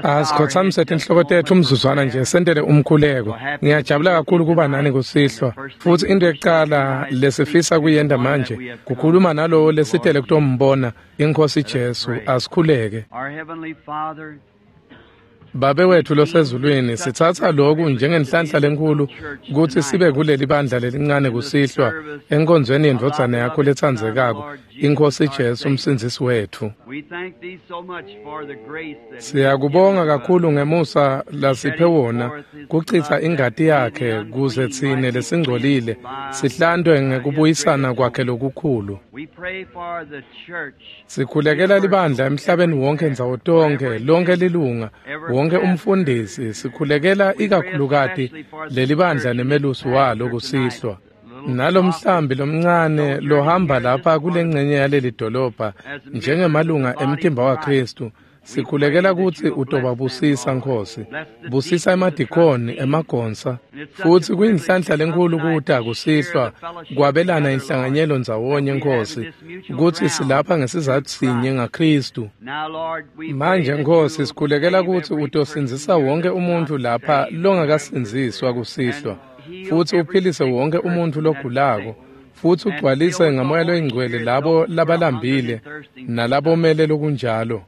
Asikhothamise tinhloko tetfu umzuzwana nje sentele umkhuleko. Ngiyajabula kakhulu kuba nani kusihlwa. Futhi into yokuqala lesifisa kuyenta manje kukhuluma nalowo lesitele kutombona iNkosi Jesu. Asikhuleke. Babe wethu losezulwini, sitsatsa lokhu njengenhlanhla lenkulu kutsi sibe kuleli bandla lelincane kusihlwa enkonzweni yendvodzana yakho letsandzekako, iNkosi Jesu umsindzisi wethu. Siyakubonga kakhulu ngemusa lasiphe wona kuchitsa ingati yakhe kuze tsine lesingcolile sihlantwe ngekubuyisana kwakhe lokukhulu. Sikhulekela libandla emhlabeni wonke ndzawo tonkhe, lonke lilunga, wonke umfundisi. Sikhulekela ikakhulukati lelibandla nemelusi walo kusihlwa. Nalomhlambi lomncane lohamba lapha kulengcenye yaleli dolobha njengemalunga emtimba waKristu, sikhulekela kutsi utobabusisa Nkosi. Busisa emadikoni, emagonsa. Futsi kuyinhlanhla lenkhulu kuta kusihlwa kwabelana inhlanganyelo ndzawonye Nkosi, kutsi silapha ngesizatfu sinye ngaKristu. Manje Nkosi, sikhulekela kutsi utosindzisa wonke umuntfu lapha longakasindziswa kusihlwa, futsi uphilise wonke umuntfu logulako, futsi ugcwalise ngamoya loyingcwele labo labalambile nalabomele lokunjalo.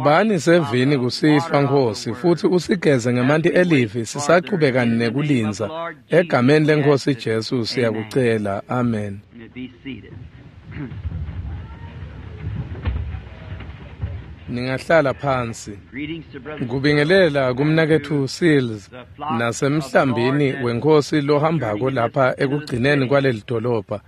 Bani sevini kusihlwa Nkosi, futsi usigeze ngemanti elivi sisachubeka nekulindza. Egameni leNkosi Jesu siyakucela. Amen. Ningahlala phansi. Kubingelela kumnaketfu Seals nasemhlambini wenkosi lohambako lapha ekugcineni kwaleli dolobha.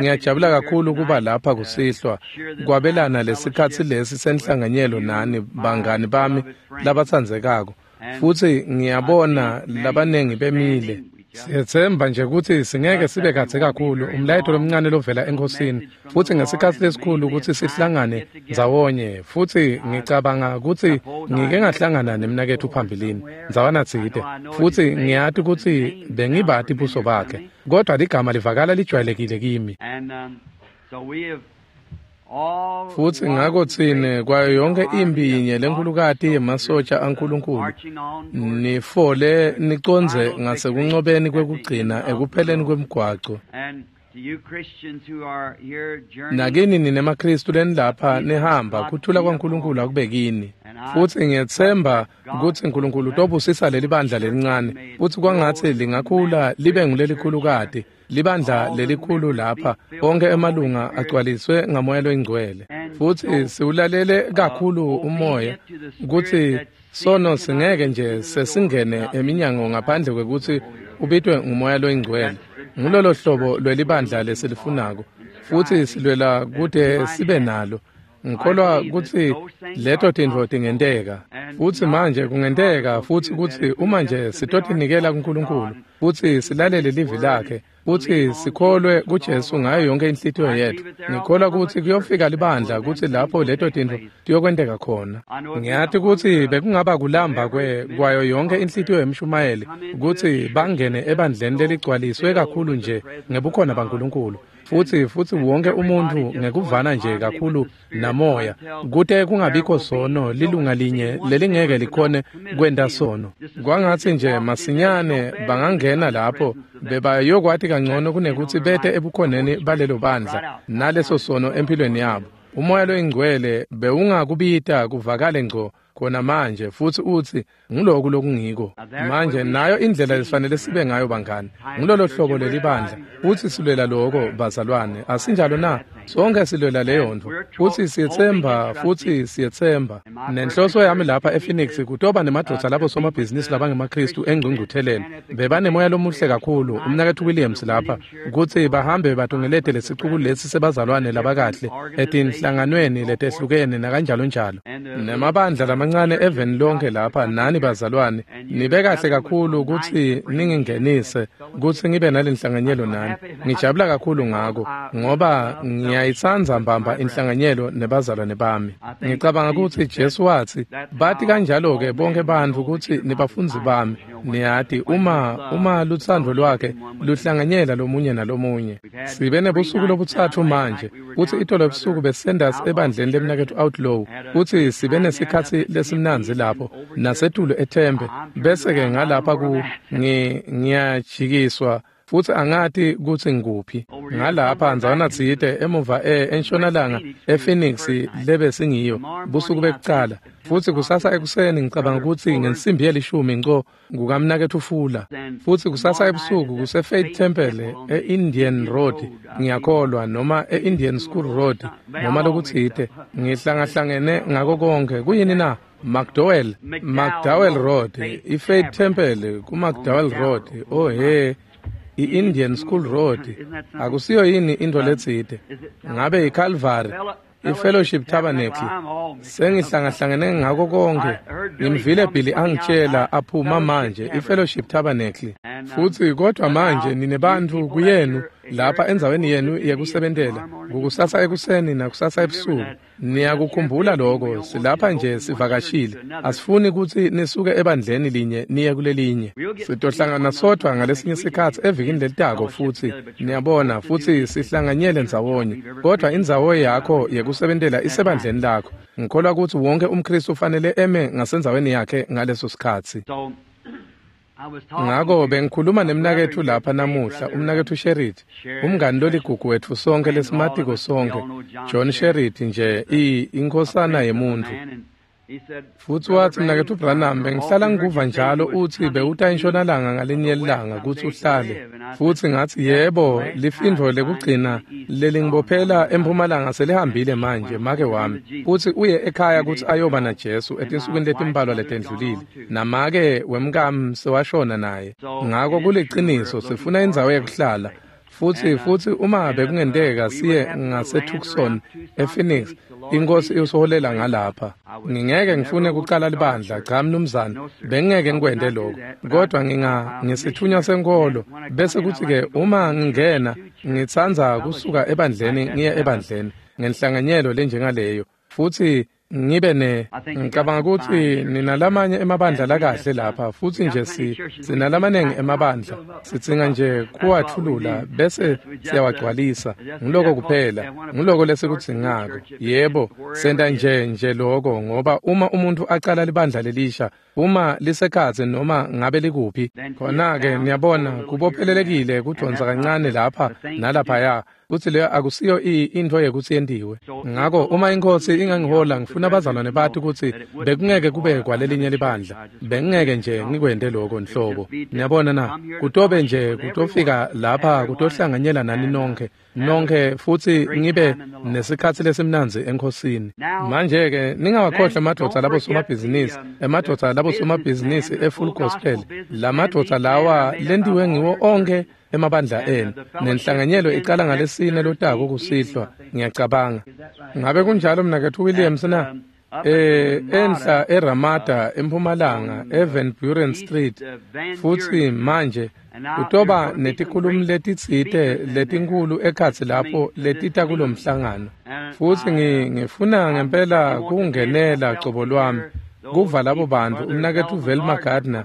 Ngiyajabula kakhulu kuba lapha kusihlwa kwabelana lesikhatsi lesi senhlanganyelo nani bangani bami labatsandzekako. Futsi ngiyabona labanengi bemile. Siyetsemba nje kutsi singeke sibe kadze kakhulu umlayeto lomncane lovela enkosini, futsi ngesikhatsi lesikhulu kutsi sihlangane ndzawonye. Futsi ngicabanga kutsi ngike ngahlangana nemnaketfu phambilini ndzawana tsite, futsi ngiyati kutsi bengibati buso bakhe, kodwa ligama livakala lijwayelekile kimi. Futsi ngako tsine kwayo yonke impi yinye lenkhulukati yemasotsha aNkulunkulu nifole nicondze ngasekuncobeni kwekugcina ekupheleni kwemgwaco. Nakini ninemaKristu lenilapha nihamba, kuthula kwaNkulunkulu akube kini. Futsi ngiyetsemba kutsi Nkulunkulu utobusisa leli bandla lelincane, futsi kwangatsi lingakhula libe ngulelikhulukati, libandla lelikhulu lapha, onke emalunga agcwaliswe ngamoya loyingcwele. Futsi siwulalele kakhulu umoya kutsi sono singeke nje sesingene eminyango ngaphandle kwekutsi ubitwe ngumoya loyingcwele. Ngulolo hlobo lwelibandla lesilifunako, futsi silwela kute sibe nalo. Ngikholwa kutsi leto tintfo tingenteka. Futsi manje kungenteka futsi kutsi uma nje sitotinikela kuNkulunkulu futsi silalele livi lakhe futsi sikholwe kuJesu ngayo yonke inhlitiyo yetfu, ngikholwa kutsi kuyofika libandla kutsi lapho leto tintfo tiyokwenteka khona. Ngiyati kutsi bekungaba kulamba kwayo yonke inhlitiyo yemshumayeli kutsi bangene ebandleni leligcwaliswe kakhulu nje ngebukhona baNkulunkulu, futsi wonke umuntfu ngekuvana nje kakhulu namoya, kute kungabikho sono lilunga linye lelingeke likhone kwenta sono. Kwangatsi nje masinyane bangangena lapho bebayokwati kangcono kunekutsi bete ebukhoneni balelo bandla naleso sono empilweni yabo. Umoya loyingcwele bewungakubita kuvakale ngco khona manje futsi utsi nguloku lokungiko. Manje nayo indlela lesifanele sibe ngayo bangani, ngulolo hlobo lelibandla, futsi silwela loko bazalwane, asinjalo na? Sonke silwela leyo ntfo, futsi siyetsemba, futsi siyetsemba. Nenhloso yami lapha ePhoenix kutoba nemadvodza labo somabhizinisi labangemaKristu engcungcutheleni. Bebanemoya lomuhle kakhulu, umnaketfu Williams lapha, kutsi bahambe batungelete lesicuku lesi sebazalwane labakahle etinhlanganweni letehlukene nakanjalo njalo. Nemabandla lamancane eveni lonke lapha nani bazalwane, nibe kahle kakhulu kutsi ningingenise kutsi ngibe nalenhlanganyelo nani. Ngijabula kakhulu ngako ngoba Ngiyayitsandza mbamba inhlanganyelo nebazalwane bami. Ngicabanga kutsi Jesu watsi, bati kanjalo-ke bonke bantfu kutsi nibafundzi bami. Niyati uma lutsandvo lwakhe luhlanganyela lomunye nalomunye. Sibe nebusuku lobutsatfu manje, kutsi itolo ebusuku besendasi ebandleni lemnaketfu Outlaw, kutsi sibe nesikhatsi lesimnandzi lapho nasetulu eThembe, bese-ke ngalapha ku ngiyajikiswa futsi angati kutsi ngikuphi. Ngalapha ndzawana tsite emuva entshonalanga ePhoenix lebe singiyo busuku bekucala, futsi kusasa ekuseni ngicabanga kutsi ngensimbi yelishumi nco kukamnaketfu Fuller, futsi kusasa ebusuku kuse Faith Temple e-Indian Road, ngiyakholwa, noma e-Indian School Road, noma lokutsite. Ngihlangahlangene ngako konke. Kuyini na? McDowell Road, i-Faith Temple ku-McDowell Road. Oh he, i-Indian School Road. Akusiyo yini into letsite? Ngabe iCalvary, i-Fellowship Tabernacle. Sengihlangahlangene ngako konke. Ngimvile Billy angitshela aphuma manje i-Fellowship Tabernacle. Futsi kodwa manje ninebantfu kuyenu lapha endzaweni yenu yekusebentela, kukusasa ekuseni nakusasa ebusuku. Niyakukhumbula lokho, silapha nje sivakashile. Asifuni kutsi nisuke ebandleni linye niye kulelinye. Sitohlangana sodvwa ngalesinye sikhatsi evikini lelitako futsi, niyabona, futsi sihlanganyele ndzawonye. Kodwa indzawo yakho yekusebentela isebandleni lakho. Ngikholwa kutsi wonke umKhristu ufanele eme ngasendzaweni yakhe ngaleso sikhatsi. Ngako bengikhuluma nemnaketfu lapha namuhla, umnaketfu Sherrit, umngani loligugu wetfu sonke lesimatiko sonke, John Sherrit nje, inkhosana yemuntfu. Futsi watsi, mnaketfu Branham, bengihlala ngikuva njalo utsi bewuta entshonalanga ngalinye lilanga kutsi uhlale. Futsi ngatsi, yebo, lifindvo lekugcina lelingibophela empumalanga selihambile manje, make wami. Futsi uye ekhaya kutsi ayoba naJesu etinsukwini letimbalwa letendlulile, namake wemkami sewashona naye. Ngako kuliciniso, sifuna indzawo yekuhlala. Futsi uma bekungenteka siye ngaseTucson ePhoenix, inkosi iyosoholela ngalapha. Ngingeke ngifune kucala libandla, cha mnumzane, bengingeke ngikwente lokho. Kodwa ngisithunywa senkolo, bese kuthi-ke uma ngingena, ngitsandza kusuka ebandleni ngiye ebandleni ngenhlanganyelo lenjengaleyo. Futsi ngibe ne ngicabanga kutsi ninalamanye emabandla lakahle lapha, futsi nje sinalamanengi emabandla, sidzinga nje kuwathulula bese siyawagcwalisa. Ngiloko kuphela, ngiloko lesikudzingako. Yebo, senta nje lokho, ngoba uma umuntu acala libandla lelisha, uma lisekhatsi noma ngabe likuphi, khona-ke niyabona kubophelelekile kudonsa kancane lapha nalaphaya, kutsi leyo akusiyo intfo yekutsi yentiwe. Ngako uma inkosi ingangihola, ngifuna abazalwane bati kutsi bekungeke kube kwalelinye libandla, bengingeke nje ngikwente lokho nhlobo. Niyabona na, kutobe nje kutofika lapha kutohlanganyela nani nonke futsi ngibe nesikhatsi lesimnandzi enkhosini. Manje-ke ningawakhohlwa emadvodza labosomabhizinisi, emadvodza labosomabhizinisi e-Full Gospel, lamadvodza lawa lentiwe ngiwo onkhe emabandla enu. Nenhlanganyelo icala ngalesine lotako kusihlwa, ngiyacabanga. Ngabe kunjalo mnaketfu Williams na? Enhla eRamada empumalanga eVan Buren Street. Futsi manje kutoba netikhulumi letitsite letinkhulu ekhatsi lapho letita kulomhlangano. Futsi ngifuna ngempela kungenela cobo lwami kuva labo bantfu, umnaketfu Velma Gardner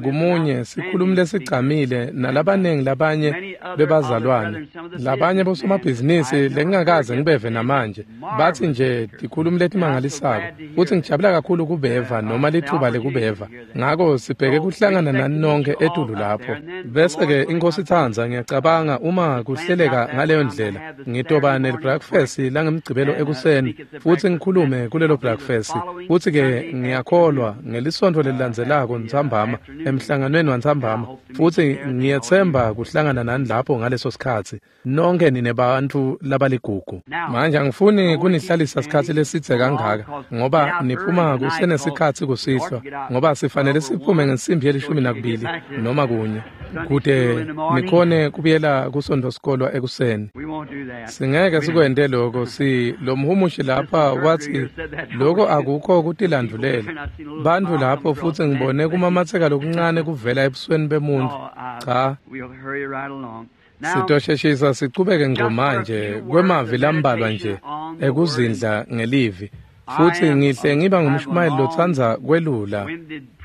kumunye sikhulumi lesigcamile nalabanengi labanye bebazalwane, labanye bosomabhizinisi lengingakaze ngibeve namanje, batsi nje tikhulumi letimangalisako, futsi ngijabula kakhulu kubeva noma lithuba lekubeva. Ngako sibheke kuhlangana nani nonke etulu lapho. Bese-ke inkosi itsandza, ngiyacabanga uma kuhleleka ngaleyo ndlela, ngitoba ne-breakfast langemgcibelo ekuseni, futsi ngikhulume kulelo breakfast. Futsi-ke ngiyakholwa ngelisontfo lelilandzelako ntsambama, emhlanganweni wantsambama, futsi ngiyetsemba kuhlangana nani lapho ngaleso sikhatsi. Nonke ninebantfu labaligugu. Manje angifuni kunihlalisa sikhatsi lesidze kangaka, ngoba niphuma kusenesikhatsi kusihlwa, ngoba sifanele siphume ngensimbi ye-12 noma 1, kude nikhone kubuyela kusontfo sikolwa ekuseni. Singeke sikwente lokho. Lo mhumushi lapha watsi lokho akukho kutilandvulela bantfu lapho, futsi ngibone kumamatseka lokuncane kuvela ebusweni bemuntfu. Cha. Sitosheshisa sichubeke ngco manje kwemavi lambalwa nje ekuzindla ngelivi. Futhi ngihle ngiba ngumshumayeli lotsandza kwelula,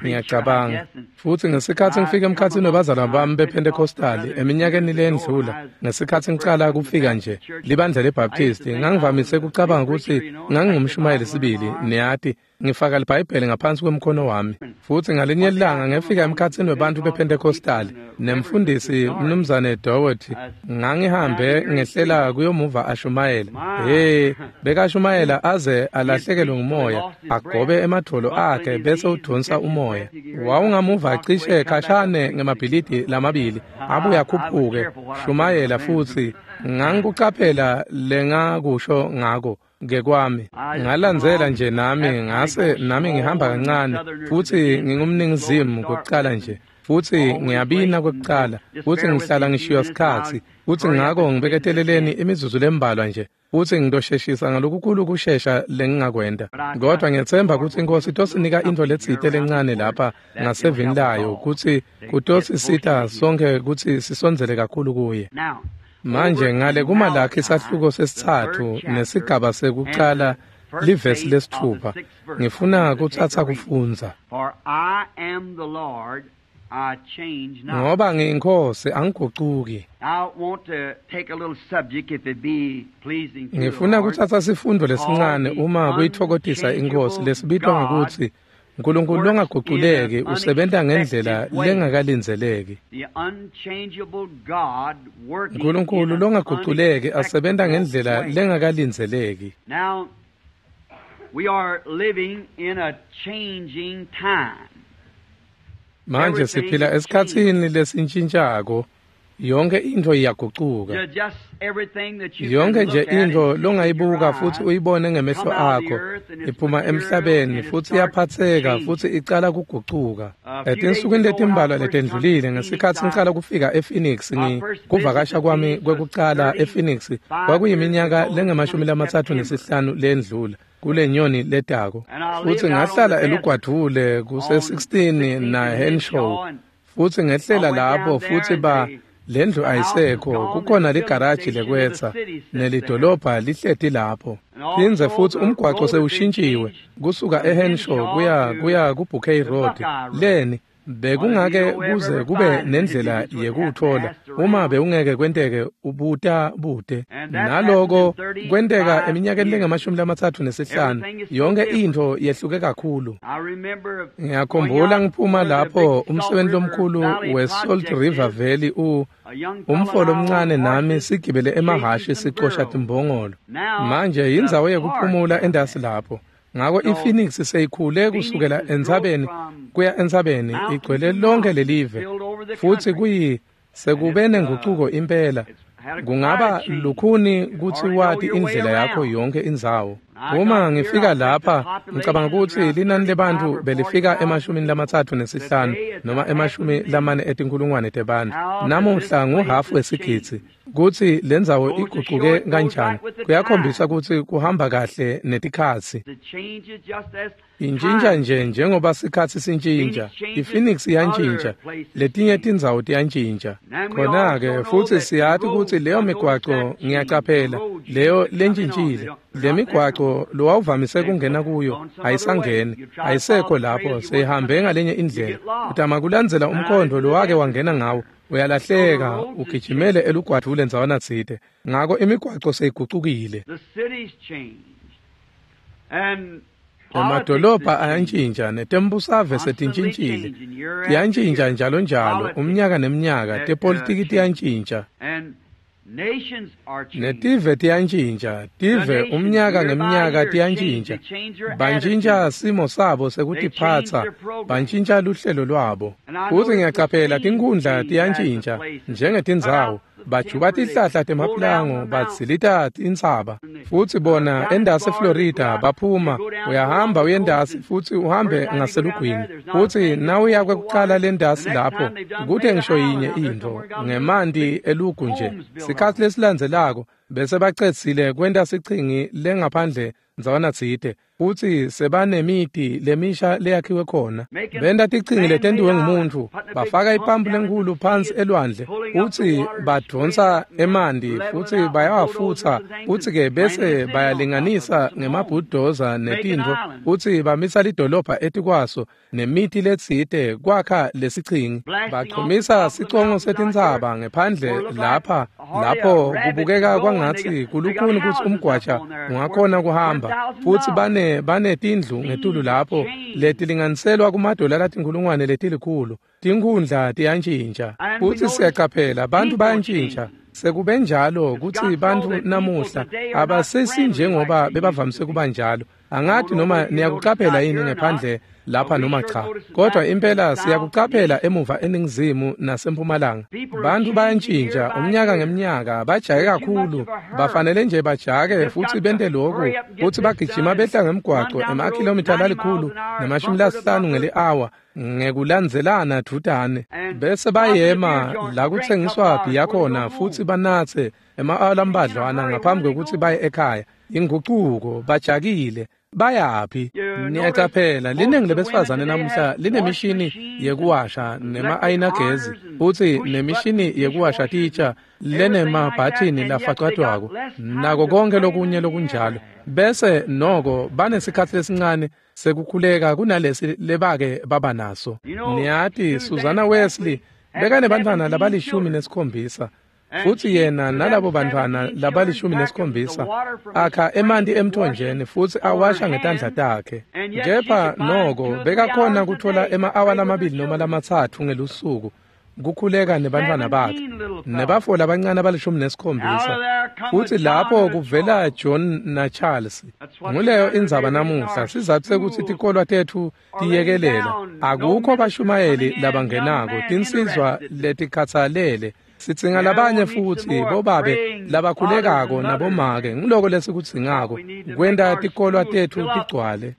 ngiyacabanga. Futhi ngesikhathi ngifika emkhathini wabazalwane bami bePentecostal eminyakeni leyendlula, ngesikhathi ngicala kufika nje libandla leBaptist, ngangivamise ukucabanga ukuthi ngangingumshumayeli sibili, niyati, ngifaka iBhayibheli ngaphansi kwemkhono wami. Futhi ngalinye ilanga ngefika emkhathini webantu bePentecostal nemfundisi Mnumzane Doherty, ngangihambe ngehlela kuyomuva ashumayela. Hey, bekashumayela aze alahlekelwe ngumoya, agobe emadvolo akhe bese udonsa umoya. Wawungamuva cishe khashane ngemabhilidi lamabili, abuye akhuphuke shumayela. Futhi ngangikucaphela lengakusho ngako ngekwami. Ngalandzela nje nami, ngase nami ngihamba kancane, futhi ngingumningizimu kokucala nje, futhi ngiyabina kwekucala, futhi ngihlala ngishiywa sikhatsi, futhi ngako ngibeketeleleni imizuzu lembalwa nje, futhi ngitosheshisa ngalokukhulu kushesha lengingakwenta. Kodwa ngiyetsemba ukuthi iNkosi itosinika intfo letsite lencane lapha ngasevini layo, kutsi kutosisita sonke kutsi sisondzele kakhulu kuye. Manje ngale kuMalakhi isahluko sesitsatfu nesigaba sekucala livesi lesitfupha, ngifuna kutsatsa kufundza. Ngoba ngiyinkosi angigucuki. Ngifuna kutsatsa sifundo lesincane uma kuyitfokotisa iNkosi lesibitwa ngekutsi Nkulunkulu longaguculeki usebenta ngendlela lengakalindzeleki. Nkulunkulu longaguculeki asebenta ngendlela lengakalindzeleki. Now we are living in a changing time. Manje siphila esikhatsini lesintshintshako. Yonke intfo iyagucuka. Yonke nje intfo longayibuka futhi uyibone ngemehlo akho iphuma emhlabeni futhi iyaphatseka futhi icala kugucuka. Etinsukwini letimbalwa letendlulile ngesikhatsi ngicala kufika ePhoenix, kuvakasha kwami kwekucala ePhoenix kwakuyiminyaka lengama-35 lendlula kule nyoni letako. Futhi ngahlala elugwadvule kuse-16 na Henshaw, futhi ngehlela lapho futhi ba lendlu ayisekho, kukhona ligaraji lekwetsa nelidolobha lihleti lapho. Phindze futhi umgwaco sewushintshiwe kusuka eHenshaw kuya kuBouquet Road. Leni bekungake kuze kube nendlela yekuthola uma bewungeke kwenteke ubuta bude. Naloko kwenteka eminyakeni lengama-35. Yonke intfo yehluke kakhulu. Ngiyakhumbula ngiphuma lapho umsebenzi lomkhulu we-Salt River Valley umfolo omncane nami sigibele emahhashi sicosha timbongolo. Manje yindzawo yekuphumula endasi lapho. Ngako iPhoenix seyikhule kusukela entsabeni kuya entsabeni, igcwele lonke lelive, futhi kuyi sekube nengucuko impela. Kungaba lukhuni kutsi wati indlela yakho yonke indzawo. Uma ngifika lapha ngicabanga kutsi linani lebantfu belifika ema-35 noma 40,000 tebantfu. Namuhla nguhafu wesigidzi. Kutsi lendzawo igucuke kanjani kuyakhombisa kutsi kuhamba kahle netikhatsi. Intshintsha nje njengoba sikhatsi sintshintja. iPhoenix iyantshintsha, letinye tindzawo tiyantshintsha. Khona-ke futhi siyati kutsi leyo migwaco, ngiyacaphela, leyo lentshintshile. Le migwaco lowawuvamise kungena kuyo ayisangeni, ayisekho lapho, seyihambe ngalenye indlela. Utama kulandzela umkhondo lowake wangena ngawo, uyalahleka, ugijimele elugwadvule ndzawana tsite. Ngako imigwaco seyigucukile. Emadolobha ayantshintsha netembusave setintshintshile. Tiyantshintsha njalo njalo, umnyaka neminyaka, tepolitiki tiyantshintsha. Netive tiyantshintsha, tive umnyaka ngeminyaka tiyantshintsha. Bantshintsha simo sabo sekutiphatsa, bantshintsha luhlelo lwabo. Futhi ngiyacaphela tinkhundla tiyantshintsha njengetindzawo. Bajuba tihlahla temaplango, badzilita intsaba. Futhi bona endasi eFlorida baphuma, uyahamba uyendasi futhi uhambe ngaselugwini. Futhi nawuya kwekucala lendasi lapho, kute ngisho yinye intfo, ngemanti elugu nje. Sikhatsi lesilandzelako bese bacedzile kwenta sichingi lengaphandle ndzawana tsite, futsi sebanemiti lemisha leyakhiwe khona. Benta tichingi letentiwe ngumuntfu, bafaka ipampu lenkhulu phansi elwandle, futsi badvonsa emanti futsi bayawafutsa, futsi-ke bese bayalinganisa ngemabhudoza netintfo, futsi bamisa lidolobha etikwaso nemiti letsite kwakha lesichingi. Bachumisa sicongo setintsaba ngephandle lapha, lapho kubukeka kwangatsi kulukhuni kutsi umgwaja ungakhona kuhamba, futsi banetindlu ngetulu lapho letilinganiselwa kumadola latinkhulungwane letikhulu. Tinkhundla tiyantjintja, futsi siyacaphela bantfu bayantjintja. Sekube njalo kutsi bantfu namuhla abasesinjengoba bebavamise kuba njalo. Angathi noma niyakucaphela yini ngephandle lapha noma cha, kodwa impela siyakucaphela emuva eningizimu nasempumalanga. Bantfu bayantjintja umnyaka ngemnyaka, bajake kakhulu, bafanele nje bajake futsi bente lokhu, futsi bagijima behla ngemgwaco emakhilomitha 150 ngeli-awa ngekulandzelana dvutane, bese bayema la kutsengiswa bhiya khona futsi banatse ema-awa lambadlwana ngaphambi kwekutsi baye ekhaya. Ingucuko, bajakile, bayaphi? Niyacaphela liningi lebesifazane namuhla linemishini yekuwasha nema-ayinagezi, futsi nemishini yekuwasha titsha lenemabhathini lafacatwako nako konke lokunye lokunjalo, bese noko banesikhatsi lesincane sekukhuleka kunalesi lebake baba naso. Niyati, Susanna Wesley bekanebantfwana labali-17, futsi yena nalabo bantfwana labali-17 akha emanti emthonjeni futsi awasha ngetandla takhe, kepha noko bekakhona kutfola ema-awa 2 noma 3 ngelusuku kukhuleka nebantfwana bakhe nebafo labancane abali-17. Futsi lapho kuvela John naCharles. Nguleyo indzaba namuhla, sizatfu sekutsi tikolwa tetfu tiyekelela, akukho bashumayeli labangenako, tinsizwa letikhatsalele. Sidzinga labanye futsi bobabe labakhulekako nabomake. Ngiloko lesikudzingako kwenta tikolwa tetfu tigcwale.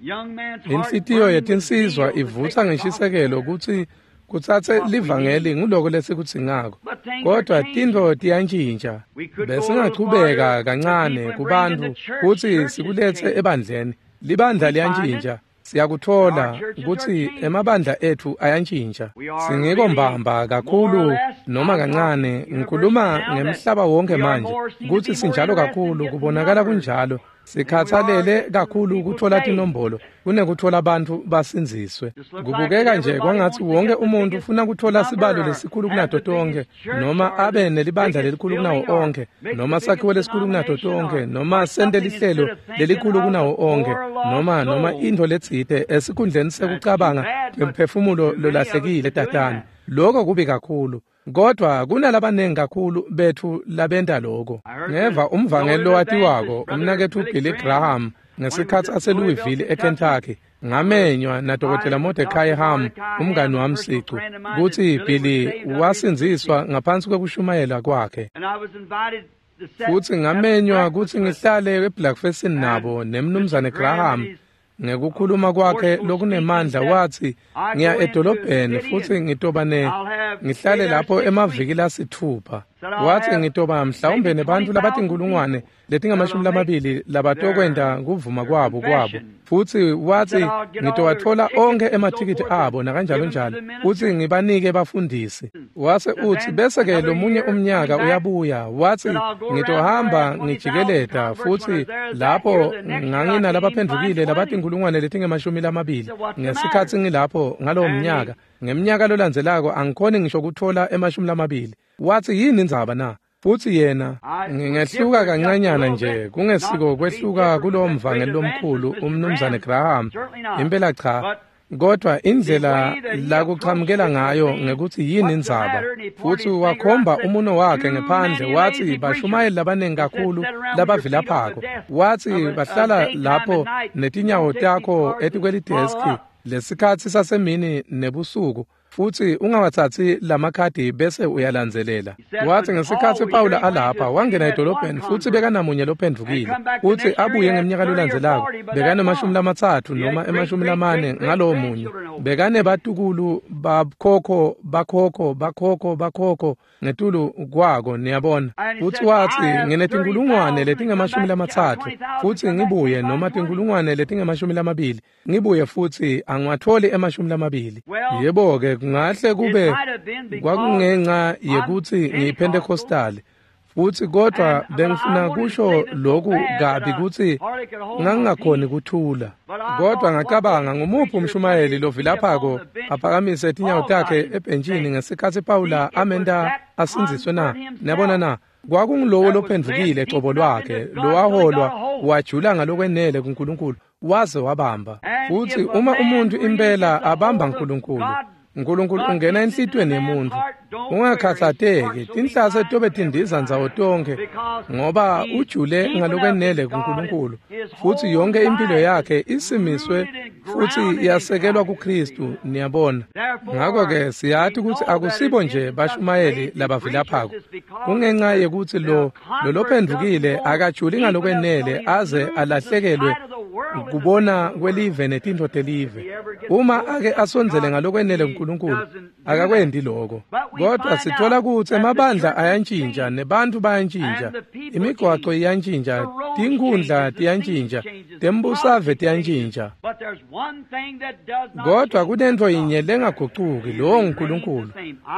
Inhlitiyo yetinsizwa ivutsa ngeshisekelo kutsi kutsatse livangeli. Nguloko lesikudzingako, kodwa tintfo tiyantjintja. Besingachubeka kancane kubantfu kutsi sikuletse ebandleni. Libandla liyantjintja. Siyakutfola kutsi emabandla etfu ayantjintja. Singiko mbamba kakhulu noma kancane, ngikhuluma ngemhlaba wonke manje, kutsi sinjalo kakhulu, kubonakala kunjalo, sikhatsalele kakhulu kutfola tinombolo kunekutfola bantfu basindziswe. Kubukeka nje kwangatsi wonke umuntu ufuna kutfola sibalo lesikhulu kunato tonke, noma abe nelibandla lelikhulu kunawo onkhe, noma sakhiwo lesikhulu kunato tonke, noma sente lihlelo lelikhulu kunawo onkhe, noma intfo letsite, esikhundleni sekucabanga ngemphefumulo lolahlekile tatane. Lokho kubi kakhulu, kodwa kunalabanengi kakhulu betfu labenta loko. Ngeva umvangeli lowatiwako, umnaketfu Billy Graham, ngesikhatsi aseLouisville eKentucky, ngamenywa nadokotela Mordecai Ham, umngani wami sicu, kutsi Billy wasindziswa ngaphansi kwekushumayela kwakhe. Futsi ngamenywa kutsi ngihlale ebreakfastini nabo nemnumzane Graham. Ngekukhuluma kwakhe lokunemandla wathi, "Ngiya edolobheni futhi ngitoba ne ngihlale lapho emaviki lasithupha." Wathi, "Ngitoba mhlawumbe nebantfu labatinkhulungwane letingama-20 labatokwenta kuvuma kwabo." Futsi wathi, "Ngitowatfola onkhe emathikithi abo nakanjalo njalo, futsi ngibanike bafundisi." Wase uthi, bese-ke lomunye umnyaka uyabuya, wathi, "Ngitohamba ngijikeleta, futhi lapho nganginalabaphendvukile labatinkhulungwane letingama-20 ngesikhatsi ngilapho ngalowo mnyaka. Ngemnyaka lolandzelako angikhoni ngisho kutfola 20." Wathi, "Yini indzaba na?" Futsi yena, ngingehluka kancanyana nje, kungesiko kwehluka kulowo mvangeli lomkhulu umnumzane Graham, impela cha, kodwa indlela lakuchamukela ngayo ngekuthi yini indzaba, futsi wakhomba umuno wakhe ngephandle, wathi, "Bashumayeli labanengi kakhulu labavilaphako," wathi, "bahlala lapho netinyawo takho etikwelideski lesikhatsi sasemini nebusuku, futsi ungawatsatsi lamakhadi bese uyalandzelela." Wathi, ngesikhatsi Pawula alapha, wangena edolobheni futsi bekanamunye lophendvukile, futsi abuye ngemnyaka lolandzelako bekane-30 noma 40 ngalowo munye. Bekanebatukulu bakhokho bakhokho bakhokho bakhokho ngetulu kwako, niyabona. Futsi watsi nginetinkulungwane letingama-30 futsi ngibuye, noma tinkulungwane letingama-20 ngibuye futsi angiwatholi 20. Yebo-ke, kungahle kube kwakungenca yekutsi ngiyiPentecostali, futsi kodwa bengifuna kusho lokhu kabi kutsi ngangingakhoni kuthula. Kodwa ngacabanga, ngumuphi umshumayeli lovilaphako aphakamise tinyawo takhe ebhentshini ngesikhatsi Pawula amenta asindziswe na? Niyabona na? Kwakungulowo lophendvukile cobo lwakhe, lowaholwa wajula ngalokwenele kuNkulunkulu waze wabamba. Futsi uma umuntu impela abamba uNkulunkulu, uNkulunkulu ungena enhlitiyweni yemuntu. Ungakhatsateki, tinhlase tobe tindiza ndzawo tonkhe, ngoba ujule ngalokwenele kuNkulunkulu, futsi yonke impilo yakhe isimiswe futsi yasekelwa kuKristu, niyabona. Ngakho-ke siyati kutsi akusibo nje bashumayeli labavilaphako. Kungenca yekutsi lo lolophendvukile akajuli ngalokwenele aze alahlekelwe kubona kwelive netintfo telive. Uma ake asondzele ngalokwenele kuNkulunkulu, akakwendi lokho. Kodwa sithola kutsi emabandla ayantjintja, nebantfu bayantjintja, imigwaco iyantjintja, tinkhundla tiyantjintja, tembusave tiyantjintja. Kodwa kunentfo yinye lengagucuki, lowo nguNkulunkulu.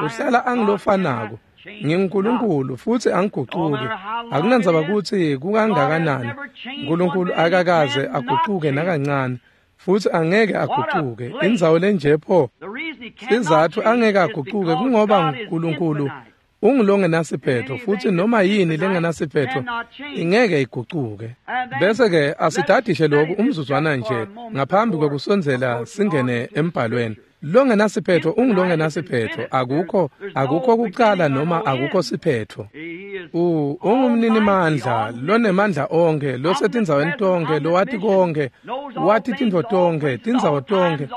Uhlala angulofanako. NginguNkulunkulu futsi angigucuki. Akunandzaba kutsi kukangakanani, uNkulunkulu akakaze agucuke nakancane, futsi angeke agucuke. Indzawo lenje pho, sizatfu angeke agucuke kungoba uNkulunkulu ungulongenasiphetho, futsi noma yini lengenasiphetho ingeke igucuke. Bese-ke asidadishe lokhu umzuzwana nje ngaphambi kwekusondzela singene embhalweni. Longenasiphetho ungulongenasiphetho, akukho kucala noma akukho siphetho. Ungumninimandla, lonemandla onkhe, losetindzaweni tonkhe, lowati konke, wati tintfo tonkhe, tindzawo tonkhe,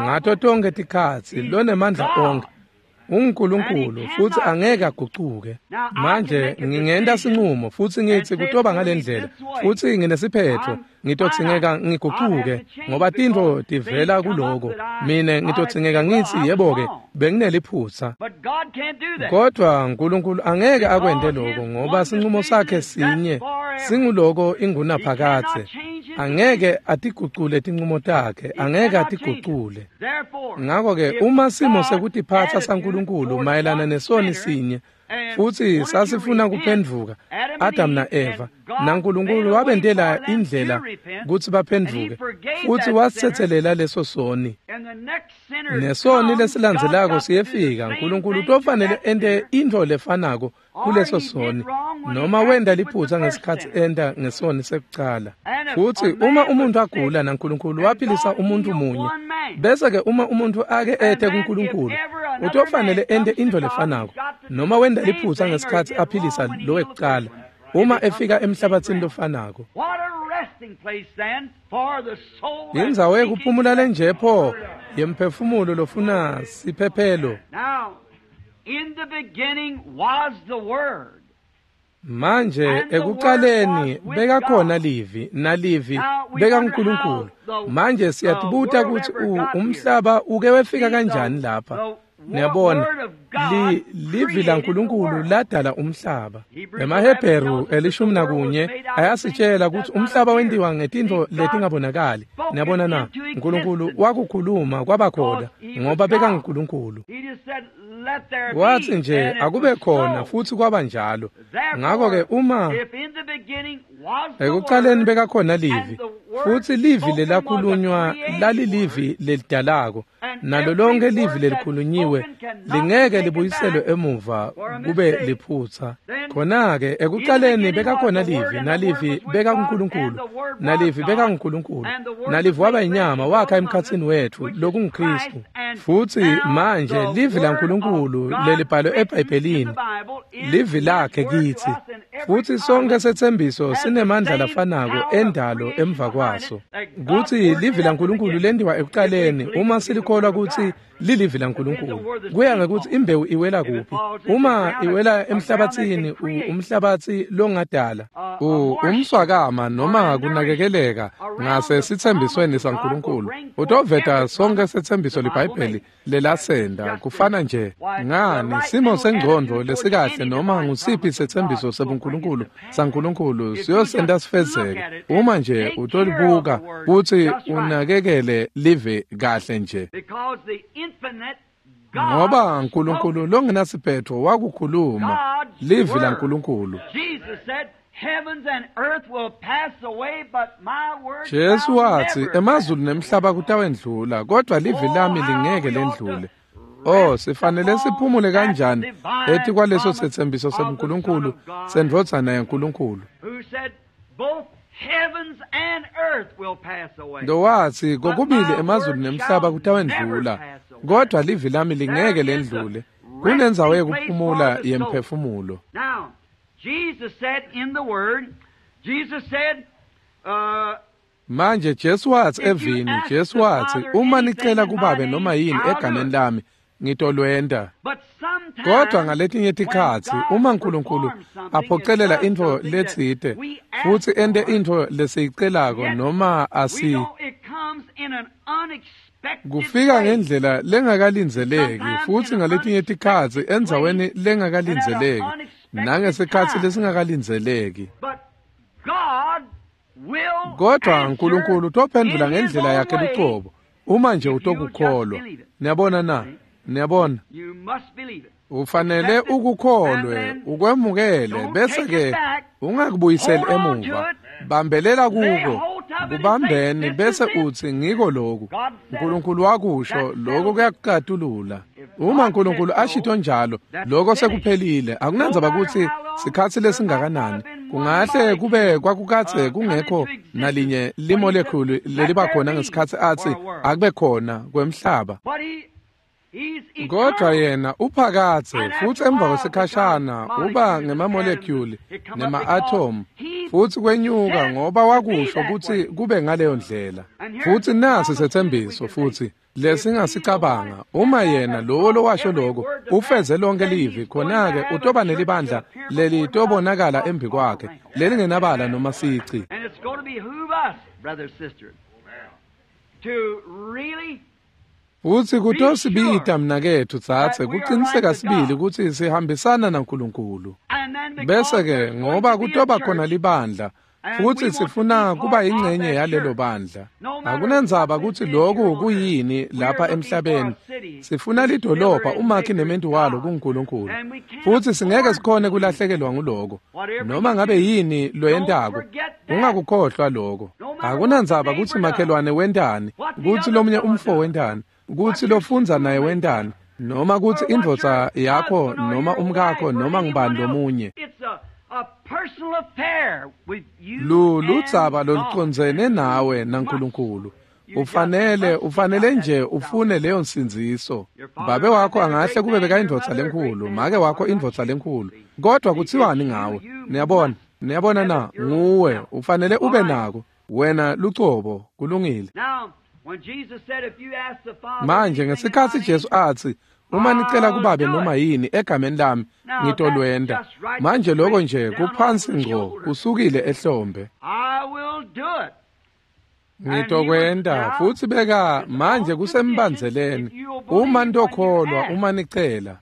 ngato tonkhe tikhatsi, lonemandla onkhe. UnguNkulunkulu futsi angeke agucuke. Manje ngingenta sinqumo futsi ngitsi kutoba ngalendlela, futsi nginesiphetho, ngitodzingeka ngigucuke ngoba tintfo tivela kuloko. Mine ngitodzingeka ngitsi yebo-ke, bengineliphutsa. Kodwa uNkulunkulu angeke akwente lokho ngoba sinqumo sakhe sinye, singuloko ingunaphakadze. Angeke atigucule tinqumo takhe, angeke atigucule. Ngakho-ke uma simo sekutiphatsa saNkulunkulu mayelana nesoni sinye, futsi sasifuna kuphendvuka, Adam na-Eva, naNkulunkulu wabentela indlela kutsi baphendvuke, futsi wasitsetselela leso soni. Nesoni lesilandzelako siyefika, uNkulunkulu utofanele ente intfo lefanako kuleso soni, noma wenta liphutsa ngesikhatsi enta ngesoni sekucala. Futsi uma umuntu agula naNkulunkulu waphilisa umuntu munye, bese-ke uma umuntu ake ete kuNkulunkulu, utofanele ente intfo lefanako, noma wenta liphutsa ngesikhatsi aphilisa lo wekucala, uma efika emhlabatsini lofanako. Indzawo yekuphumula lenje pho yemphefumulo lofuna siphephelo. Manje ekucaleni bekakhona Livi, naLivi bekaNkulunkulu. Manje siyatibuta kutsi umhlaba uke wefika kanjani lapha. Niyabona, Livi laNkulunkulu ladala umhlaba. EmaHebheru 11 ayasitshela kutsi umhlaba wentiwa ngetintfo letingabonakali. Niyabona na, Nkulunkulu wakukhuluma kwaba khona ngoba bekanguNkulunkulu. Watsi nje akube khona futsi kwaba njalo. Ngakho-ke uma ekucaleni bekakhona Livi, futsi Livi lelakhulunywa lalilivi lelidalako, nalo lonke livi lelikhulunyiwe lingeke libuyiselwe emuva kube liphutsa. Khona-ke ekucaleni bekakhona Livi, naLivi bekakuNkulunkulu, naLivi bekaNkulunkulu, naLivi waba inyama wakha emkhatsini wetfu, lokunguKristu. Futsi manje Livi laNkulunkulu lelibhalwe eBhayibhelini, Livi lakhe kitsi, Futhi sonke setsembiso sinemandla lafanako endalo emva kwaso. Kutsi livi laNkulunkulu lendiwa ekuqaleni uma silikholwa kutsi lilivi laNkulunkulu. Kuya ngekutsi imbewu iwela kuphi. Uma iwela emhlabatsini, umhlabatsi longadala, umswakama noma kunakekeleka ngase sitsembisweni saNkulunkulu, utoveta sonke setsembiso liBhayibheli lelasenda. Kufana nje ngani simo sengcondvo lesikahle noma ngusiphi setsembiso sebuNkulunkulu saNkulunkulu siyosenda sifezeke uma nje utolibuka kutsi unakekele live kahle nje. Ngoba uNkulunkulu longenasiphetho wakukhuluma livi laNkulunkulu. Jesu watsi emazulu nemhlaba kutawendlula, kodwa livi lami lingeke lendlule. Oh, sifanele siphumule kanjani etikwaleso setsembiso sebuNkulunkulu sendvodzana yaNkulunkulu. Lowatsi kokubili emazulu nemhlaba kutawendlula, kodwa livi lami lingeke lendlule. Kunendzawo yekuphumula yemphefumulo. Jesus said in the word, Jesus said, manje Jesu watsi evini, Jesu watsi uma nicela kubabe noma yini egameni lami ngitolwenta. Kodwa ngaletinye tikhatsi uma uNkulunkulu aphocelela intfo letsite futsi ente intfo lesiyicelako noma asi kufika ngendlela lengakalindzeleki futsi ngaletinye tikhatsi endzaweni lengakalindzeleki nangesikhatsi lesingakalindzeleki. Kodwa uNkulunkulu utophendvula ngendlela yakhe lucobo uma nje utokukholwa. Niyabona na? Niyabona? Ufanele ukukholwe, ukwemukele, bese ke ungakubuyiseli emuva. Bambelela kuko, kubambeni bese utsi ngiko lokhu. uNkulunkulu wakusho, lokho kuyakucatulula. Uma uNkulunkulu ashito njalo, lokho sekuphelile. Akunandzaba kutsi sikhatsi lesingakanani. Kungahle kube kwakukatse kungekho nalinye limolekhulu leliba khona ngesikhatsi atsi akube khona kwemhlaba. Kodwa yena uphakatse futsi emva kwesikhashana uba ngemamolekhuli nema-atom futsi kwenyuka ngoba wakusho kutsi kube ngaleyo ndlela. Futsi nasi setsembiso futsi lesingasicabanga, uma yena lowo lowasho lokho ufeze lonke livi, khona-ke utoba nelibandla lelitobonakala embi kwakhe lelingenabala noma sici. Futsi kutosibita mnaketfu tsatse kuqiniseka sibili kutsi sihambisana naNkulunkulu. Bese-ke ngoba kutoba khona libandla futsi sifuna kuba yingcenye yalelo bandla. Akunandzaba kutsi lokhu kuyini lapha emhlabeni. Sifuna lidolobha umakhi nementu walo kuNkulunkulu. Futsi singeke sikhone kulahlekelwa nguloko. Noma ngabe yini loyentako, ungakukhohlwa lokho. Akunandzaba kutsi makhelwane wentani, kutsi lomunye umfo wentani, kutsi lofundza naye wentani, noma kutsi indvodza yakho noma umkakho noma ngubani lomunye. Ludzaba lolucondzene nawe naNkulunkulu. Ufanele nje ufune leyo nsindziso. Babe wakho angahle kube bekayindvodza lenkhulu, make wakho indvodza lenkhulu, kodwa kutsiwani ngawe? Niyabona? Niyabona na? Nguwe, ufanele ube nako. Wena lucobo, kulungile. Manje ngesikhatsi Jesu atsi uma nicela kubabe noma yini egameni lami ngitolwenta. Manje lokho nje kuphansi ngco kusukile ehlombe. Ngitokwenta futsi beka manje kusembandzeleni uma nitokholwa uma nicela.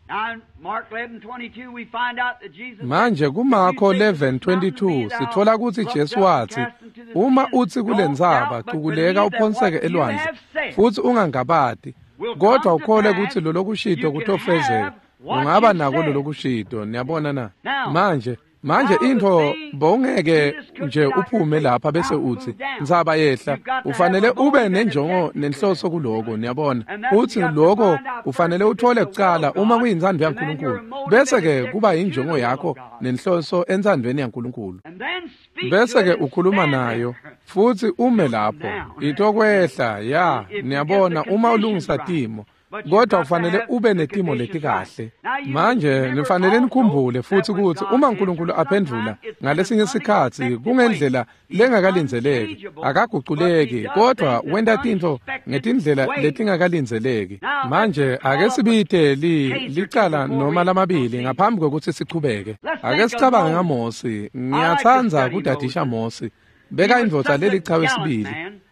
Manje kuMarko 11:22 sitfola kutsi Jesu watsi uma utsi kulentsaba cukuleka uphonseke elwandle futsi ungangabati kodwa ukhole kutsi lolokushito kutofezeka, ungaba nako lolokushito. Niyabona na? Manje intfo bowungeke nje uphume lapha bese utsi ntsaba yehla. Ufanele ube nenjongo nenhloso kuloko. Niyabona? Utsi lokho ufanele uthole kucala uma kuyintsandvo yaNkulunkulu, bese ke kuba injongo yakho nenhloso entsandvweni yaNkulunkulu, bese ke ukhuluma nayo futsi ume lapho itokwehla. Ya, niyabona, uma ulungisa timo. Kodwa ufanele ube netimo letikahle. Manje nifanele nikhumbule futhi ukuthi uma uNkulunkulu aphendvula ngalesinye sikhatsi kungendlela lengakalindzeleki, akaguculeki, kodwa wenta tintfo ngetindlela letingakalindzeleki. Manje ake sibite licala noma lamabili ngaphambi kwekutsi sichubeke. Ake sicabange ngaMosi. Ngiyatsandza kudadisha Mosi. Beka indvodza lelichawe sibili.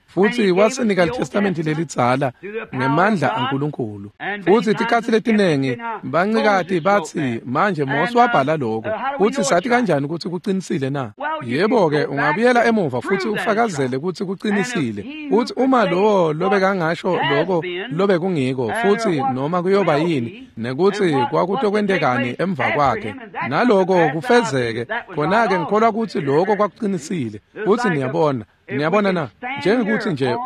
Futhi wasinika iTestamente lelidzala ngemandla aNkulunkulu. Futhi tikhatsi letinengi bancikati batsi manje Mosi wabhala lokho. Futhi sathi kanjani ukuthi kuqinisile na? Yebo-ke ungabuyela emuva futhi ufakazele ukuthi kuqinisile. Futhi uma lowo lobekangasho lokho lobekungiko futhi noma kuyoba yini nekuthi kwakutokwentekani emva kwakhe naloko kufezeke, khona-ke ngikholwa ukuthi lokho kwakuqinisile. Futhi niyabona Niyabona na, njengokuthi nje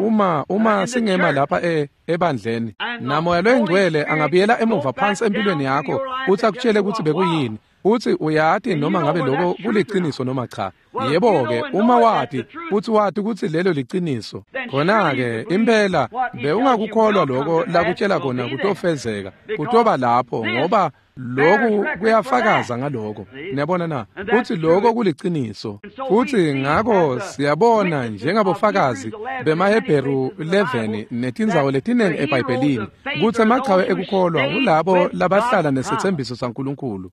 uma singema lapha ebandleni namoya loyingcwele angabuyela emuva phansi empilweni yakho uthi akutshele ukuthi bekuyini, uthi uyati noma ngabe lokho kuliqiniso noma cha. Yebo-ke uma wati uthi wati ukuthi lelo liqiniso, khona-ke impela bewungakukholwa lokho lakutshela kona kutofezeka, kutoba lapho, ngoba lokhu kuyafakaza ngaloko. Niyabona na uthi lokho kuliqiniso. Futhi ngakho siyabona njengabofakazi bemaHebheru 11 netindzawo letinengi eBhayibhelini kutsi emachawe ekukholwa ngulabo labahlala nesethembiso saNkulunkulu.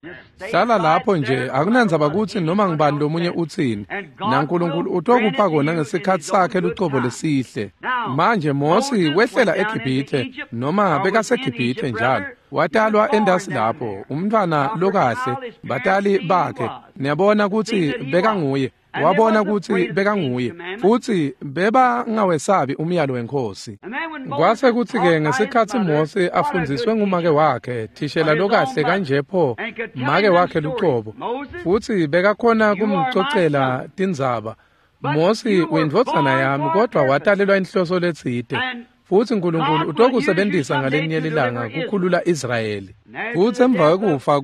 Hlala lapho nje, akunandzaba kutsi noma ngibani lomunye utsini, naNkulunkulu utokupha kona ngesikhatsi sakhe lucobo lesihle. Manje Mosi wehlela eGibhithe, noma bekaseGibhithe njalo. Watalwa endasi lapho, umntwana lokahle, batali bakhe. Niyabona kutsi bekanguye, wabona kutsi bekanguye, futhi bebangawesabi umyalo wenkosi. Kwase kutsi-ke ngesikhatsi Mosi afundziswe ngumake wakhe, thishela lokahle kanje pho, make wakhe lucobo, futhi bekakhona kumcocela tindzaba. Mosi uyindvodzana yami, kodwa watalelwa inhloso letsite. Futhi uNkulunkulu utokusebenzisa ngalenye lilanga kukhulula Israyeli. Futhi emva kwekufa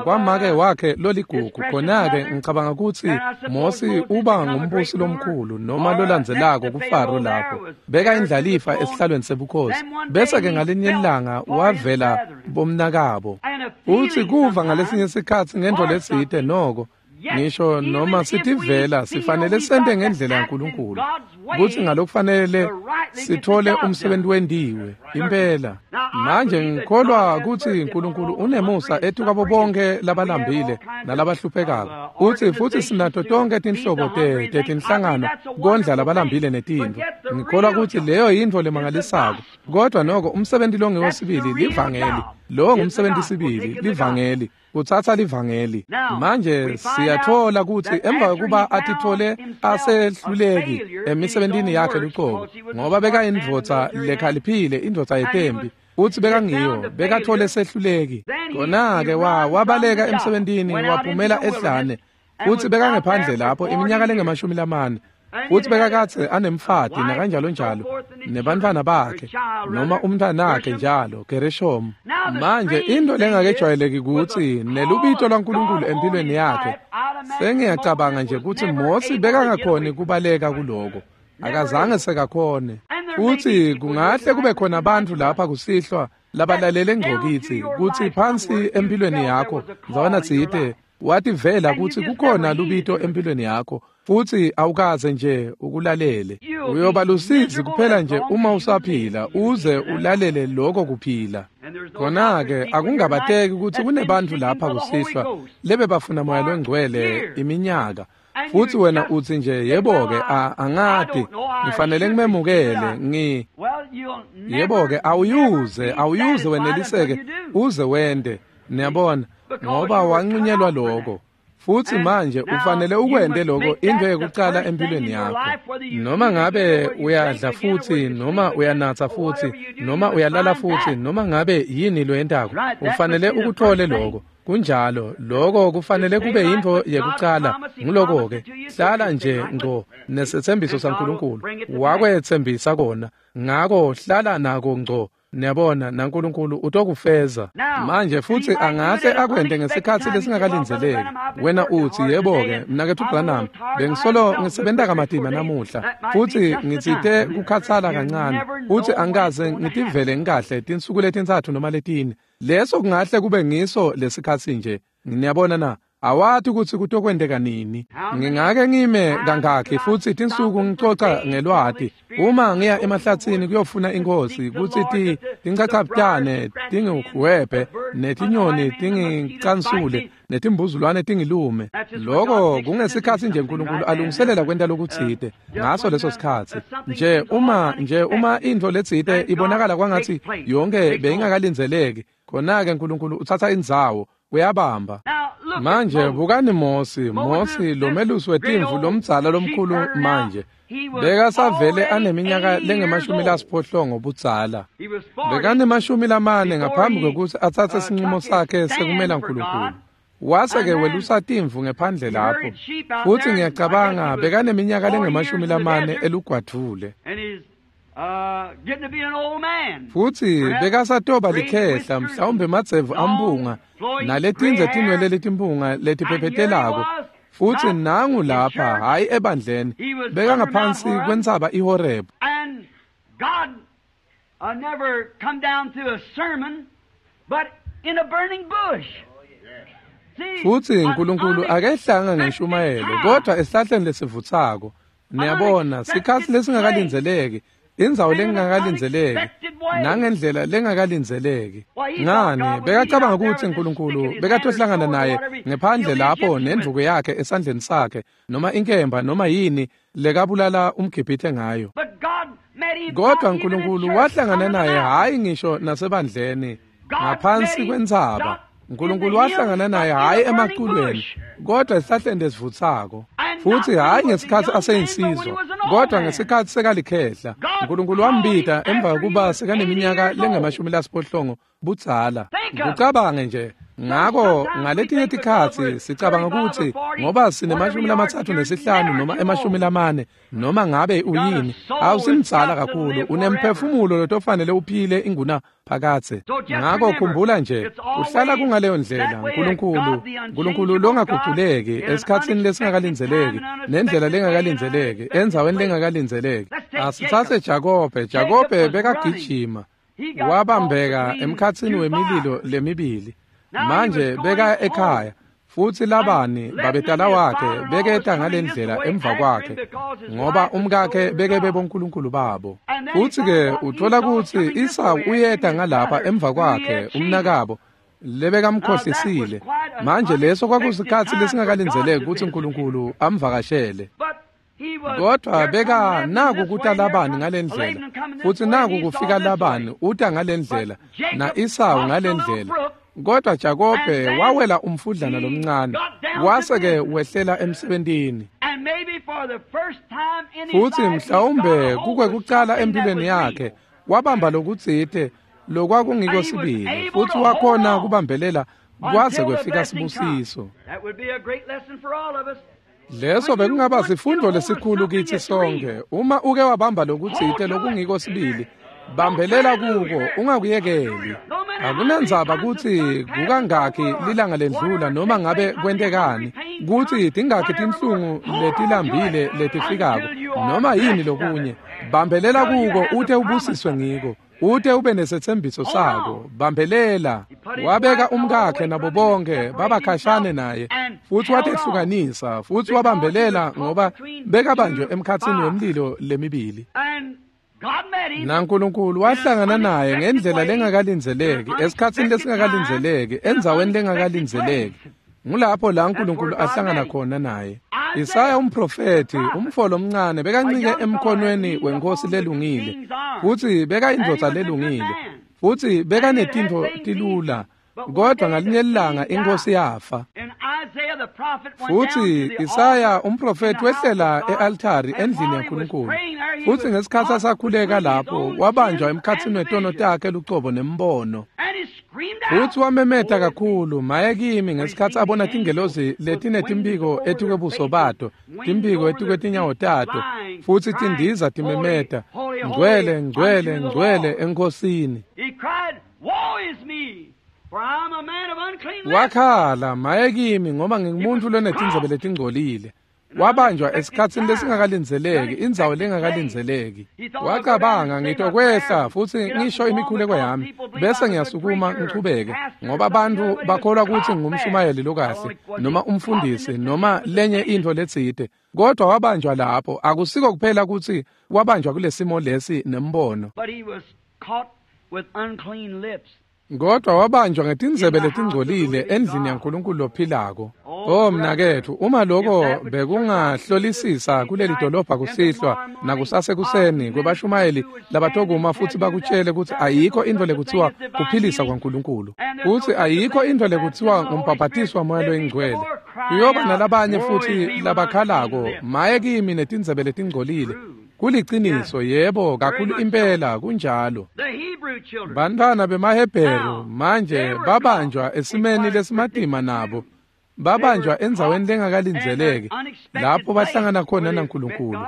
kwamake wakhe loligugu, khona-ke ngicabanga kutsi Mosi uba ngumbusi lomkhulu noma lolandzelako kuFaro lapho. Beka indlalifa esihlalweni sebukhosi. Bese-ke ngalenye lilanga wavela bomnakabo. Futhi kuva ngalesinye sikhatsi ngento letsite noko, ngisho noma sitivela sifanele sente ngendlela yaNkulunkulu kutsi ngalokufanele sithole umsebenzi wendiwe impela. Manje ngikholwa kutsi uNkulunkulu unemusa etukwabo bonke labalambile nalabahluphekako. Utsi futhi sinato tonke tinhlobo tetinhlangano kondla labalambile netintfo. Ngikholwa kutsi leyo yintfo lemangalisako, kodwa noko umsebenzi longiwo sibili livangeli. Lowo ngumsebenzi sibili livangeli, kutsatsa livangeli. Manje siyathola kutsi emva kokuba atithole asehluleki emisebentini yakhe lucobo, ngoba bekayindvodza lekhaliphile, indvodza yetempi, utsi bekangiyo, bekathole sehluleki. Khona-ke wabaleka emsebentini waphumela ehlane, futsi bekangephandle lapho iminyaka lengamashumi lamane. Futsi bekakadze anemfati nakanjalo njalo nebantfwana bakhe noma umntwanakhe njalo Gereshom. Manje into lengakejwayeleki kutsi nelubito lwaNkulunkulu empilweni yakhe, sengiyacabanga nje kutsi Mosi bekangakhoni kubaleka kuloko, akazange sekakhone. Futsi kungahle kube khona bantfu lapha kusihlwa labalalele ngcokitsi kutsi phansi empilweni yakho ndzawana tsite wativela kutsi kukhona lubito empilweni yakho, futhi awukaze nje ukulalele. Uyoba lusizi kuphela nje uma usaphila uze ulalele lokho kuphila. Khona-ke akungabateki kutsi kunebantu lapha kusihlwa lebebafuna moya longcwele iminyaka, futhi wena utsi nje yebo-ke angati ngifanele ngimemukele ngi yebo-ke awuyuze weneliseke uze wende. Niyabona, ngoba wancunyelwa lokho. Futhi manje ufanele ukwente lokho into yokuqala empilweni yakho. Noma ngabe uyadla futhi, noma uyanatha futhi, noma uyalala futhi, noma ngabe yini loyentako, ufanele ukuthole lokho. Kunjalo, lokho kufanele kube yintfo yekuqala. Nguloko-ke, hlala nje ngco nesethembiso saNkulunkulu. Wakwetsembisa kona, ngako hlala nako ngco. Niyabona, naNkulunkulu utokufeza. Manje futhi angahle akwente ngesikhatsi lesingakalindzeleki. Wena utsi, yebo-ke, mnaketfu Branham, bengisolo ngisebenta kamatima namuhla, futhi ngitsite kukhatsala kancane, futhi angikaze ngitivele ngikahle tinsuku letintsatfu noma letine. Leso kungahle kube ngiso lesikhatsi nje. Niyabona na? Awati kutsi kutokwenteka nini. Ngingake ngime kangakhi futhi tinsuku ngicoca ngelwati. Uma ngiya emahlatsini kuyofuna inkosi kutsi tinchachabutane tingihwebhe netinyoni tingicansule netimbuzulwane tingilume. Lokho kungesikhatsi nje uNkulunkulu alungiselela kwenta lokutsite ngaso leso sikhatsi. Nje uma intfo letsite ibonakala kwangatsi yonke beyingakalindzeleki, khona-ke uNkulunkulu utsatsa indzawo, uyabamba. Manje bukani Mosi lomelusi wetimvu lomdzala lomkhulu manje bekasavele aneminyaka lengama-80 budzala. Bekanemashumi-4 ngaphambi kwekutsi atsatse sincumo sakhe sekumela uNkulunkulu. Wase-ke welusa timvu ngephandle lapho, futhi ngiyacabanga bekaneminyaka lengama-40 elugwadvule. Futhi bekasatoba likhehla, mhlawumbe emadzevu ampunga naletindze tinwele letimpunga letiphephetelako. Futhi nangu lapha, hhayi ebandleni, bekangaphansi kwentsaba iHoreb. And God never come down to a sermon, but in a burning bush. Futhi uNkulunkulu akehlanga ngeshumayelo, kodwa esihlahleni lesivutsako. Niyabona, sikhatsi lesingakalindzeleki, indzawo lengakalindzeleki, nangendlela lengakalindzeleki. Ngani, bekacabanga kutsi uNkulunkulu bekatohlangana naye ngephandle lapho nendvuku yakhe esandleni sakhe, noma inkemba noma yini lekabulala umGibhithe ngayo. Kodwa uNkulunkulu wahlangana naye hhayi ngisho nasebandleni, ngaphansi kwentsaba. uNkulunkulu wahlangana naye hhayi emaculweni, kodwa esihlahleni lesivutsako. Futhi hhayi ngesikhatsi aseyinsizwa, kodwa ngesikhatsi sekalikhehla. uNkulunkulu wambita emva kokuba sekaneminyaka lengama-80 budzala. Kucabange nje. Ngako ngaletinye tikhatsi sicabanga kutsi ngoba sine-35 noma 40 noma ngabe uyini, awusimdzala kakhulu, unemphefumulo lotofanele uphile inguna phakatse. Ngako khumbula nje, uhlala kungaleyo ndlela. uNkulunkulu longaguculeki esikhatsini lesingakalindzeleki, nendlela lengakalindzeleki, endzaweni lengakalindzeleki. Asitsatse Jakobe. Jakobe bekagijima, wabambeka emkhatsini wemililo lemibili. Manje beka ekhaya, futhi Labani babetala wakhe beketa ngalendlela emva kwakhe, ngoba umkakhe beke bebonkulunkulu babo. Futhi-ke uthola kutsi Isawu uyeta ngalapha emva kwakhe umnakabo lebekamkhohlisile. Manje leso kwakusikhatsi lesingakalindzeleki kutsi uNkulunkulu amvakashele. Kodwa beka naku kuta Labani ngalendlela, futhi naku kufika Labani uta ngalendlela, na-Isawu ngalendlela. Kodwa Jakobe wawela umfudlana lomncane, wase-ke wehlela emsebentini. Futhi mhlawumbe kukwekucala empilweni yakhe wabamba lokutsite lokwakungiko sibili, futhi wakhona kubambelela kwaze kwefika sibusiso. Leso bekungaba sifundo lesikhulu kithi sonke. Uma uke wabamba lokutsite lokungiko sibili, bambelela kuko, ungakuyekeli. Akunandzaba kutsi kukangakhi lilanga lendlula noma ngabe kwentekani, kutsi tingakhi tinhlungu letilambile letifikako, noma yini lokunye, bambelela kuko ute ubusiswe ngiko, ute ube nesetsembiso sako. Bambelela. Wabeka umkakhe nabo bonke babakhashane naye, futhi watehlukanisa, futhi wabambelela ngoba bekabanjwe emkhatsini wemlilo lemibili. NaNkulunkulu wahlangana naye ngendlela lengakalindzeleki, esikhatsini lesingakalindzeleki, endzaweni lengakalindzeleki. Ngulapho la uNkulunkulu ahlangana khona naye. Isaya umprofethi, umfo lomncane, bekancike emkhonweni wenkosi lelungile, futhi bekayindvodza lelungile, futhi bekanetintfo tilula, kodwa ngalinye ilanga inkosi yafa. Futhi Isaya umprofethi wehlela e-altari endlini yaNkulunkulu, futhi ngesikhatsi asakhuleka lapho wabanjwa emkhatsini wetono takhe lucobo nembono. Futsi wamemeta kakhulu, maye kimi, ngesikhatsi abona tingelosi letinetimpiko etikwebuso bato, timphiko etikwetinyawo tato, futsi tindiza timemeta, ngcwele, ngcwele, ngcwele eNkhosini. Wakhala, maye kimi, ngoba ngingumuntfu lonetindzebe letingcolile. Wabanjwa esikhatsini lesingakalindzeleki, indzawo lengakalindzeleki. Wacabanga, ngitokwehla futsi ngisho imikhuleko yami, bese ngiyasukuma ngichubeke, ngoba bantfu bakholwa kutsi ngumshumayeli lokahle, noma umfundisi, noma lenye intfo letsite. Kodwa wabanjwa lapho, akusiko kuphela kutsi wabanjwa kulesimo lesi nembono. Kodwa wabanjwa ngetindzebe letingcolile endlini yaNkulunkulu lophilako. Oh mnaketfu, uma lokho bekungahlolisisa kuleli dolobha kusihlwa nakusasekuseni kwebashumayeli labatokuma futsi bakutshele kutsi ayikho intfo lekutsiwa kuphilisa kwaNkulunkulu, kutsi ayikho intfo lekutsiwa ngumbhabhatiso waMoya loyiNgcwele. Kuyoba nalabanye futsi labakhalako, maye kimi netindzebe letingcolile. Kuliciniso, yebo, kakhulu impela kunjalo. Bantfwana bemaHebheru manje babanjwa esimeni lesimatima nabo. Babanjwa endzaweni lengakalindzeleki lapho bahlangana khona naNkulunkulu,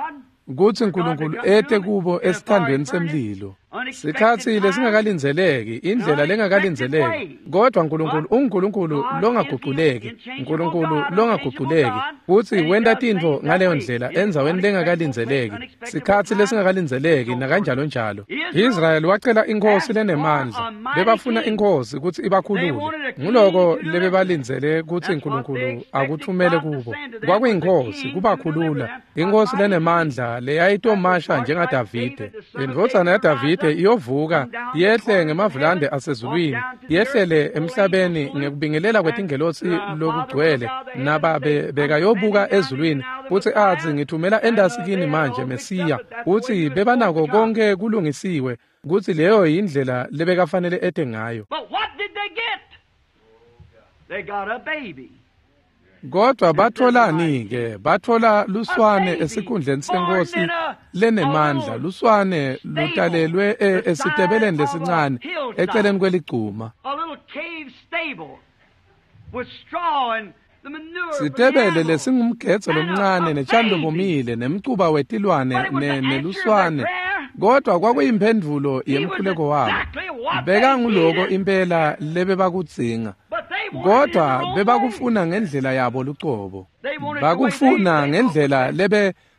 kutsi Nkulunkulu ete kubo esithandweni semlilo. Sikhatsi lesingakalindzeleki, indlela lengakalindzeleki, kodwa Nkulunkulu unguNkulunkulu longaguculeki, Nkulunkulu longaguculeki, futsi wenta tintfo ngaleyo ndlela endzaweni lengakalindzeleki, sikhatsi lesingakalindzeleki nakanjalo njalo. Israyeli wacela inkhosi lenemandla, bebafuna inkhosi kutsi ibakhulule. Nguloko lebebalindzele kutsi Nkulunkulu akuthumele kubo. Kwakuyinkhosi kubakhulula, inkhosi lenemandla leyayitomasha njengaDavide. Indvodzana yaDavide iyovuka yehle ngemavulande asezulwini, yehlele emhlabeni ngekubingelela kwetingelosi lokugcwele, nababe bekayobuka ezulwini futsi atsi, ngithumela endasi kini manje Mesiya. Utsi bebanako konke kulungisiwe, kutsi leyo yindlela lebekafanele ete ngayo. Kodwa batholani-ke? Bathola luswane esikhundleni senkosi lenemandla, luswane lutalelwe esitebeleni lesincane eceleni kweligcuma. Sitebele lesingumgedze lomncane netjani lobomile nemcuba wetilwane neluswane, kodwa kwakuyimphendvulo yemkhuleko wabo. Bekanguloko impela lebebakudzinga, kodwa bebakufuna ngendlela yabo lucobo. Bakufuna ngendlela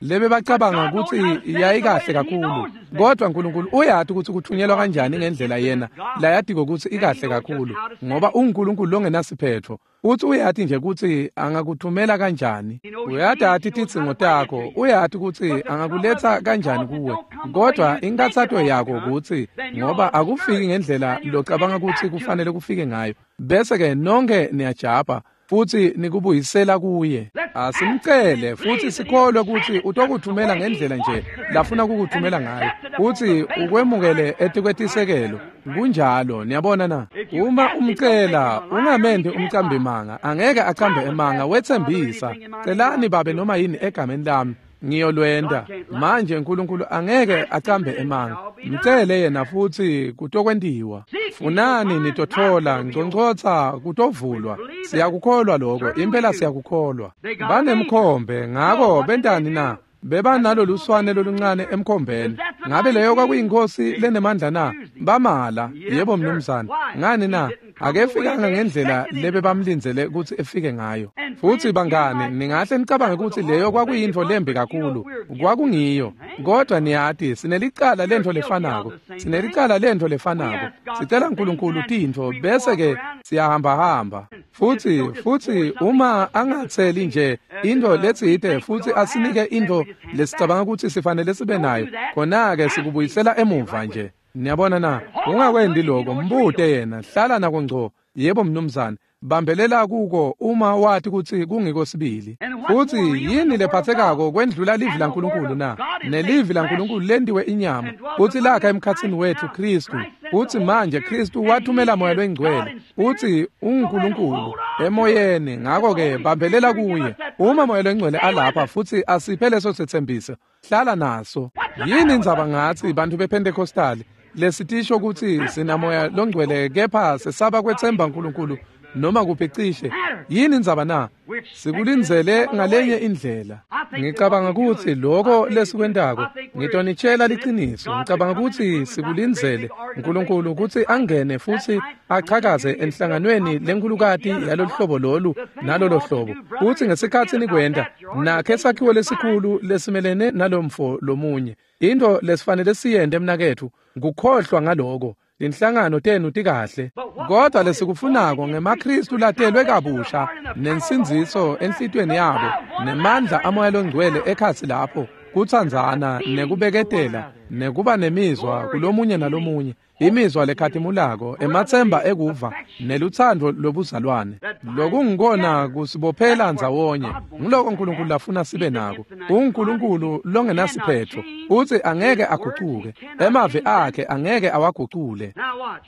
lebebacabanga kutsi yayikahle kakhulu, kodwa Nkulunkulu uyati kutsi kuthunyelwa kanjani ngendlela yena layatiko kutsi ikahle kakhulu, ngoba unguNkulunkulu longenasiphetfo. Utsi uyati nje kutsi angakuthumela kanjani. Uyatati tidzingo takho, uyati kutsi angakuletsa kanjani kuwe. Kodwa inkathato yakho kutsi ngoba akufiki ngendlela locabanga kutsi kufanele kufike ngayo, bese-ke nonke niyajabha futsi nikubuyisela kuye. Asimcele futsi sikholwe kutsi utokuthumela ngendlela nje lafuna kukuthumela ngayo, futsi ukwemukele etikwetisekelo. Kunjalo, niyabona na? Uma umcela, ungamendi umcambimanga, angeke acambe emanga, wetsembisa. Celani babe noma yini egameni lami, ngiyolwenta. Manje Nkulunkulu angeke acambe emanga. Mcele yena futsi kutokwentiwa. Funani nitothola, ngcongcotsa kutovulwa. Siyakukholwa lokho, impela siyakukholwa. Banemkhombe, ngako bentani na? Bebanalo luswane loluncane emkhombeni. Ngabe leyo kwakuyinkosi lenemandla na? Bamala, yebo mnumzane. Ngani na? Akefikanga ngendlela lebebamlindzele kutsi efike ngayo. Futsi bangani, ningahle nicabange kutsi leyo kwakuyintfo lembi kakhulu. Kwakungiyo. Kodwa niyati, sinelicala lentfo lefanako. Sinelicala lentfo lefanako. Sicela Nkulunkulu tintfo bese-ke siyahambahamba. Futsi uma angatseli nje intfo letsite futsi asinike intfo lesicabanga kutsi sifanele sibe nayo, khona-ke sikubuyisela emuva nje. Niyabona na? Ungakwendi lokho, mbute yena, hlala nako ngco. Yebo mnumzane, bambelela kuko uma wati kutsi kungiko sibili. Futsi yini lephathekako kwendlula livi laNkulunkulu na? Nelivi laNkulunkulu lentiwe inyama, futsi lakha emkhatsini wetfu Khristu. Futsi manje Khristu wathumela Moya loyiNgcwele, futsi unguNkulunkulu emoyeni, ngako-ke bambelela kuye. Uma Moya loyiNgcwele alapha futsi asiphe leso setsembiso, hlala naso. Yini indzaba ngatsi bantfu bePentecostali? lesitisho kutsi sinamoya longcwele kepha sesaba kwetsemba uNkulunkulu noma kuphi cishe. Yini indzaba na? Sikulindzele ngalenye indlela. Ngicabanga kutsi lokho lesikwentako, ngitonitshela liciniso, ngicabanga kutsi sikulindzele uNkulunkulu kutsi angene futsi achakaze enhlanganweni lenkhulukati yalolu hlobo lolu nalolo hlobo. Futsi ngesikhatsi nikwenta, nakhe sakhiwo lesikhulu lesimelene nalomfo lomunye. Into lesifanele siyente, mnaketfu, kukhohlwa ngaloko. Tinhlangano tenu tikahle, kodwa lesikufunako ngemaKristu latelwe kabusha nensindziso enhlitiyweni yabo nemandla amoya longcwele ekhatsi lapho, kutsandzana nekubeketela nekuba nemizwa kulomunye nalomunye, imizwa lekhatimulako, ematsemba ekuva nelutsandvo lobuzalwane. Lokungikona kusibophela ndzawonye. Ngiloko uNkulunkulu lafuna sibe nako. UNkulunkulu longenasiphetho utsi angeke agucuke, emavi akhe angeke awagucule. Now watch.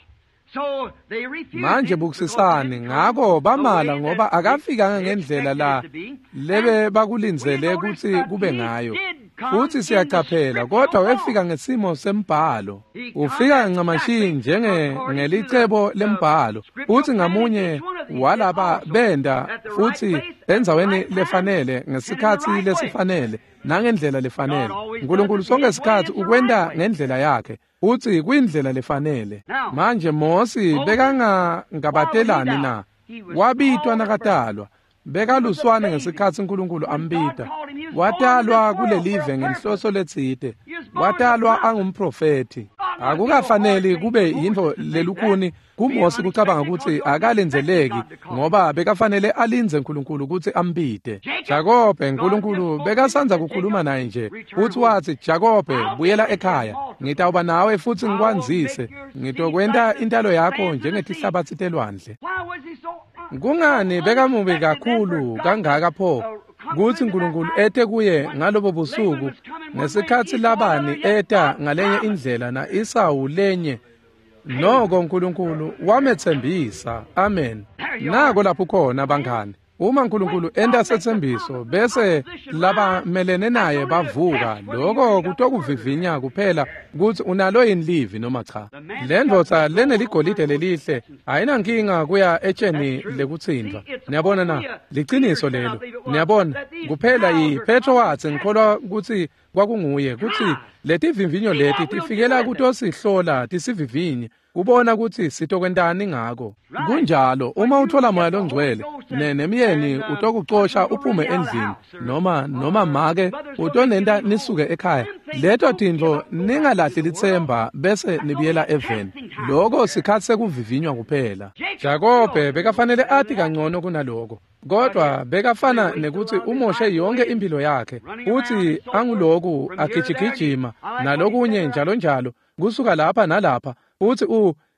So they refused Manje him bukisisani. because he didn't Ngako come the bamala way ngoba that akafikanga they ngendlela expected la it to be. lebe And bakulindzele we kutsi notice that kube he ngayo. did come Futsi in the siyacaphela, kodwa scriptural wefika form. ngesimo sembhalo. He Ufika come ncamashi exactly njenge according to ngelicebo the lembhalo. scriptural Futsi plan. ngamunye Each one of these did walaba also benda at the right futsi place, at the endzaweni right time, lefanele and in the ngesikhatsi right way. lesifanele nangendlela lefanele. God always does uNkulunkulu it sonke his way. isikhatsi It's the right ukwenta way. ngendlela yakhe. Uthi kuyindlela lefanele. Now, Manje Mosi Moses, why would he bekangangabatelani die? na? He was Wabitwa called at birth. nakatalwa. He was a Bekaluswane baby. ngesikhatsi uNkulunkulu When God ambita. called him, he was born in Watalwa this world for a kulelive purpose. ngenhloso letsite. He was born as a Watalwa prophet. angumprofethi. God must be no hard Akukafaneli thing kube for Moses yintfo to think that, lelukhuni being kuMosi kucabanga unexpected, because kutsi he wasn't expecting akalindzeleki God to call him. ngoba bekafanele alindze uNkulunkulu kutsi ambite. Jacob, Jakobe, God just uNkulunkulu spoke to him bekasandza and said, kukhuluma Jacob, naye nje. return Futsi home. watsi, Jakobe, I'll be buyela with you ekhaya. multiply. Ngitawuba nawe futsi I will make ngikwandzise. your seed Ngitokwenta like the intalo yakho sands of the sea. njengetihlabatsi telwandle. Why was he so Kungani bekamubi unexpected then for kakhulu God to kangaka pho come to kutsi him at that uNkulunkulu night ete kuye when ngalobo Laban busuku was coming one way, ngesikhatsi Esau another, Labani yet eta God ngalenye promised. indlela na-Esawu lenye? Noko uNkulunkulu wametsembisa. Amen. There you Nako are. lapho khona, bangani. Uma uNkulunkulu When enta God makes a setsembiso promise and bese opposition rise, labamelene that's naye only to bavuka, test whether you loko really got the word or not. kutokuvivinya kuphela kutsi unalo yini livi noma cha. The man that Le got ndvodza the gold on leneligolide my nose lelihle sections. ayinankinga kuya That's etsheni true. lekutsintfwa. See, it's Niyabona only na? a Peter Liciniso said, I lelo. believe it was, Niyabona? that these Kuphela trials yi are Petro come to watsi, test ngikholwa us. kutsi kwakunguye, kutsi Try. letivivinyo See leti what we'll do tifikela with it. kutosihlola tisivivinye kubona kutsi sitokwentani ngako. Right. Kunjalo, When uma you uthola get moya the Holy longcwele Ghost nemyeni and utokucosha husband's gonna uphume run you out of the endlini house, or noma make mother's gonna make you utonenta leave home. nisuke ekhaya. Them things Leto don't give tintfo up, go back to ningalahli the world. litsemba bese That's only nibuyela a eveni. testing time Loko there. sikhatsi sekuvivinywa kuphela. Jacob he Jakobe ought to know bekafanele better than ati that. kangcono kunaloko. But Kodwa yet they bekafana wasted a nekutsi lot of his umoshe life yonke away impilo yakhe. running around and Utsi so forth anguloku from here to there. agijigijima I like what he said nalokunye there. njalo njalo kusuka lapha nalapha. Utsi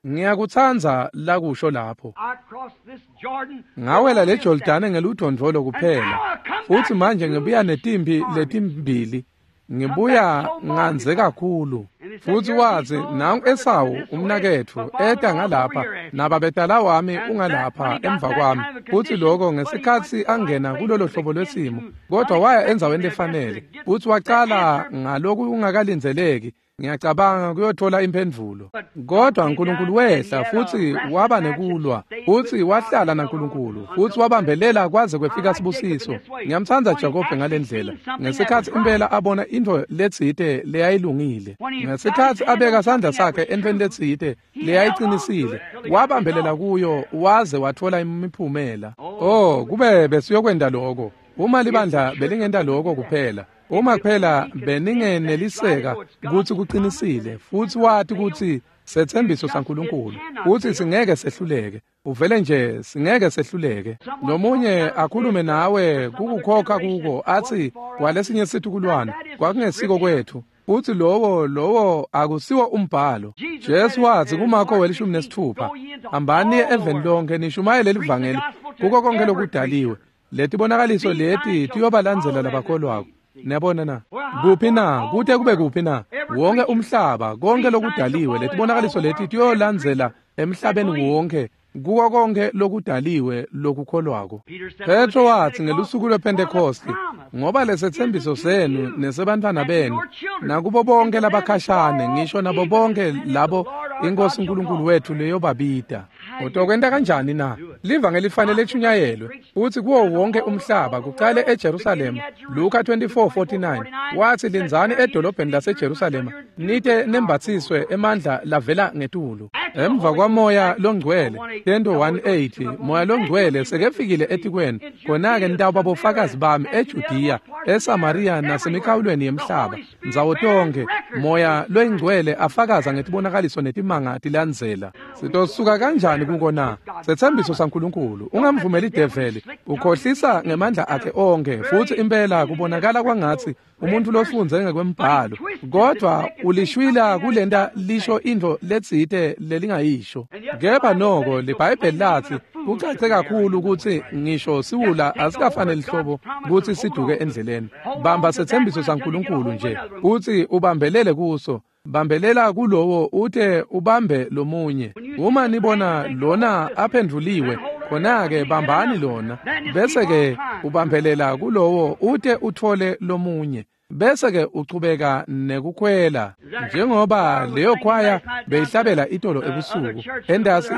ngiyakutsandza lakusho lapho. I crossed this Jordan with Ngawela only le a staff. Jordane ngeludvondvolo And kuphela. now I come Futsi back manje with ngibuya two netimpi armies. letimbili. Come back Ngibuya so ngandze multiplied. kakhulu. And he said, Futsi Here watsi, Esau, my nangu brother, coming Esawu this way, my umnaketfu eta father-in-law's over ngalapha here after me. nababetala wami And that when ungalapha he got emva that kwami. kind of a Futsi condition, loko but he went ngesikhatsi to the right angena place kulolo and hlobo began lwesimo, to kodwa waya endzaweni unexpectedly, I guess, to lefanele. get Futsi the wacala answer. ngalokungakalindzeleki. Ngiyacabanga kuyothola imphendvulo. But God Kodwa came uNkulunkulu down and he wehla had a futsi wrestling waba match and nekulwa, stayed with futsi God wahlala and held on naNkulunkulu, until futsi the blessing. wabambelela kwaze I kwefika like Jacob in sibusiso. this way. Ngiyamtsandza When he Jakobe actually ngale ndlela. seen something that was Ngesikhatsi right, impela abona intfo letsite leyayilungile, when he got his ngesikhatsi hand on abeka sandla something that sakhe was entfweni true, letsite he held on to leyayiqinisile, it till he got wabambelela results. kuyo waze wathola imiphumela. Oh, Oh, kube besiyokwenta loko. Uma if the libandla church belingenta would loko do that, kuphela, if uma it kuphela only could sense that it's right and beningeneliseka know it's God's kutsi promise and kuqinisile it futsi cannot wati fail, kutsi you setsembiso just it saNkulunkulu cannot kutsi fail. singeke sehluleke, uvele nje singeke sehluleke. Someone talked Lomunye out and said akhulume nawe for some other kukukhokha generation kuko it wasn't atsi for us. kwalesinye Now situkulwane that isn't kwakungesiko scripture. kwethu. Futsi lowo akusiwo umbhalo. Jesus said Jesu watsi in kuMarko Mark welishumi 16, nesitfupha, Go ye into hambani niye all the eveni world, lonke nishumayele preach the livangeli gospel to kuko konke every lokudaliwe. creature. Letibonakaliso These leti signs shall tiyobalandzela follow them that labakholwako. believe. See? Niyabona na? Well, how Kuphi far? na? All the Kute kube world, kuphi na? every Wonke creature. umhlaba, konke These signs shall lokudaliwe, follow in all letibonakaliso the leti world, every tiyolandzela creature that emhlabeni believes. wonke, kuko konke lokudaliwe lokukholwako. Peter said on the Petro day of watsi Pentecost, ngelusuku for the lwePhentekosti, promise Ngoba lesetsembiso senu nesebantfwana benu nakubo bonke labakhashane, ngisho nabo bonke labo iNkosi uNkulunkulu wethu leyobabita. Utokwenta kanjani na? Livangeli lifanele lishunyayelwe futhi kuwo wonke umhlaba, kuqale eJerusalema. Luka 24:49 wathi, lindzani edolobheni laseJerusalema nite nembatsiswe emandla lavela ngetulu. Emva kwaMoya Longcwele, Tento 1:8, Moya Longcwele sekefikile etikweni, khona-ke nitawuba bofakazi bami eJudiya, eSamariya nasemikhawulweni yemhlaba. Ndzawo tonkhe Moya Loyingcwele afakaza ngetibonakaliso netimanga tilandzela. Sitosuka kanjani kuko na? Setsembiso saNkulunkulu. Ungamvumeli develi ukhohlisa ngemandla akhe onke, futhi impela kubonakala kwangatsi umuntu lofundze ngekwembhalo, kodwa ulishwila kulenta lisho intfo letsite lelingayisho. Kepha noko liBhayibheli lathi kucace kakhulu ukuthi ngisho siwula asikafanele hlobo kutsi siduke endleleni. Bamba setsembiso saNkulunkulu nje, uthi ubambelele kuso. Bambelela kulowo ute ubambe lomunye. Uma nibona lona aphendvuliwe, khona-ke bambani lona, bese-ke ubambelela kulowo ute uthole lomunye, bese-ke uchubeka nekukhwela. Njengoba leyo khwaya beyihlabela itolo ebusuku endasi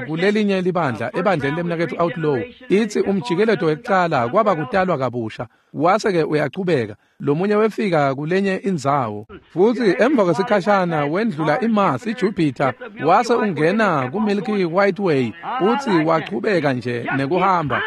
kulelinye libandla, ebandleni lemnaketfu Outlaw, ithi umjikeleto wekucala kwaba kutalwa kabusha, wase-ke uyachubeka lomunye wefika kulenye indzawo, futhi emva kwesikhashana wendlula iMars, iJupiter, wase ungena ku-Milky White Way, uthi wachubeka nje nekuhamba.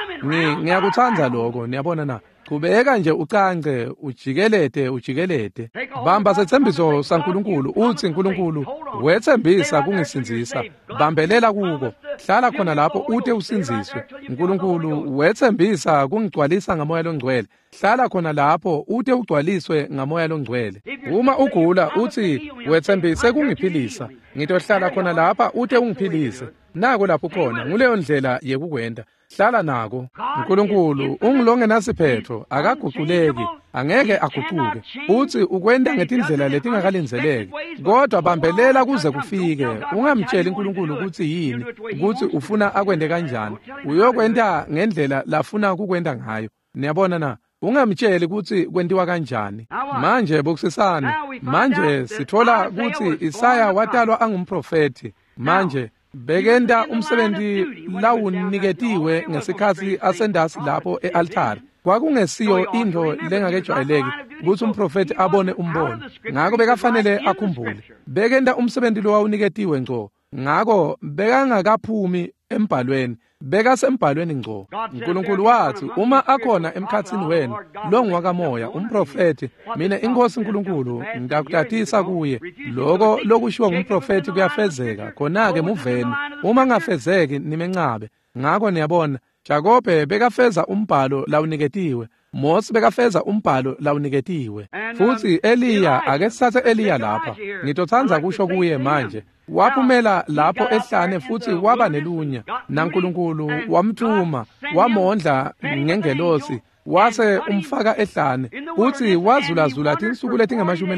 Ngiyakutsandza lokho, niyabona na? Chubeka nje ucance, ujikelete, ujikelete. Bamba setsembiso saNkulunkulu, uthi Nkulunkulu wetsembisa kungisindzisa. Bambelela kuko, hlala khona lapho ute usindziswe. Nkulunkulu wetsembisa kungigcwalisa ngaMoya Longcwele. Hlala khona lapho ute ugcwaliswe ngaMoya Longcwele. Uma ugula uthi wetsembise kungiphilisa, ngitohlala khona lapha ute ungiphilise. Nako lapho khona, nguleyo ndlela yekukwenta. Hlala nako. Nkulunkulu ungulongenasiphetho, akaguculeki, angeke agucuke. Uthi ukwenta ngetindlela letingakalindzeleki, kodwa bambelela kuze kufike. Ungamtsheli Nkulunkulu kutsi yini, kutsi ufuna akwente kanjani. Uyokwenta ngendlela lafuna kukwenta ngayo. Niyabona na? Ungamtsheli kutsi kwentiwa kanjani. Manje bukisisani. Manje sithola kutsi Isaya watalwa angumprofethi. Manje bekenta umsebenzi lawuniketiwe ngesikhatsi asendasi lapho e-altari. Kwakungesiyo intfo lengakejwayeleki kutsi umprofethi abone umbono, ngako bekafanele akhumbule. Bekenta umsebenzi lowawuniketiwe ngco, ngako bekangakaphumi embhalweni, bekasembhalweni ngco. Nkulunkulu wathi, uma akhona emkhatsini wenu longwakamoya umprofethi, mina iNkosi Nkulunkulu ngitakutatisa kuye. Loko lokushiwo ngumprofethi kuyafezeka, khona-ke muveni. Uma ngafezeki nimencabe. Ngako niyabona, Jakobe bekafeza umbhalo lawuniketiwe, Mose bekafeza umbhalo lawuniketiwe. Futhi Eliya, ake sithathe Eliya lapha. Ngitotsandza kusho kuye manje. Waphumela lapho ehlane futhi waba nelunya, naNkulunkulu wamthuma, wamondla ngengelosi, wase umfaka ehlane, futhi wazulazula tinsuku letingamashumi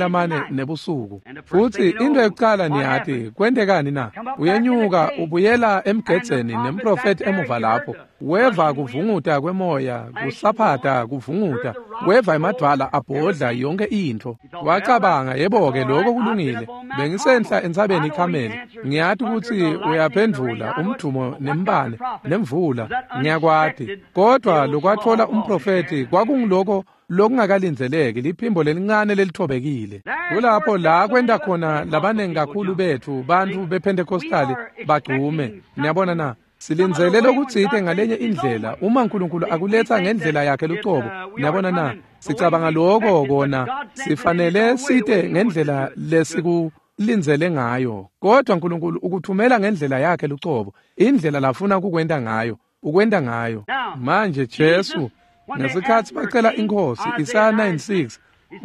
nebusuku. Futhi into yokucala niyati kwentekani na? Uyenyuka ubuyela emgedzeni nemprofethi emuva lapho, weva kuvunguta kwemoya, kusaphata kuvunguta, weva emadvwala abhodla yonke intfo. Wacabanga, yebo-ke lokho kulungile, bengisenhla entsabeni iKhameli, ngiyati kutsi uyaphendvula umdvumo nembane nemvula, ngiyakwati. Kodwa lokwatfola umprofethi kwakungiloko lokungakalindzeleki, liphimbo lelincane lelithobekile. Kulapho la kwenta khona labanengi kakhulu bethu bantfu bePentecostali bagcume. Niyabona na? Silindzele lokutsite ngalenye indlela uma Nkulunkulu akuletsa ngendlela yakhe lucobo. Niyabona na? Sicabanga lokho kona sifanele site ngendlela lesikulindzele ngayo, kodwa Nkulunkulu ukuthumela ngendlela yakhe lucobo, indlela lafuna kukwenta ngayo, ukwenta ngayo. Manje Jesu ngesikhatsi bacela iNkhosi, Isaya 9:6,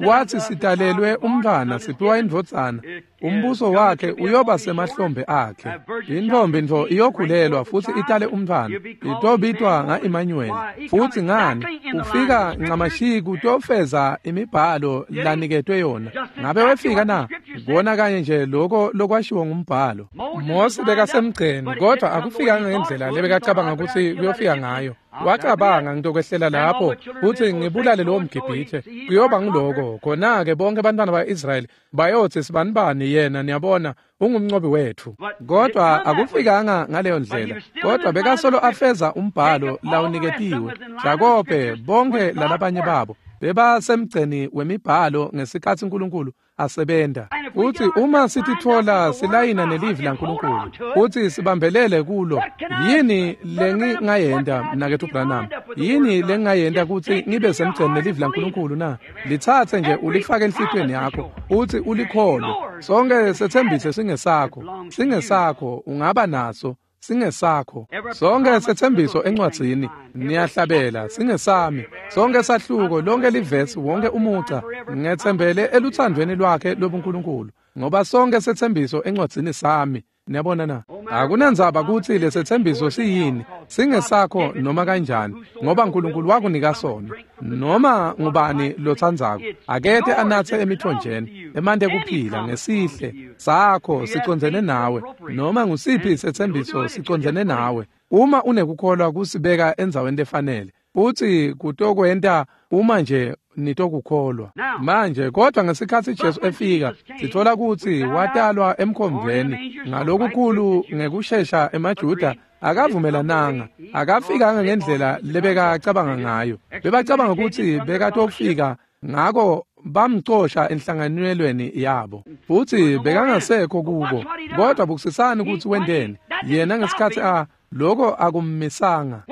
wathi sitalelwe umntfwana, siphiwa indvodzana, umbuso wakhe uyoba semahlombe akhe. Intombi ntfo iyokhulelwa futhi itale umntfwana, itobitwa nga-Emmanuel. Futhi ngani? Ufika ncamashi kutofeza imibhalo laniketwe yona. Ngabe wefika na? Kona kanye nje lokho lokwashiwo ngumbhalo. Mose bekasemgceni, kodwa akufikanga ngendlela lebekacabanga kutsi kuyofika ngayo. Wacabanga, ngitokwehlela lapho kutsi ngibulale lowo mGibhithe, kuyoba ngiloko. Khona-ke bonke bantwana ba-Israyeli bayotsi sibanibani yena, niyabona, ungumncobi wetfu. Kodwa akufikanga ngaleyo ndlela, kodwa bekasolo afeza umbhalo lawuniketiwe. Jakobe, bonke lalabanye babo bebasemgceni wemibhalo ngesikhatsi uNkulunkulu asebenta. Futsi uma sititfola silayina nelivi laNkulunkulu futsi sibambelele kulo, yini lengingayenta, mnaketfu Branham? Yini lengingayenta kutsi ngibe semgceni nelivi laNkulunkulu na? Litsatse nje ulifake enhlitiyweni yakho futsi ulikholwe. Sonke setsembise singesakho, singesakho, ungaba naso. Singesakho. Sonke setsembiso encwadzini, niyahlabela, singesami. Sonke sahluko, lonke livesi, wonke umuca, ngetsembele eluthandweni lwakhe lobuNkulunkulu, ngoba sonke setsembiso encwadzini sami. Niyabona na? Akunandzaba kutsi lesetsembiso siyini, singesakho noma kanjani, ngoba uNkulunkulu wakunika sona. Noma ngubani lotsandzako, akete anatse emithonjeni emanti ekuphila ngesihle sakho sicondzene nawe. Noma ngusiphi setsembiso sicondzene nawe. Uma unekukholwa kusibeka endzaweni lefanele, futsi kutokwenta uma nje nitokukholwa. Manje, kodwa ngesikhatsi Jesu efika, sitfola kutsi watalwa emkhomveni ngalokukhulu ngekushesha emaJuda akavumelananga, akafikanga ngendlela lebekacabanga ngayo. Bebacabanga kutsi bekatofika, ngako bamcosha enhlanganelweni yabo, futsi bekangasekho kubo. Kodwa bukusisani kutsi wenteni yena ngesikhatsi a lokho akummisanga.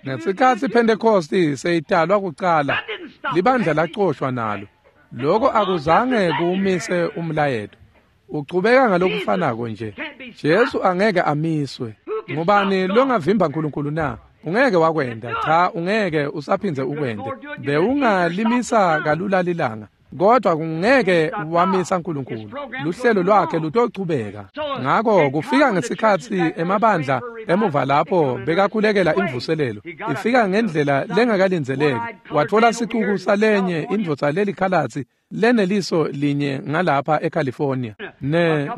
Ngesikhatsi Pentecost seyitalwa kucala, libandla lacoshwa nalo. Lokho akuzange kuwumise umlayeto. Uchubeka ngalokufanako nje. Jesu angeke amiswe. Ngubani longavimba uNkulunkulu na? Ungeke wakwenda. Cha, ungeke usaphindze ukwende. Bewungalimisa kalula lilanga, kodwa kungeke wamisa uNkulunkulu. Luhlelo lwakhe lutochubeka. Ngako kufika ngesikhatsi emabandla emuva lapho bekakhulekela imvuselelo, ifika ngendlela lengakalindzeleki. Watfola sicuku salenye indvodza lelikhalatsi leneliso linye ngalapha eCalifornia,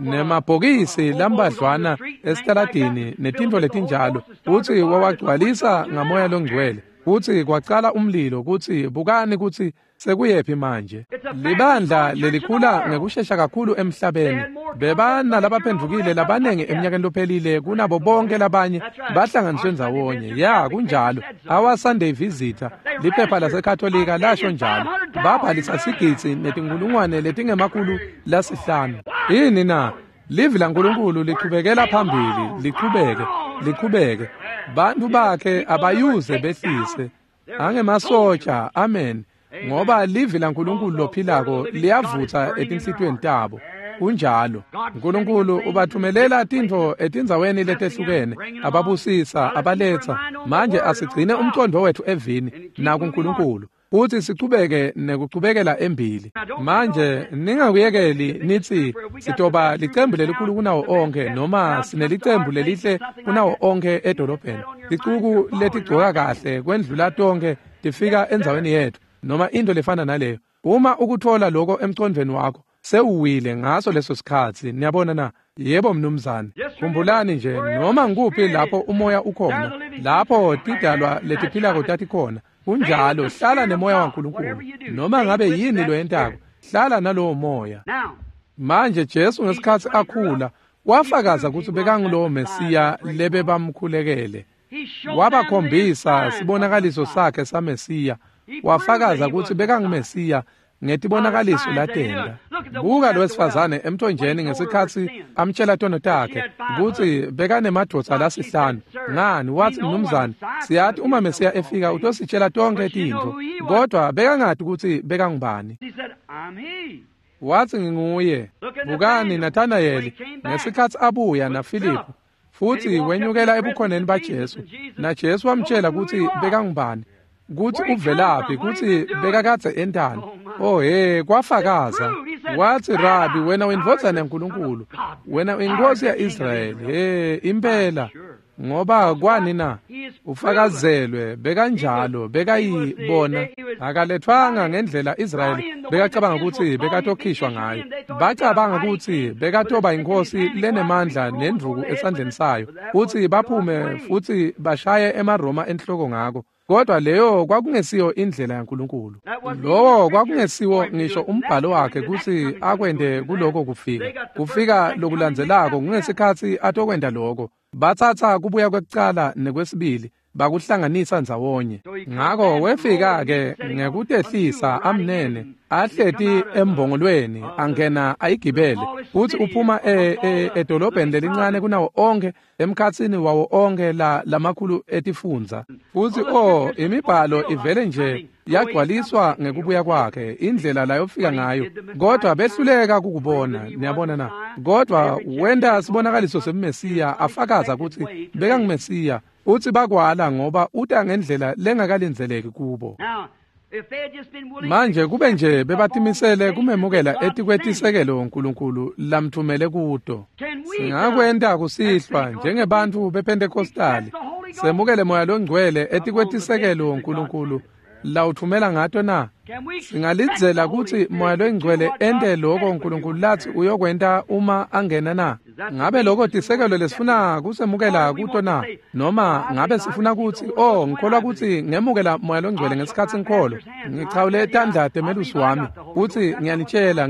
nemabhokisi lambadlwana esitaladini netintfo letinjalo, futsi wawagcwalisa ngamoya longcwele, futsi kwacala umlilo. Kutsi bukani kutsi sekuyephi manje. Libandla lelikhula ngekushesha kakhulu emhlabeni. Bebanalabaphendvukile labanengi eminyakeni lophelile kunabo bonke labanye bahlanganiswe ndzawonye. Ya, kunjalo. Our Sunday Visitor, liphepha laseKatolika lasho njalo. Babhalisa sigidzi netinkulungwane letingema-500. Yini na? Livi laNkulunkulu lichubekela phambili, lichubeke, lichubeke. Bantu bakhe abayuze behlise. Angemasotsha, amen. Ngoba livi laNkulunkulu lophilako liyavutsa etinhlitiyweni tabo. Kunjalo. uNkulunkulu ubathumelela tintfo etindzaweni letehlukene, ababusisa, abaletsa. Manje asigcine umcondvo wethu evini nakuNkulunkulu, futsi sichubeke nekuchubekela embili. Manje ningakuyekeli nitsi sitoba licembu lelikhulu kunawo onke, noma sinelicembu lelihle kunawo onke edolobheni. Ticuku letigcoka kahle kwendlula tonke tifika endzaweni yetfu, noma into lefana naleyo. Uma ukuthola lokho emcondvweni wakho, sewuwile ngaso leso sikhatsi. Niyabona na? Yebo mnumzane. Khumbulani nje, noma ngikuphi lapho umoya ukhona, lapho tidalwa letiphilako tatikhona. Kunjalo, hlala nemoya waNkulunkulu. Noma ngabe yini loyentako, hlala nalowo moya. Manje Jesu ngesikhatsi akhula, wafakaza kutsi bekangulowo Mesiya lebebamkhulekele. Wabakhombisa sibonakaliso sakhe saMesiya. Wafakaza kutsi bekanguMesiya ngetibonakaliso latenta. Buka lo wesifazane emthonjeni ngesikhatsi amtshela tono takhe kutsi bekanemadvodza lasihlanu. Ngani, watsi, mnumzane, siyati uma Mesiya efika utositshela tonkhe tintfo, kodwa bekangati kutsi bekangubani. Watsi, nginguye. Bukani Nathanayeli ngesikhatsi abuya naFiliphu, futsi wenyukela ebukhoneni baJesu, naJesu wamtshela kutsi bekangubani, kutsi uvelaphi, kutsi bekakadze entani. Oh he, kwafakaza. Watsi, Rabi, wena uyindvodzana yaNkulunkulu, wena uyinkosi ya-Israyeli. He, impela. Ngoba kwani na? Ufakazelwe bekanjalo, bekayibona. Akaletfwanga ngendlela Israyeli bekacabanga ukuthi bekatokhishwa ngayo. Bacabanga ukuthi bekatoba inkosi lenemandla nendvuku esandleni sayo, futhi baphume futhi bashaye emaRoma enhloko ngako. Kodwa leyo kwakungesiyo indlela yaNkulunkulu. Lowo kwakungesiwo ngisho umbhalo wakhe kutsi akwente kuloko kufika. Kufika lokulandzelako kungesikhatsi atokwenta loko. Batsatsa kubuya kwekucala nekwesibili bakuhlanganisa ndzawonye. Ngako wefika-ke ngekutehlisa amnene ahleti embongolweni angena ayigibele, futsi uphuma edolobheni lelincane kunawo onke emkhatsini wawo onke lamakhulu etifundza. Futsi imibhalo ivele nje yagcwaliswa ngekubuya kwakhe, indlela layofika ngayo, kodwa behluleka kukubona. Niyabona na? Kodwa wenta sibonakaliso semMesiya, afakaza kutsi bekanguMesiya, utsi bakwala ngoba uta ngendlela lengakalindzeleki kubo. Manje kube nje bebatimisele kumemukela etikwetisekelo uNkulunkulu lamthumele kuto. Singakwenta kusihlwa njengebantfu bePentecostali, semukele Moya Longcwele etikwetisekelo uNkulunkulu lawuthumela ngato na? Singalidzela kutsi Moya Longcwele ente loko uNkulunkulu latsi uyokwenta uma angena na? Ngabe loko tisekelo lesifuna kusemukela kuto na? Noma ngabe sifuna kutsi ngikholwa kutsi ngemukela Moya Longcwele ngesikhatsi ngikholwa, ngichawule tandla temelusi wami, kutsi ngiyanitshela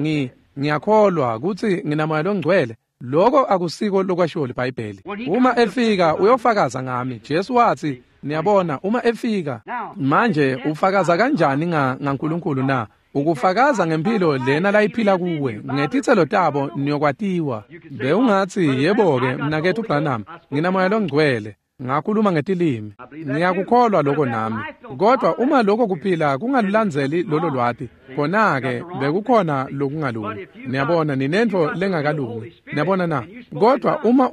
ngiyakholwa kutsi ngina Moya Longcwele? Loko akusiko lokwashiwo liBhayibheli. Uma efika uyofakaza ngami. Jesu watsi, niyabona, uma efika. Manje ufakaza kanjani ngaNkulunkulu na? Ukufakaza ngempilo lena layiphila kuwe, ngetitselo tabo niyokwatiwa. Bewungatsi, yebo-ke, mnaketfu Branham, ngina Moya Longcwele, ngakhuluma ngetilimi, ngiyakukholwa loko nami. Kodwa uma lokho kuphila kungalulandzeli lolo lwati, khona-ke bekukhona lokungalungi. Niyabona, ninentfo lengakalungi. Niyabona na? Kodwa uma